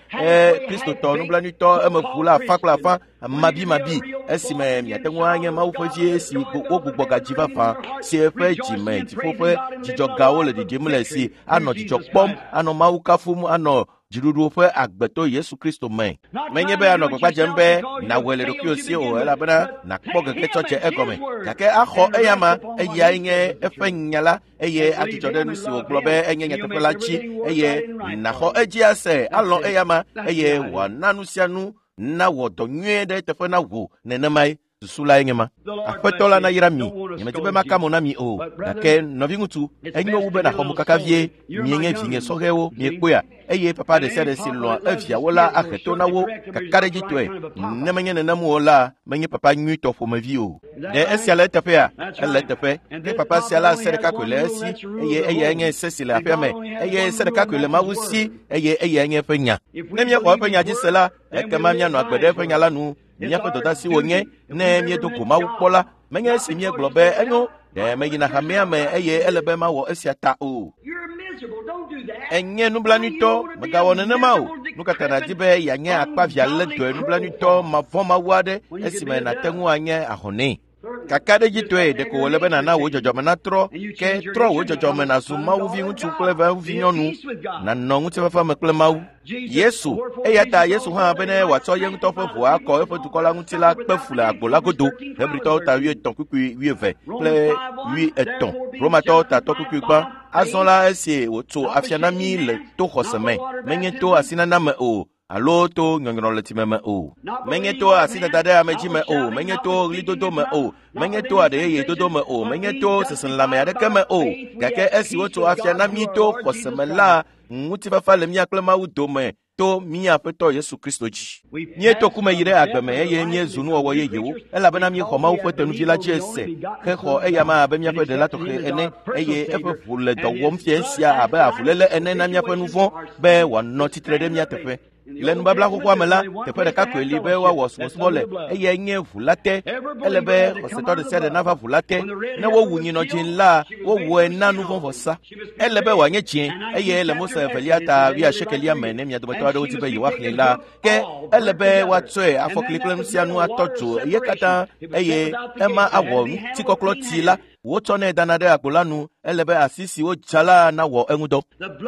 Kristotɔ nublanuitɔ emeʋula afa kple afa mabimabi esime miate ŋu anye Mawu ƒe vi si wogbugbɔ gadzi vavã si eƒe dzime dziƒo ƒe dzidzɔgawo le ɖiɖim le si anɔ dzidzɔ kpɔm, anɔ Mawu kafum, anɔ dziɖuɖu ƒe agbetɔ Yesu Kristo me. Menye be anɔ agbagba dzem be nàwɔe le ɖokuiwò si o elabena nàkpɔ gege tsɔ dze egɔme. Gake axɔ eyama, eyae nye eƒe nya la eye adzudzɔ ɖe nu si wògblɔ be enye nyateƒe la dzi eye nàxɔ edzi ase, alɔ̃ eyama eye wòana nu sia nu nawɔ dɔ nyuie ɖe eteƒe na wò nenemae. Susu lae nye ma. Aƒetɔ la nayra mi. Nyemedi be maka mo na mi o. Gake nɔviŋutsu, enyo wu be nàxɔ mokaka vie. Mienye vinye sɔhɛwo, miekpɔea? Eye papa ɖe sia ɖe si lɔ̃a eviawo la ahe to na wo kakaɖedzitɔe. Ne menye nenem o la, menye papa nyuitɔ ƒomevi o. Ɖe esia le eteƒea? Ele eteƒe. Ke papa sia la se ɖeka koe le esi eye eyae nye se si le aƒea me. Eye se ɖeka koe le Mawu si eye eyae nye eƒe nya. Ne míexɔ eƒe nya dzi se la, ekema míanɔ agbe ɖe eƒe nya la nu. Míaƒe dɔdeasi wònye ne míedo go Mawu kpɔ la, menye esi míegblɔ be enyo ɖe meyina hamea me eye ele be mawɔ esia ta o. Enye nublanuitɔ, mègawɔ nenema o. Nu ka ta nàdi be yeanye akpavia lé dɔe nublanuitɔ mavɔ̃mawu aɖe esime nàte ŋu anye ahɔnɛ? Kakaɖedzitɔe ɖeko wòle be nàna wò dzɔdzɔme natrɔ, ke trɔ wò dzɔdzɔme nàzu Mawu viŋutsu kple Mawu vinyɔnu, nànɔ ŋutifafa me kple Mawu. Yesu, eya ta Yesu hã be ne wòatsɔ ye ŋutɔ ƒe ʋu akɔ eƒe dukɔ la ŋuti la kpe fu le agbo la godo. Hebritɔwo ta 13 kpukpui 20 kple 80, Romatɔwo ta 3 kpukpui gbã. Azɔ la esi wòtso afia na mí le to xɔse me, menye to asinana me o, alo to nyɔnyrɔ le tsime me o. Menye to asidada ɖe ame dzi me o, menye to ɣlidodo me o, menye to aɖe yeye dodo me o, menye to seselelãme aɖeke me o. Gake esi wotso afia na mí to xɔse me la, ŋutifafa le mía kple Mawu dome to mía Aƒetɔ Yesu Kristo dzi. Míeto ku me yi ɖe agbe me eye míezu nuwɔwɔ yeyewo elabena míexɔ Mawu ƒe tenuvi la dzi ese hexɔ eyama abe míaƒe ɖela tɔxɛ ene eye eƒe ʋu le dɔ wɔm fia sia abe avuléle ene na míaƒe nu vɔ̃ be wòanɔ tsitre ɖe mía teƒe. Le nubabla xoxoa me la, teƒe ɖeka koe li be woawɔ subɔsubɔ le eyae nye ʋu la te. Ele be xɔsetɔ ɖe sia ɖe nava ʋu la te. Ne wowu nyinɔ dzĩ la, wowɔe na nuvɔ̃vɔsa. Ele be wòanye dzĩ eye le Mose evelia ta 80 me ne mia dometɔ aɖewo di be yewoaxlẽe la, ke ele be woatsɔe afɔkli kple nu sia nu atɔ dzo ye katã eye ema awɔ ŋutikɔklɔ tsi la. Wotsɔnɛ dana ɖe agbo la nu. Ele be asi si wodza la nawɔ eŋudɔ.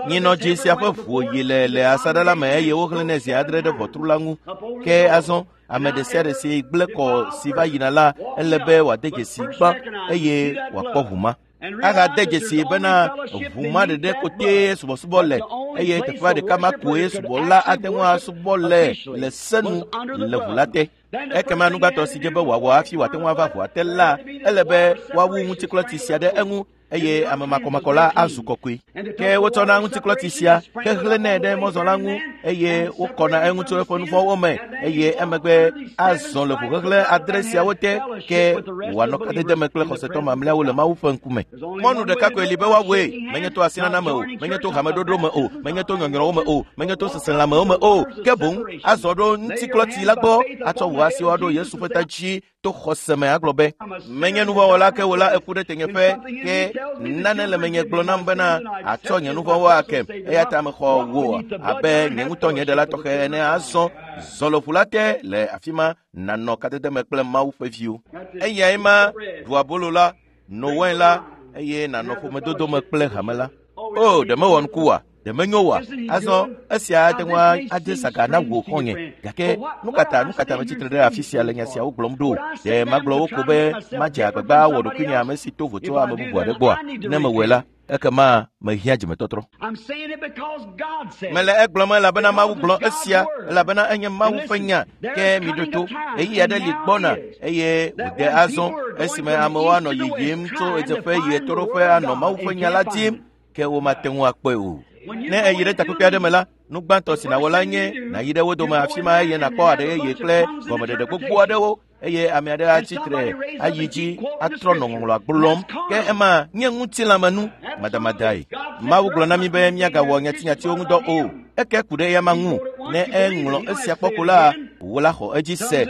Nyinɔ dzĩ sia ƒe ʋu yi le asaɖa la me eye woxlẽnɛ zi 7 ɖe ʋɔtru la ŋu. Ke azɔ ame ɖe sia ɖe si gblẽ kɔ si va yina la, ele be wòade dzesi gbã eye wòakpɔ ʋu ma. Ahade dzesi bena ʋu ma ɖeɖe kote subɔsubɔ le eye teƒea ɖeka ma koe subɔla ate ŋu asubɔ le le senu le ʋu la te. Ekema nugbãtɔ si dze be wòawɔ hafi wòate ŋu ava ʋua te la, ele be woawu ŋutiklɔti sia ɖe eŋu eye ame makɔmakɔ la azu kɔkɔe. Ke wotsɔna ŋutiklɔti sia hexlẽnɛ ɖe mɔzɔla ŋu eye wokɔna eŋu tso eƒe nuvɔ̃wo me eye emegbe azɔ le ʋuxexlẽ adre siawo te ke wòanɔ kadede me kple xɔsetɔ mamlɛawo le Mawu ƒe ŋkume. Mɔnu ɖeka koe li be woawɔe, menye to asinana me o, menye to hameɖoɖo me o, menye to nyɔnyrɔwo me o, menye to seselãmewo me o, ke boŋ azɔ ɖo ŋutiklɔti la gbɔ atsɔ wò asiwo aɖo Yesu ƒe ta dzi to xɔse me agblɔ be, menye nuvɔ̃wɔla ke wò la eku ɖe tenyeƒe ke nane le menye gblɔ nam bena atsɔ nye nuvɔ̃wo ake eya ta mexɔ wò abe nye ŋutɔ nye ɖela tɔxɛ ene azɔ zɔ le ʋu la te le afi ma nanɔ kadede me kple Mawu ƒe viwo. Eyae ma ɖu abolo la, no wain la eye nanɔ ƒomedodo me kple hame la. O, ɖe mewɔ nuku oa? Ɖe menyo oa? Azɔ esia ate ŋu ade saga na wò xɔ̃nye. Gake nu ka ta nu ka ta metsitre ɖe afi sia le nya siawo gblɔm ɖo? Ɖe magblɔ wo ko be madze agbagba awɔ ɖokuinye ame si to vo tso ame bubu aɖe gbɔa? Ne mewɔe la, ekema mehiã dzimetɔtrɔ. I'm saying it because God said Mele egblɔm elabena Mawu gblɔ esia elabena enye Mawu ƒe nya ke miɖo to. Ɣeyiɣi aɖe li gbɔna eye wòde azɔ esime amewo anɔ yiyim tso ɣedzeƒe yi ɣetoɖoƒe anɔ Mawu ƒe nya la dim ke womate ŋu akpɔe o. Ne èyi ɖe takpekpe aɖe me la, nu gbãtɔ si nàwɔ la nye nàyi ɖe wo dome afi ma eye nàkpɔ aɖe yeye kple gɔmeɖeɖe gbogbo aɖewo eye ame aɖe atsi tre ayi dzi atrɔ nɔ ŋɔŋlɔa gblɔm ke ema nye ŋutilãmenu madamadae. Mawu gblɔ na mí be míagawɔ nyatinyatiwo ŋudɔ o. Eke ku ɖe eyama ŋu ne eŋlɔ esia kpɔ ko la, wò la xɔ edzi se.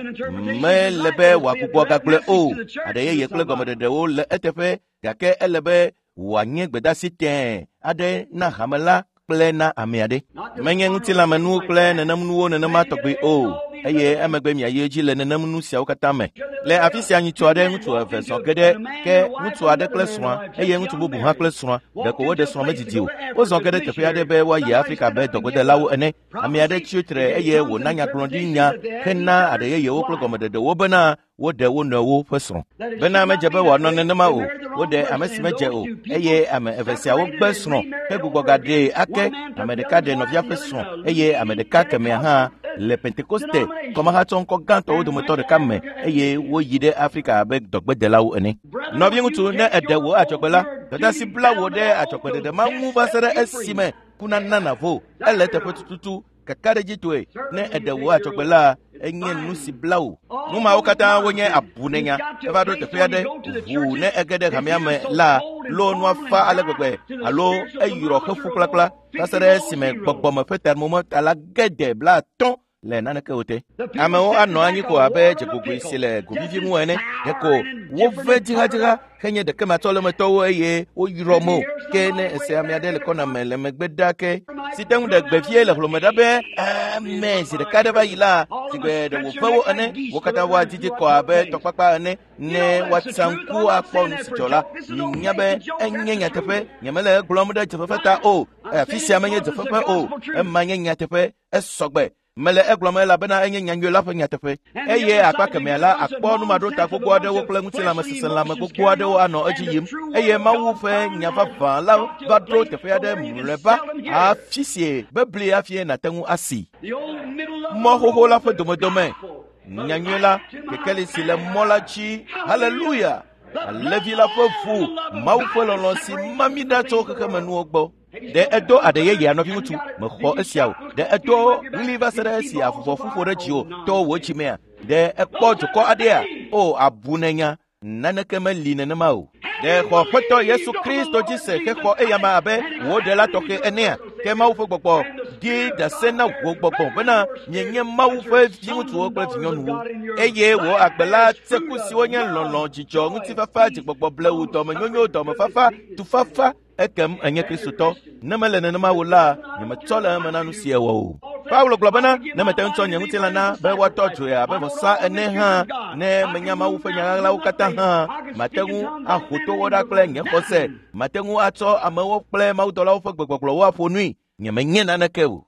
Mele be wòagbugbɔ gagblɔe o. Aɖe yeye kple gɔmeɖeɖewo le eteƒe gake ele be wòanye gbedasi tẽe aɖe na hame la kple na ame aɖe. Menye ŋutilãmenuwo kple nenemnuwo nenema tɔgbi o eye emegbe miayi edzi le nenemnu siawo katã me. Le afi sia nyitsu aɖe ŋutsu eve zɔ ge ɖe ke ŋutsu aɖe kple srɔ̃a eye ŋutsu bubu hã kple srɔ̃a ɖeko woɖe srɔ̃ medidi o. Wozɔ ge ɖe teƒe aɖe be woayi Afrika be dɔgbedelawo ene. Ame aɖe tsi tre eye wòna nyagblɔɖinya hena aɖe yeyewo kple gɔmeɖeɖewo bena woɖe wo nɔewo ƒe srɔ̃. Bena medze be wòanɔ nenema o, woɖe ame si medze o eye ame eve siawo gbe srɔ̃ hegbugbɔ gaɖee ake. Ame ɖeka ɖe nɔvia ƒe srɔ̃ eye ame ɖeka kemɛa hã le Pentekoste kɔmahatsɔ ŋkɔ gãtɔwo dometɔ ɖeka me eye woyi ɖe Afrika abe dɔgbedelawo ene. Nɔviŋutsu, ne èɖe wò adzɔgbe la, dɔdeasi bla wò ɖe adzɔgbeɖeɖe ma ŋu va se ɖe esime ku nana nàvo. Ele eteƒe tututu kakaɖedzitɔe ne èɖe wò adzɔgbe la, enye nu si bla wò. Nu mawo katã wonye abunenya. Eva ɖo teƒe aɖe ʋuu ne ege ɖe hamea me la, lo nua fa ale gbegbe alo eyrɔ xefu kplakpla va se ɖe esime gbɔgbɔme ƒe termometer la ge de 50 le naneke o te. Amewo anɔ anyi ko abe dzegogoe si le govivi ŋu ene. Ɖeko wove dzihadzihã henye ɖekematsɔlemetɔwo eye woyrɔ mo. Ke ne ese ame aɖe le kɔna me le megbe ɖa ke si te ŋu ɖe gbe vie le hlome ɖa be ame zi ɖeka ɖe va yi la, si gbe ɖe wòve wo ene. Wo katã woadidi kɔ abe tɔkpakpa ene ne woatsa ŋku akpɔ nu si dzɔ la. Minya be enye nyateƒe. Nyemele egblɔm ɖe dzefefe ta o. Afi sia menye dzefefe o. Ema nye nyateƒe. Esɔgbe. Mele egblɔm elabena enye nyanyui la ƒe nyateƒe. Eye akpa kemɛa la akpɔ numaɖota gbogbo aɖewo kple ŋutilãmeseselãme gbogbo aɖewo anɔ edzi yim eye Mawu ƒe nya vavã la va ɖo teƒe aɖe mlɔeba afi si bebli hafi nàte ŋu asi. Mɔ xoxo la ƒe domedome. Nyanyui la, kekeli si le mɔ la dzi. Haleluya! Alẽvi la ƒe ʋu, Mawu ƒe lɔlɔ̃ si ma mí ɖa tso xexemenuwo gbɔ. Ɖe edo aɖe yeyea nɔviŋutsu mexɔ esia o. Ɖe edo ɣli va se ɖe esi avuvɔ ƒuƒo ɖe dziwò to wò dzimea? Ɖe ekpɔ dukɔ aɖea? O, abu nenya. Naneke meli nenema o. Ɖe xɔ Aƒetɔ Yesu Kristo dzi se hexɔ eyama abe wò ɖela tɔxɛ enea? Ke Mawu ƒe gbɔgbɔ ɖi ɖase na wò gbɔgbɔ bena mienye Mawu ƒe viŋutsuwo kple vinyɔnuwo. Eye wò agbe la tseku siwo nye lɔlɔ̃, dzidzɔ, ŋutifafa, dzigbɔgbɔ blewu, dɔmenyonyo, dɔmefafa, tufafa, ekem enye Kristotɔ. Ne mele nenema o la, nyemetsɔ le eme na nu si ewɔ o. Paulo gblɔ bena, ne mete ŋu tsɔ nye ŋutilã na be woatɔ dzoe abe vɔsa ene hã, ne menya Mawu ƒe nya ɣaɣlawo katã hã, mate ŋu aho towo ɖa kple nye xɔse, mate ŋu atsɔ amewo kple mawudɔlawo ƒe gbegbɔgblɔwo aƒo nui. Nyemenye naneke o.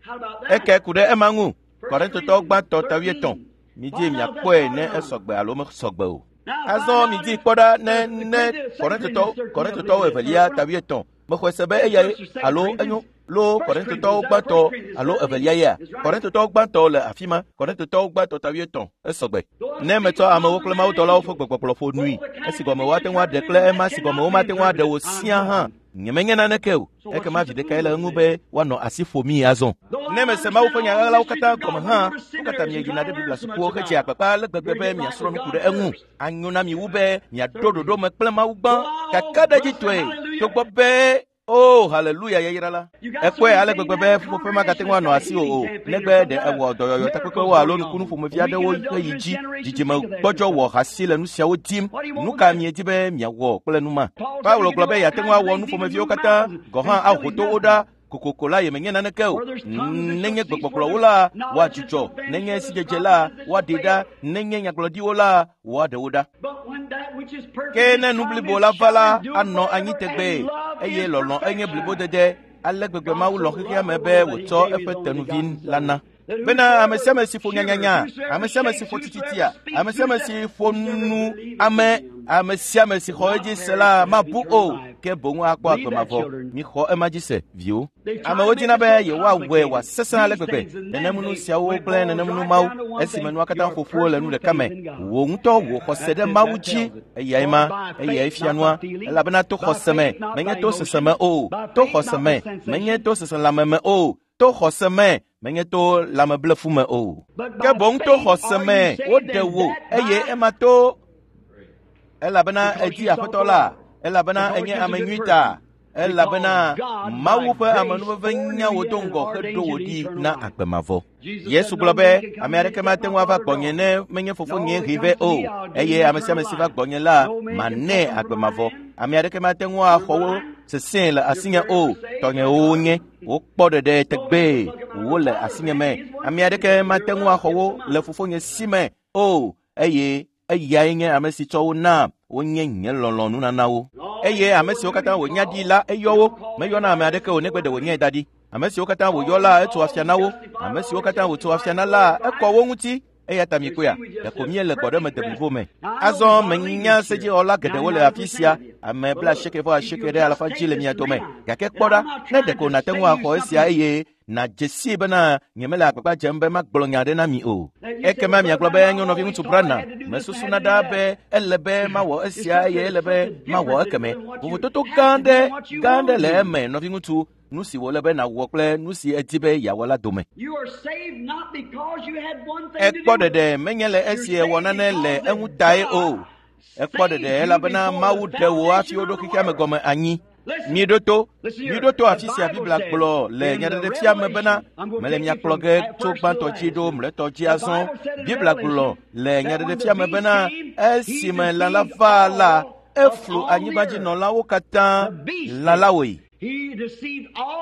Eke ku ɖe ema ŋu. Korintotɔwo gbãtɔ ta 13. Midzi miakpɔe ne esɔgbe alo mesɔgbe o. Azɔ midi kpɔ ɖa ne ne Kɔrintotɔwo evelia ta 8. Mexɔe se be eyae alo enyo lo Kɔrintotɔwo gbãtɔ alo evelia yea. Kɔrintotɔwo gbãtɔ le afi ma. Kɔrintotɔwo gbãtɔ ta 8 esɔgbe. Ne metsɔ amewo kple mawudɔlawo ƒe gbegbɔgblɔ ƒo nui, esi gɔme woate ŋu aɖe kple ema si gɔme womate ŋu aɖe o siaa hã, nyemenye naneke o. Ekema vi ɖekae le eŋu be woanɔ asi ƒomii azɔ. Ne mese Mawu ƒe nya ɣaɣlawo katã gɔme hã, nu ka ta mieyina ɖe Biblia sukuwo hedzea agbagba ale gbegbe be miasrɔ̃ nu ku ɖe eŋu? Anyo na mi wu be miaɖo ɖoɖo me kple Mawu gbã kakaɖedzitɔe, togbɔ be o haleluya yayra la. Ekpɔe ale gbegbe be ƒuƒoƒe magate ŋu anɔ asiwò o, negbe ɖe ewɔ dɔyɔyɔ takpekpewo alo nukunu ƒomevi aɖewo ƒe yi dzi. Dzidzime gbɔdzɔ wɔ hasi le nu siawo dim. Nu ka miedi be miawɔ kple nu ma? Paulo gblɔ be yeate ŋu awɔ nu ƒomeviwo katã, gɔ̃ hã aho to wo ɖa. Kokoko la yemenye naneke o. Nenye gbegbɔgblɔwo la, woadzudzɔ. Nenye sidzedze la, woaɖee ɖa. Nenye nyagblɔɖiwo la, woaɖe wo ɖa. Ke ne nu blibo la va la, anɔ anyi tegbee, eye lɔlɔ̃ enye blibodede. Ale gbegbe Mawu lɔ̃ xexea me be wòtsɔ eƒe tenuvi la na. Bena ame sia ame si ƒo nyanyanya, ame sia ame si ƒo tititia, ame sia ame si ƒo nu ame, ame sia ame si xɔ edzi se la mabu o, ke boŋ akpɔ agbe mavɔ. Mixɔ ema dzi se, viwo. Amewo dina be yewoawɔe wòasesẽ ale gbegbe, nenem nu siawo kple nenem nu mawo, esime nua katã ƒo ƒu le nu ɖeka me. Wò ŋutɔ wò xɔse ɖe Mawu dzi, eyae ma, eyae fia nua, elabena to xɔse me, menye to sese me o, to xɔse me, menye to seselãme me o, to xɔse me, menye to lãmeblefu me o. Ke boŋ to xɔse me woɖe wò, eye ema to, elabena edi Aƒetɔ la, elabena enye ame nyui ta, elabena Mawu ƒe amenuveve nya wò do ŋgɔ heɖo wò ɖi na agbe mavɔ. Yesu gblɔ be, ame aɖeke mate ŋu ava gbɔnye ne menye fofonye hee vɛ o, eye ame sia ame si va gbɔnye la, manɛ agbe mavɔ. Ame aɖeke mate ŋu axɔ wo sesẽe le asinye o, tɔnyewo wonye, wokpɔ ɖeɖe tegbee, wole asinye me. Ame aɖeke mate ŋu axɔ wo le fofonye si me o, eye eyae nye ame si tsɔ wo na, wonye nye lɔlɔ̃nunanawo. Eye ame siwo katã wònya ɖi la, eyɔ wo. Meyɔna ame aɖeke o negbe ɖe wònyae da ɖi. Ame siwo katã wòyɔ la, etso afia na wo. Ame siwo katã wòtso afia na la, ekɔ wo ŋuti. Eya ta mikpɔea, ɖeko míele gbɔɖeme deblibo me. Azɔ menya sedzixɔla geɖewo le afi sia, ame 89 ɖe alafa dzi le mia dome. Gake kpɔ ɖa, ne ɖeko nàte ŋu axɔ esia eye nàdze sii bena nyemele agbagba dzem be magblɔ nya aɖe na mi o. Ekema miagblɔ be enyo nɔviŋutsu Branham, mesusuna ɖaa be ele be mawɔ esia eye ele be mawɔ ekeme. Vovototo gã aɖe le eme, nɔviŋutsu, nu si wòle be nàwɔ kple nu si edi be yeawɔ la dome. Ekpɔ ɖeɖe menye le esi ewɔ nane le eŋu tae o. Ekpɔ ɖeɖe elabena Mawu ɖe wò hafi woɖo xexea me gɔme anyi. Miɖo to afi sia Biblia gblɔ le nyaɖeɖefia me bena mele mia kplɔ ge tso gbãtɔ dzi ɖo mlɔetɔ dzi azɔ. Biblia gblɔ le nyaɖeɖefia me bena esime lã la va la, eflu anyigbadzinɔlawo katã lã la woe.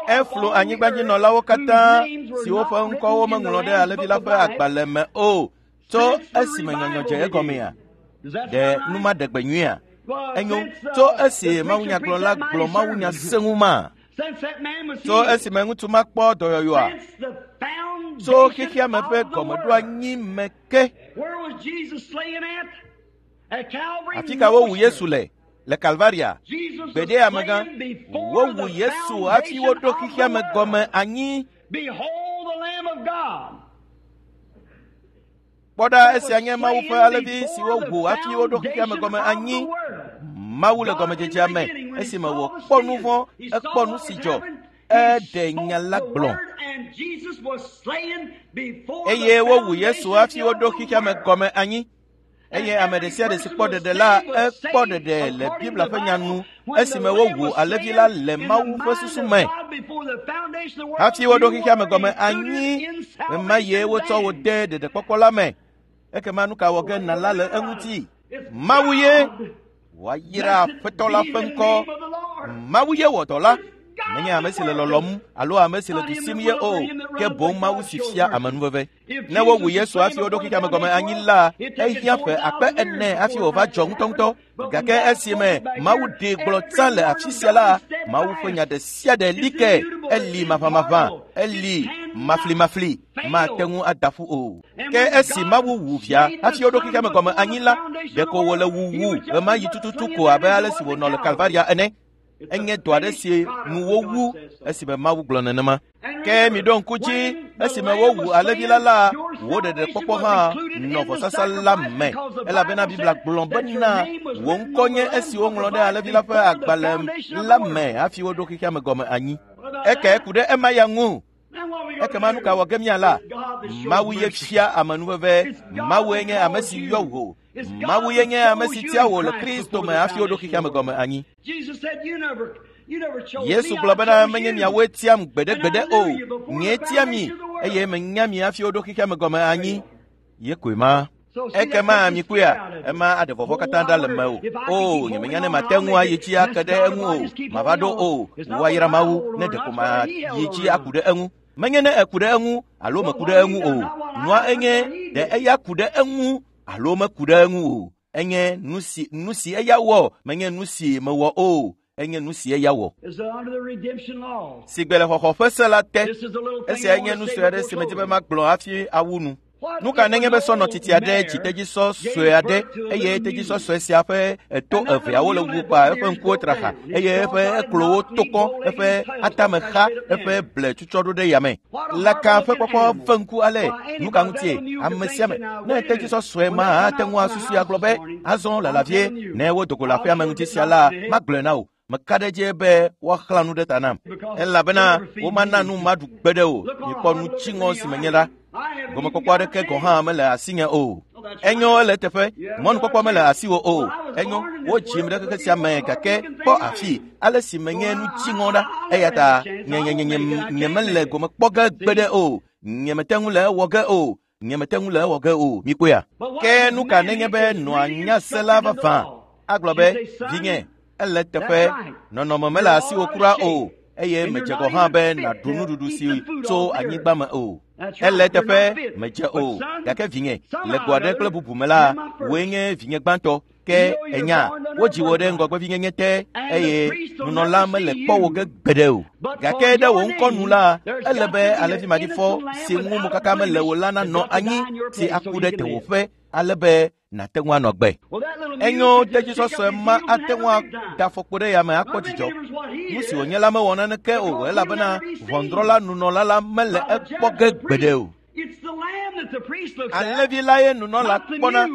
Eflu anyigbadzinɔlawo katã siwo ƒe ŋkɔwo meŋlɔ ɖe alẽvi la ƒe agbalẽ me o tso esime nyɔnyɔ dze egɔmea. Ɖe nu ma ɖe gbe nyuia? Enyo, tso esi mawunyagblɔla gblɔ mawunya sẽŋu ma, tso esime ŋutsu ma kpɔ dɔyɔyɔa, tso xexea me ƒe gɔmeɖoanyi me ke. Afi ka wowu Yesu le? Le Kalvaria. Gbeɖe amegã, wowu Yesu hafi woɖo xexea me gɔme anyi. Kpɔ ɖa, esia nye Mawu ƒe alẽvi si wowu hafi woɖo xexea me gɔme anyi. Mawu le gɔmedzedzea me, esime wòkpɔ nu vɔ̃, ekpɔ nu si dzɔ, eɖe nya la gblɔ. Eye wowu Yesu hafi woɖo xexea me gɔme anyi. Eye ame ɖe sia ɖe si kpɔ ɖeɖe la, ekpɔ ɖeɖe le Biblia ƒe nya nu, esime wowu alẽvi la le Mawu ƒe susu me. Hafi woɖo xexea me gɔme anyi, ɣemaɣie wotsɔ wo de ɖeɖekpɔkpɔ la me. Ekema nu ka wɔ ge nàla le eŋuti? Mawu ye wòayra Aƒetɔ la ƒe ŋkɔ. Mawu ye wɔ dɔ la. Menye ame si le lɔlɔ̃m alo ame si le du sim ye o, ke boŋ Mawu si fia amenuveve. Ne wowu Yesu hafi woɖo xexea me gɔme anyi la, ehiã ƒe 4000 hafi wòva dzɔ ŋutɔŋutɔ. Gake esime Mawu ɖee gblɔ tsã le afi sia la, Mawu ƒe nya ɖe sia ɖe li ke, eli maʋamaʋã, eli Maflimafli mate ŋu ada ƒu o. Ke esi Mawu wu via hafi woɖo xexea me gɔme anyi la, ɖeko wòle wuwu ɣemaɣi tututu ko abe ale si wònɔ le Kalvaria ene. Enye dɔ aɖe si nu wowu esime Mawu gblɔ nenema. Ke miɖo ŋku dzi esime wowu alẽvi la la, wò ɖeɖekpɔkpɔ hã nɔ vɔsasa la me elabena Biblia gblɔ bena wò ŋkɔ nye esi woŋlɔ ɖe alẽvi la ƒe agbalẽ la me hafi woɖo xexea me gɔme anyi. Eke ku ɖe ema ya ŋu. Ekema nu ka wɔ ge míala? Mawu ye fia amenuveve. Mawue nye ame si yɔ wò. Mawu ye nye ame si tia wò le Kristo me hafi woɖo xexea me gɔme anyi. Yesu gblɔ bena menye miawoe tiam gbeɖegbeɖe o, nyee tia mi eye menya mi hafi woɖo xexea me gɔme anyi. Ye koe ma. Ekema mikpɔea, ema aɖe vɔvɔ katã ɖa le mewò. O, nyemenya ne mate ŋu ayi dzi ake ɖe eŋu o, mava ɖo o. Woayra Mawu ne ɖeko mayi dzi aku ɖe eŋu. Menye ne eku ɖe eŋu alo meku ɖe eŋu o. Nua enye ɖe eya ku ɖe eŋu alo meku ɖe eŋu o. Enye nu si eya wɔ, menye nu si mewɔ o. Enye nu si eya wɔ. Sigbe le xɔxɔ ƒe se la te. Esia nye nu sue aɖe si medi be magblɔ hafi awu nu. Nu ka nenye be sɔnɔ titi aɖe dzi tedzisɔ sue aɖe eye tedzisɔ sue sia ƒe eto eveawo le wu kpa eƒe ŋkuwo tra xa eye eƒe eklowo to kɔ eƒe atame xa eƒe ble tutsɔ ɖo ɖe yame. Laka ƒe kpɔkpɔ ve ŋku ale nu ka ŋutie ame sia ame ne tedzisɔ sue ma ate ŋu asusui agblɔ be azɔ lala vie ne wodo go le aƒea me ŋuti sia la magblɔe na wò. Meka ɖe edzi be woaxlã nu ɖe ta nam elabena womana nu maɖu gbe ɖe o. Mikpɔ nu dziŋɔ si menye la. Gɔmekpɔkpɔ aɖeke gɔ̃ hã mele asinye o. Enyo ele eteƒe, mɔnukpɔkpɔ mele asiwò o. Enyo, wodzim ɖe xexe sia me gake kpɔ afi ale si menye nu dziŋɔ ɖa. Eya ta nye mele gome kpɔ ge gbe ɖe o. Nye mete ŋu le ewɔ ge o. Nye mete ŋu le ewɔ ge o. Mikpɔea? Ke nu ka nenye be nɔa nya se la vavã agblɔ be vinye ele teƒe nɔnɔme mele asiwò kura o eye medze gɔ̃ hã be nàɖu nuɖuɖu si tso anyigba me o. Ele teƒe medze o gake vinye le go aɖe kple bubu me la wòe nye vinye gbãtɔ ke enya wodzi wò ɖe ŋgɔgbevinyenye te eye nunɔla mele kpɔ wò ge gbeɖe o. Gake ɖe wò ŋkɔ nu la ele be alẽvi maɖifɔ si ŋu mokaka mele o la nanɔ anyi si aku ɖe tewòƒe ale be nàte ŋu anɔ gbe. Enyo tedzisɔsɔe ma ate ŋu ada afɔkpo ɖe yame akpɔ dzidzɔ. Nu si wònye la mewɔ naneke o elabena ʋɔnudrɔ̃la nunɔla la mele ekpɔ ge gbeɖe o. Alẽvi la ye nunɔla kpɔna,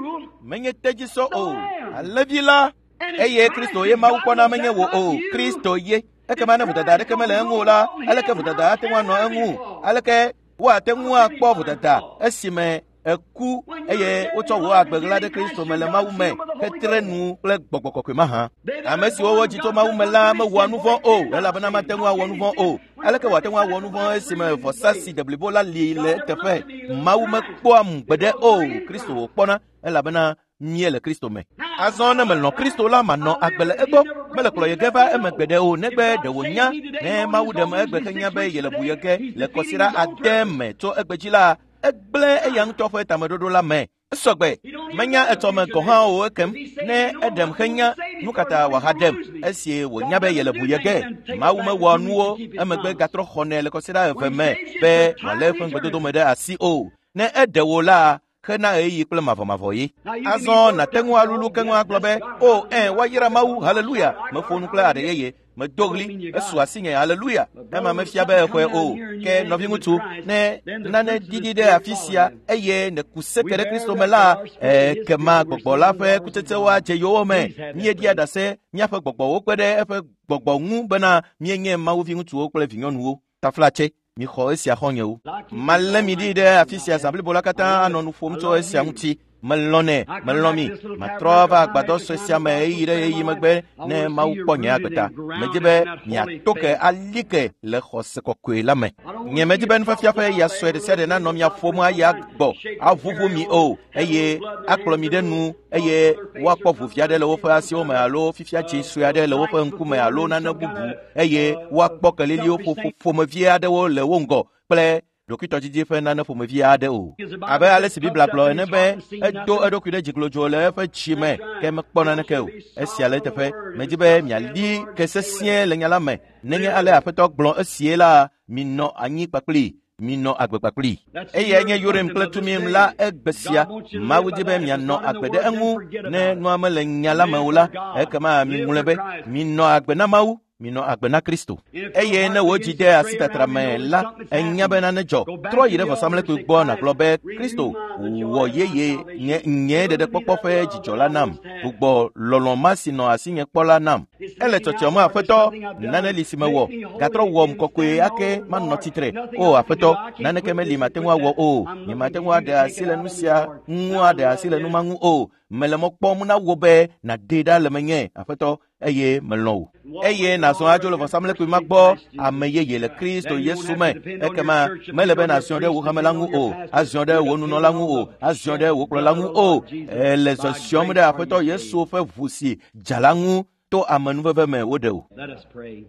menye tedzisɔ o. Alẽvi la eye Kristo ye Mawu kpɔna menye wò o. Kristo ye. Ekema ne vodada aɖeke mele eŋu o la, aleke vodada ate ŋu anɔ eŋu? Aleke woate ŋu akpɔ vodada esime eku eye wotsɔ wò agbe ɣla ɖe Kristo me le Mawu me hetre nu kple gbɔgbɔ kɔkɔe mahã? Ame siwo wodzi tso Mawu me la mewɔa nu vɔ̃ o elabena mate ŋu awɔ nu vɔ̃ o. Aleke wòate ŋu awɔ nu vɔ̃ esime vɔsa si deblibo la li le eteƒe? Mawu mekpɔa mu gbeɖe o. Kristo wòkpɔna elabena míele Kristo me. Azɔ ne melɔ̃ Kristo la manɔ agbe le egbɔ. Mele kplɔ ye ge va eme gbeɖe o negbe ɖe wònya ne Mawu ɖem egbe henya be yele bu ye ge le kɔsiɖa ade me tso egbe dzi la egblẽ eya ŋutɔ ƒe tameɖoɖo la me. Esɔgbe menya etsɔme gɔ̃ hã o ekem ne eɖem henya nu katã wòahaɖem esi wònya be yele bu ye ge. Mawu mewɔa nuwo emegbe gatrɔ xɔnɛ le kɔsiɖa eve me be wòalé eƒe ŋugbedodo me ɖe asi o. Ne eɖe wò la hena ɣeyiɣi kple mavɔmavɔ ye. Azɔ nàte ŋu alulu keŋ agblɔ be o ɛ woayra Mawu haleluya meƒo nu kple aɖe yeye medo ɣli esu asinye haleluya. Ema mefia be exɔe o. Ke nɔviŋutsu ne nane ɖiɖi ɖe afi sia eye nèku seke ɖe Kristo me la ekema gbɔgbɔ la ƒe kutsetsewo adze yowòme. Míeɖia ɖase míaƒe gbɔgbɔwo kpe ɖe eƒe gbɔgbɔ ŋu bena míenye Mawu viŋutsuwo kple vinyɔnuwo. Taflatse mixɔ esia xɔnyewo. Malé mi ɖi ɖe afi sia zã blibo la katã anɔ nu ƒom tso esia ŋuti. Melɔ̃nɛ, melɔ̃ mi. Matrɔ va agbadɔ sue sia me ɣeyiɣi ɖe ɣeyiɣi megbe ne Mawu kpɔ nye agbe ta. Medi be miato ke ali ke le xɔse kɔkɔe la me. Nye medi be nufiafia ƒe ya sue ɖe sia ɖe nanɔ mia ƒom ayi agbɔ aʋuʋu mi o eye akplɔ mi ɖe nu eye woakpɔ ʋuvi aɖe le woƒe asiwo me alo fifia dzi sue aɖe le woƒe ŋkume alo nane bubu eye woakpɔ keliliwo ƒomevi aɖewo le wo ŋgɔ kple ɖokuitɔdidi ƒe nane ƒomevi aɖe o. Abe ale si Biblia gblɔ ene be edo eɖokui ɖe dziglodzo le eƒe dzi me ke mekpɔ naneke o. Esia le eteƒe. Medi be miali ke sesĩe le nya la me. Nenye ale Aƒetɔ gblɔ esie la, minɔ anyi kpakpli. Minɔ agbe kpakplii. Eyae nye Urim kple Tumim la egbe sia. Mawu di be mianɔ agbe ɖe eŋu. Ne nua mele nya la me o la, ekema miŋlɔe be minɔ agbe na Mawu. Minɔ agbe na Kristo. Eye ne wò dzi de asitatra me la, enya be nane dzɔ. Trɔ yi ɖe vɔsamlekpui gbɔ nàgblɔ be Kristo wɔ yeye nye nye ɖeɖekpɔkpɔ ƒe dzidzɔ la nam. Gbugbɔ lɔlɔ̃ ma si nɔ asinye kpɔ la nam. Ele tsɔtsɔm Aƒetɔ, nane li si mewɔ. Gatrɔ wɔm kɔkɔe ake manɔ tsitre. O Aƒetɔ, naneke meli mate ŋu awɔ o. Nyemate ŋu aɖe asi le nu sia ŋu aɖe asi le nu ma ŋu o. Mele mɔ kpɔm na wò be nàɖee ɖa le menye, Aƒetɔ, eye melɔ̃ wò. Eye nàzɔ adzo le vɔsamlekpui ma gbɔ ame yeye le Kristo Yesu me. Ekema mele be nàziɔ ɖe wò hame la ŋu o, aziɔ ɖe wò nunɔla ŋu o, aziɔ ɖe wò kplɔla ŋu o. Ele zɔziɔm ɖe Aƒetɔ Yesu ƒe ʋu si dza la ŋu to amenuveve me woɖe wò. Let us pray.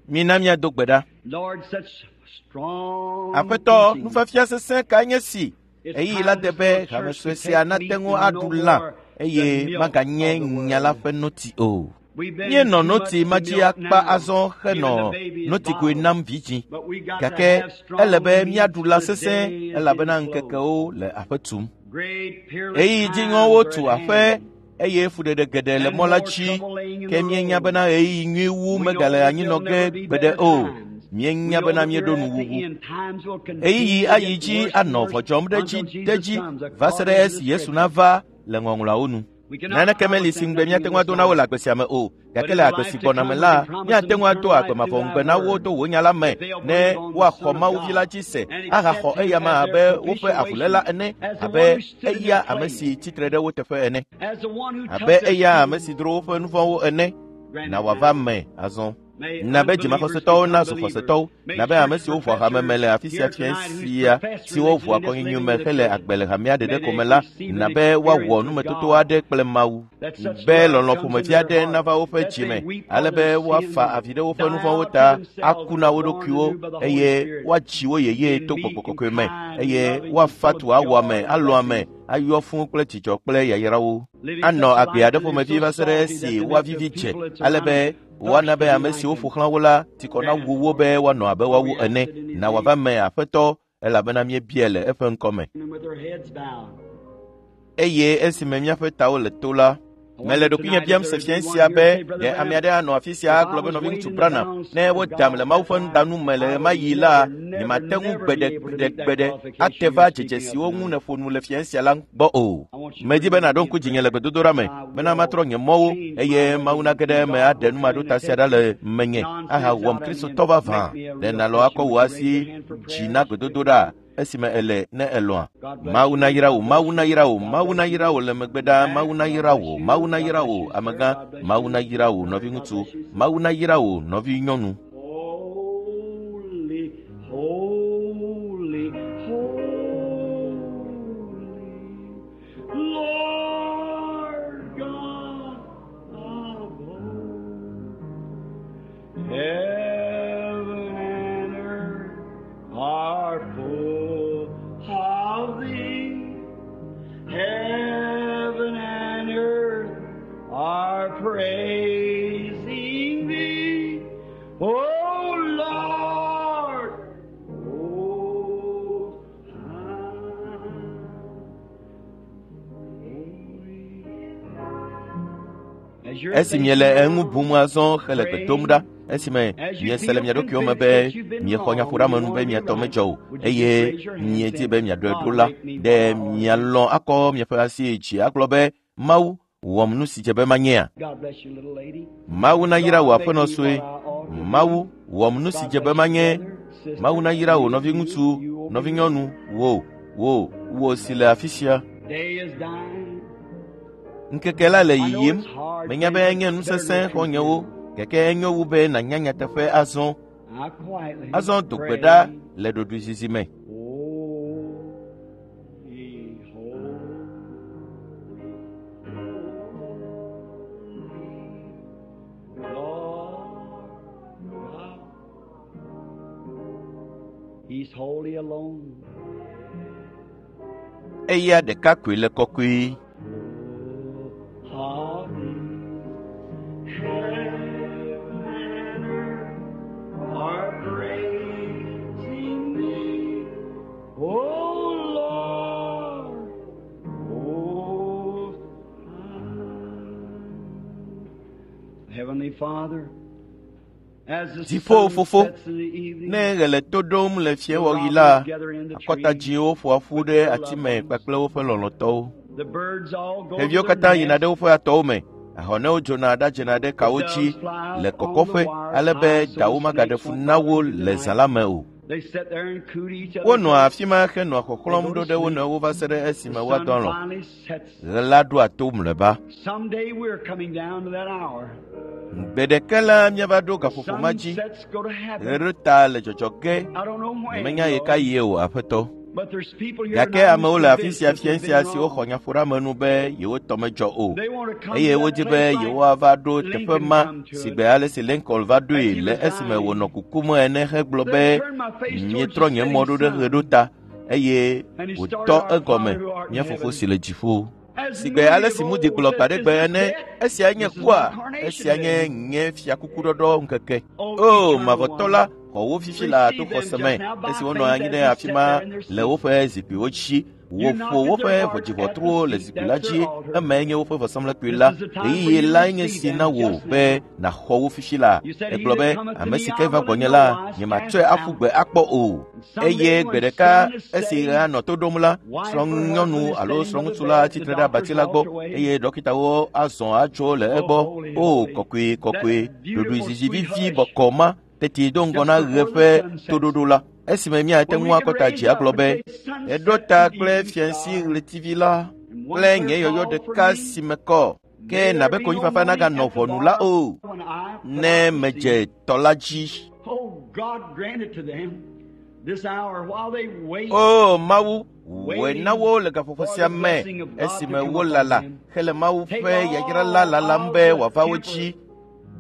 Mina míado gbe ɖa. Lord, such strong Aƒetɔ, teaching. nufiafia sesẽ kae nye si? It's Ɣeyiɣi time la de for be the hame church sue to sia take nate meat ŋu and aɖu no lã more eye the milk maganye of the nya la world. ƒe noti o. We've been Míenɔ too noti much ma to dzi milk akpa now, azɔ giving henɔ the babies notikoe bottles. nam vidzĩ. But we got to Gake have strong ele be meat míaɖu lã for the sesẽ day is elabena getting close. ŋkekewo le aƒe tum. Great peerless Ɣeyiɣi times dziŋɔwo are tu at aƒe hand. eye fuɖeɖe geɖe le And mɔ la more dzi. trouble laying in Ke the míenya road. bena ɣeyiɣi nyui wu We know megale that anyi nɔ there'll ge never be gbeɖe better o. times. We Míenya know bena that we're míeɖo at the nuwuwu. end. Times will Ɣeyiɣi continue to ayi get dzi worse and anɔ worse vɔdzɔm ɖe dzi until ɖe Jesus dzi comes, va se ɖe according to the esi Yesu Scripture. nava le ŋɔŋlɔawo nu. We cannot Naneke meli promise si them ŋugbe nothing míate in ŋu this ado na wo life. le agbe sia me o. But Gake in le the agbe life si to gbɔna come, me we la, can promise míate them ŋu ado eternal agbe life mavɔ through ŋugbe thy na wo word. to wò nya la me If they'll ne believe on the woaxɔ Son of Mawu vi la God dzi se and ahaxɔ accept him eyama as abe their woƒe avuléla propitiation, ene, as the abe one who stood in eya their ame place, si tsitre ɖe wo teƒe ene, as the one who took abe their eya ame si sins. dro woƒe nu vɔ̃wo ene. Grant Na it wòava now. me azɔ. May Na be unbelievers dzimaxɔsetɔwo become nazu believers. xɔsetɔwo, May na be ame church siwo ʋua hame me professors le afi sia here fia tonight whose sia profess siwo religion ʋua and is kɔnyinyi living me in the hele church, agbe le hamea may ɖeɖe ko they me la, receive na an be woawɔ experience with numetoto God aɖe kple Mawu. that such Be love lɔlɔ̃ comes ƒomevi into their aɖe heart nava woƒe that dzi they me, weep for ale be their woafa sins, avi ɖe woƒe die nu vɔ̃wo out to ta, themselves, aku na wo and born ɖokuiwo anew by the Holy eye Spirit, woatsi wo yeye and to meek gbɔgbɔ and kɔkɔe me kind and eye loving and woafa full tu of awɔ ame, joy and alɔ ame, blessings, ayɔ fũu kple dzidzɔ kple yayrawo. living Anɔ such a agbe life aɖe that is ƒomevi so va se ɖe salty that esi they make the woavivi dze people that ale surround be them woana thirst be to be ame like siwo them. ƒo xlã wo la tikɔ Grant nawu it, wo Lord, be woanɔ abe for woawo we ask ene. it in His Na name. wòava me Aƒetɔ elabena míebiae le eƒe ŋkɔ me. And with their heads bowed. Eye esime míaƒe tawo le to la, I mele wonder ɖokuinye tonight if biam there se would fia be one sia here be say, Brother ɖe ame Branham, aɖe anɔ afi sia if I agblɔ be was nɔviŋutsu weighed in the Branham balance ne of wodam le God Mawu that ƒe time, nudanu me le I would ɣemaɣi la, never, never, nyemate ŋu never be gbeɖe able to gbeɖe meet that gbeɖe qualification ate you're va dzedze speaking of siwo ŋu tonight. nèƒo nu le fia sia la gbɔ o. I want you to Medi be remember nàɖo me in ŋku dzinye le prayer. gbedodoɖa me I bena will matrɔ nye mɔwo change eye my Mawu ways, nage ɖe and eme God aɖe will come in numaɖota and sia take ɖa le this menye nonsense ahawɔm out of me and Kristotɔ vavã. make me a Ɖe real nàlɔ Christian. akɔ Would wò you raise asi your hand for dzi prayer? na Just quickly. gbedodoɖa esime èle ne elɔ̃a. God bless Mawu you. nayra wò, God Mawu bless you. nayra wò, God Mawu bless you. nayra wò le megbe ɖaa, Mawu Back. God nayra bless wò, you. Mawu God nayra bless wò, you, sir. amegã, God bless Mawu you. nayra wò, Brother, God nɔviŋutsu, bless you, sister. Mawu nayra wò, nɔvinyɔnu. Holy, holy, holy, Lord God of hosts, heaven and earth are full of thee. Heaven and earth are praising thee, O Lord. O As you're Esi miele thinking eŋu now, bum azɔ hele gbe dom ɖa, praying, esime as you miese le feel mia ɖokuiwo me convinced be that you've been miexɔ wrong and you nyaƒoɖeamenu want be to be mia tɔ right, medzɔ o would you just eye raise your hand miedi saying, be miaɖɔe ɖo God, la, make me ɖe what I ought to be? mialɔ̃ akɔ miaƒe asi yi dzi agblɔ be Mawu wɔm nu si dze be manyea? God bless you, little lady. Mawu nayra wò God, make aƒenɔ me sue. what I ought to be. Mawu wɔm nu si God dze be bless you, manye. brother, Mawu sister, nayra wò you, you, nɔviŋutsu, you over here. nɔvinyɔnu, wò, wò, wò si le afi sia. Day is dying. Ŋkeke la le I know yiyim. it's hard, Menya be friends. enye It's nu better sesẽ to know truth xɔ̃nyewo, now. gake enyo wu be nànya nyateƒe azɔ. Now quietly Azɔ do gbe ɖa pray. le ɖoɖoezizi me. Holy, holy, holy, Lord God. He's holy alone. Eya ɖeka koe le kɔkɔe. Holy, heaven and earth are praising Dziƒo Fofo, ne ɣe le to ɖom le fiẽwɔɣi la, akɔtadziwo ƒoa ƒu ɖe ati me kpakple woƒe lɔlɔ̃tɔwo. Xeviwo katã yina ɖe woƒe atɔwo me. Ahɔnewo dzona ɖadzena ɖe kawo dzi le kɔkɔƒe ale be dawo magaɖe fu na wo le zã la me o. Wonɔa afi ma henɔa xɔxlɔ̃m ɖo ɖe wo nɔewo va se ɖe esime woadɔ alɔ̃. Ɣe la ɖoa to mlɔeba. Gbe ɖeka la míava ɖo gaƒoƒo ma dzi. Ɣe ɖo ta le dzɔdzɔ ge. Nyemenya ɣekaɣie o, Aƒetɔ. Gake amewo le afi sia fiẽ sia siwo xɔ nyaƒoɖeamenu be yewo tɔ medzɔ o eye wodi be yewoava ɖo teƒe ma si gbe ale si Lincoln va ɖoe le esime wònɔ kukum ene hegblɔ be mietrɔ nye mɔ ɖo ɖe ɣeɖota eye wòtɔ egɔme mía fofo si le dziƒo. Si gbe ale si Moody gblɔ gbaɖegbe ene, esia nye kua, esia nye nye fiakukuɖɔɖɔ ŋkeke. O, mavɔtɔ la, xɔ wo fifi le to xɔse me esi wonɔ anyi ɖe afi ma le woƒe zikpuiwo dzi. Woƒo woƒe ʋɔdziʋɔtruwo le zikpui la dzi, emae nye woƒe vɔsamlekpui la. Ɣeyiɣi lae nye si na wò be nàxɔ wo fifi la. Egblɔ be, ame si ke va gbɔnye la, nyematsɔe aƒu gbe akpɔ o. Eye gbe ɖeka esi ɣea nɔ to ɖom la, srɔ̃nyɔnu alo srɔ̃ŋutsu la tsitre ɖe abati la gbɔ eye ɖɔkitawo azɔ adzo le egbɔ. O, kɔkɔe, kɔkɔe, ɖoɖoezizi vivi bɔkɔ ma tete do ŋgɔ na ɣe ƒe toɖoɖo la. Esime míate ŋu akɔ ta dzi agblɔ be, eɖo ta kple fiẽsi ɣletivi la kple nye yɔyɔ ɖeka si me kɔ. Ke nabe konyifafa naganɔ ʋɔnu la o, ne medze tɔ la dzi. O Mawu, wɔe na wo le gaƒoƒo sia me esime wolala hele Mawu ƒe yayra la lalam be wòava wo dzi.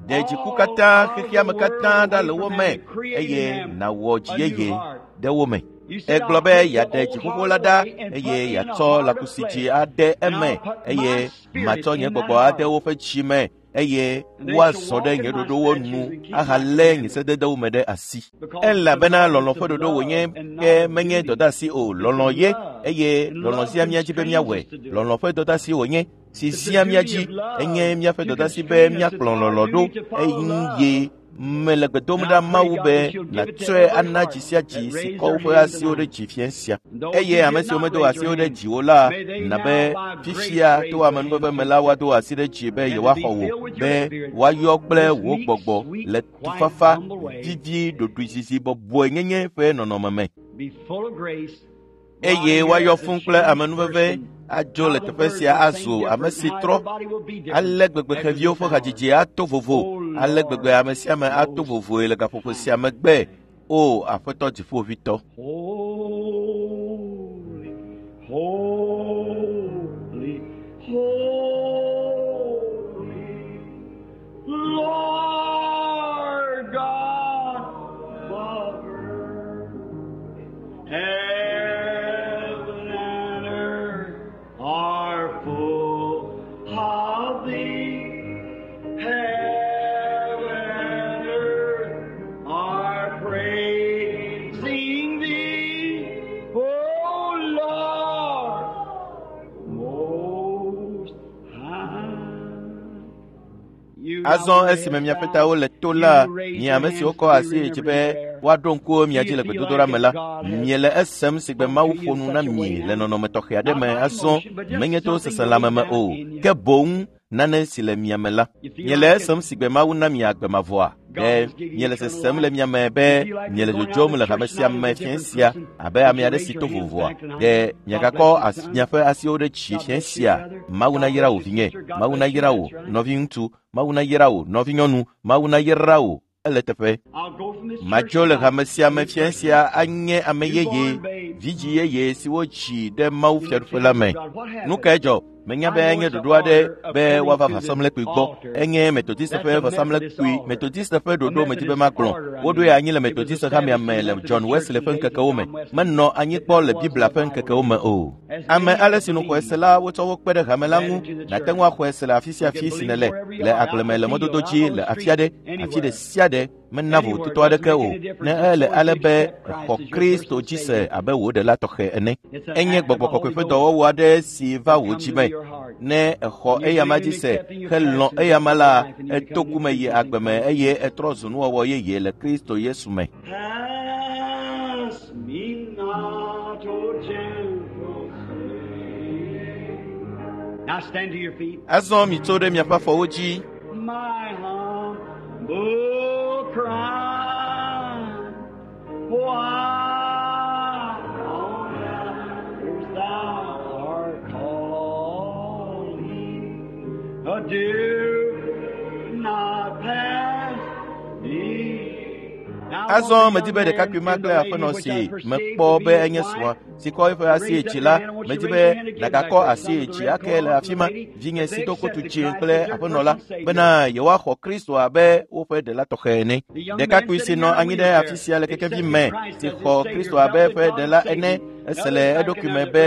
Ɖe dziku katã, xexeame katã ɖa le wo me eye nàwɔ dzi yeye ɖe wo me. Egblɔ be yeaɖe dziƒoƒo la ɖa eye yeatsɔ lãkusi dzi ade eme eye matsɔ nye gbɔgbɔ ade woƒe dzi me eye woazɔ ɖe nye ɖoɖowo nu ahalé nye sededewo me ɖe asi. Elabena lɔlɔ̃ ƒe ɖoɖo wònye ke menye dɔdeasi o. Lɔlɔ̃ ye eye lɔlɔ̃ zia mía dzi be míawɔe. Lɔlɔ̃ ƒe dɔdeasi wònye si zia mía dzi enye míaƒe dɔdeasi be míakplɔ lɔlɔ̃ ɖo eye mele gbe dom ɖa Mawu be nàtsɔe ana dzi sia dzi si kɔ woƒe asiwo ɖe dzi fiẽ sia. Eye ame siwo medo asiwo ɖe dzi o la, na be fifia to amenuveve me la woado asi ɖe dzi be yewoaxɔ wò, be woayɔ kple wò gbɔgbɔ le tufafa, vivi, ɖoɖoezizi bɔbɔe nyenye ƒe nɔnɔme me. Eye woayɔ fũu kple amenuveve adzo le teƒe sia azu ame si trɔ. Ale gbegbe xeviwo ƒe hadzidzi ato vovo, ale gbegbe ame sia ame ato vovoe le gaƒoƒo sia megbe. O Aƒetɔ Dziƒoʋĩtɔ. Holy, holy, holy, Lord God, Father, heaven and earth are full of thee. Heaven and earth are praising thee, O Lord, most high. Azɔ esime miaƒe tawo le to la, mi ame siwo kɔ asi yi dzi be woaɖo ŋku mia dzi le gbedodoɖa me la, miele esem si gbe Mawu ƒo nu na mi le nɔnɔme tɔxɛ aɖe me azɔ menye to seselãme me o, ke boŋ nane si le mia me la. Miele esem si gbe Mawu na mi agbe mavɔa? Ɖe miele sesem le mia me be miele dzodzom le hame sia me fiẽ sia abe ame aɖe si to vovoa? Ɖe miagakɔ miaƒe asiwo ɖe dzi fiẽ sia? Mawu nayra wò vinye, Mawu nayra wò nɔviŋutsu, Mawu nayra wò nɔvinyɔnu, Mawu nayra wò. Ele teƒe. Madzo le hame sia me fiẽ sia anye ame yeye, vidzĩ yeye si wodzi ɖe Mawu fiaɖuƒe la me. Nu kae dzɔ? Menya be enye ɖoɖo aɖe be woava vɔsamlekpui gbɔ. Enye Methodist ƒe vɔsamlekpui, Methodist ƒe ɖoɖo medi be magblɔ. Woɖoe anyi le Methodist hamea me le John Wesley ƒe ŋkekewo me. Menɔ anyi kpɔ le Biblia ƒe ŋkekewo me o. Ame ale si nu xɔe se la, wotsɔ wo kpe ɖe hame la ŋu. Nàte ŋu axɔe se le afi sia afi si nèle, le agble me, le mɔdodo dzi, le afi aɖe, afi ɖe sia ɖe. Mena vovototo aɖeke o, ne ele ale be èxɔ Kristo dzi se abe wò ɖela tɔxɛ ene. Enye gbɔgbɔ kɔkɔe ƒe dɔwɔwɔ aɖe si va wò dzi me. Ne exɔ eyama dzi se helɔ̃ eyama la, eto ku me yi agbe me eye etrɔ zu nuwɔwɔ yeye le Kristo Yesu me. Pass me not, O gentle Savior. Now stand to your feet. Azɔ mitso ɖe miaƒe afɔwo dzi. My humble cry, why on earth thou art calling, do not pass me. Azɔ medi be ɖekakpui ma kple aƒenɔ si mekpɔ be enye srɔ̃a si kɔ eƒe asi yi dzi la, medi be nàgakɔ asi yi dzi ake le afi ma, vinye si do kotu dzĩ kple aƒenɔ la, bena yewoaxɔ Kristo abe woƒe ɖela tɔxɛ ene. Ɖekakpui si nɔ anyi ɖe afi sia le kekevi me, si xɔ Kristo abe eƒe ɖela ene, ese le eɖokui me be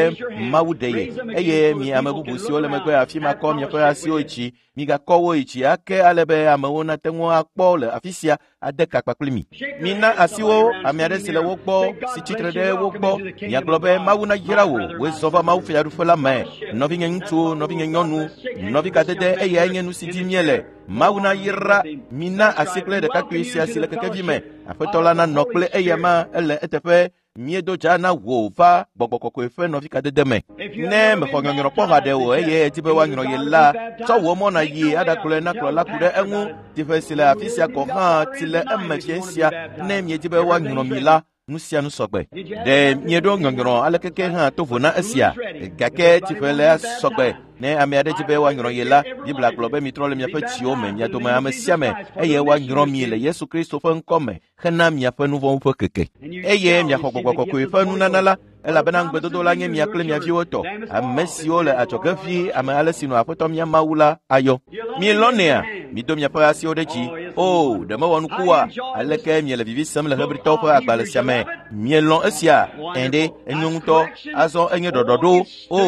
Mawu ɖe ye, eye mi ame bubu siwo le megbe afi ma kɔ miaƒe asiwo yi dzi, migakɔ wo yi dzi ake ale be amewo nate ŋu akpɔ le afi sia ade ka kpakpli mi. Mina asiwo ame aɖe si le wo gbɔ, si tsitre ɖe wo gbɔ, miagblɔ be Mawu nayra wò, wòe zɔ va Mawu fiaɖuƒe la me. Nɔvinye ŋutsuwo, nɔvinye nyɔnu, nɔvi kadede eyae nye nu si dim míele. Mawu nayra mina asi kple ɖekakpui sia si le kekevi me. Aƒetɔ la nanɔ kple eyama ele eteƒe. Míedo dza na wò va gbɔgbɔ kɔkɔe ƒe nɔvikadede me. Ne mexɔ nyɔnyrɔ kpɔ haɖe o eye edi be woanyrɔ ye la, tsɔ wò mɔ nàyi aɖakplɔe na kplɔla ku ɖe eŋu. Tsiƒe si le afi sia gɔ̃ hã tsi le eme fie sia. Ne miedi be woanyrɔ mi la, nu sia nu sɔgbe. Ɖe mieɖo nyɔnyrɔ alekeke hã to vo na esia? Gake tsiƒe le sɔgbe. Ne ame aɖe di be woanyrɔ ye la, Biblia gblɔ be mitrɔ le miaƒe tsiwo me, mia dome ame sia ame, eye woanyrɔ mi le Yesu Kristo ƒe ŋkɔ me hena miaƒe nu vɔ̃wo ƒe keke. Eye miaxɔ gbɔgbɔ kɔkɔe ƒe nunana la, elabena ŋugbedodo la nye mia kple mia viwo tɔ, ame siwo le adzɔge ʋĩi ame ale si nɔ Aƒetɔ mía Mawu la ayɔ. Mielɔ̃nɛa? Mido miaƒe asiwo ɖe dzi. O, ɖe mewɔ nuku oa? Aleke miele vivi sem le Hebritɔwo ƒe agbalẽ sia me? Mielɔ̃ esia? Ẽ ɖe, enyo ŋutɔ. Azɔ enye ɖɔɖɔɖo. O,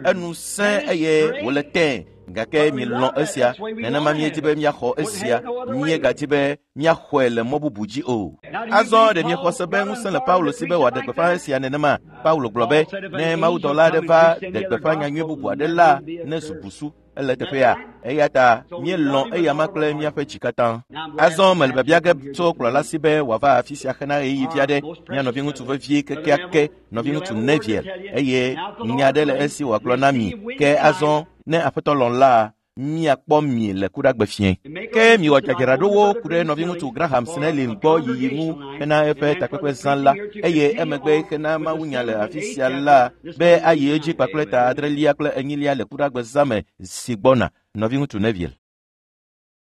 enu sẽ eye wòle tẽ. Gake mielɔ̃ esia. Nenema míedi be míaxɔ esia. Míegadi be míaxɔe le mɔ bubu dzi o. Azɔ ɖe miexɔ se be ŋusẽ le Paulo si be wòaɖe gbeƒã esia nenema? Paulo gblɔ be, ne mawudɔla aɖe va ɖe gbeƒã nyanyui bubu aɖe la, nezu busu. Ele teƒea. Eya ta míelɔ̃ eyama kple míaƒe dzi katã. Azɔ mele biabia ge tso kplɔla si be wòava afi sia hena ɣeyiɣi vi aɖe. Mía nɔviŋutsu vevie kekeake, nɔviŋutsu Neville, eye nya aɖe le esi wòagblɔ na mi. Ke azɔ ne Aƒetɔ lɔ̃ la, míakpɔ mi le kuɖagbe fiẽ. Ke miwɔ dzadzraɖowo ku ɖe nɔviŋutsu Graham Snelling gbɔ yiyi ŋu hena eƒe takpekpe zã la, eye emegbe hena mawunya le afi sia la be ayi edzi kpakple ta adrelia kple enyilia le kuɖagbe zã me si gbɔna. Nɔviŋutsu Neville.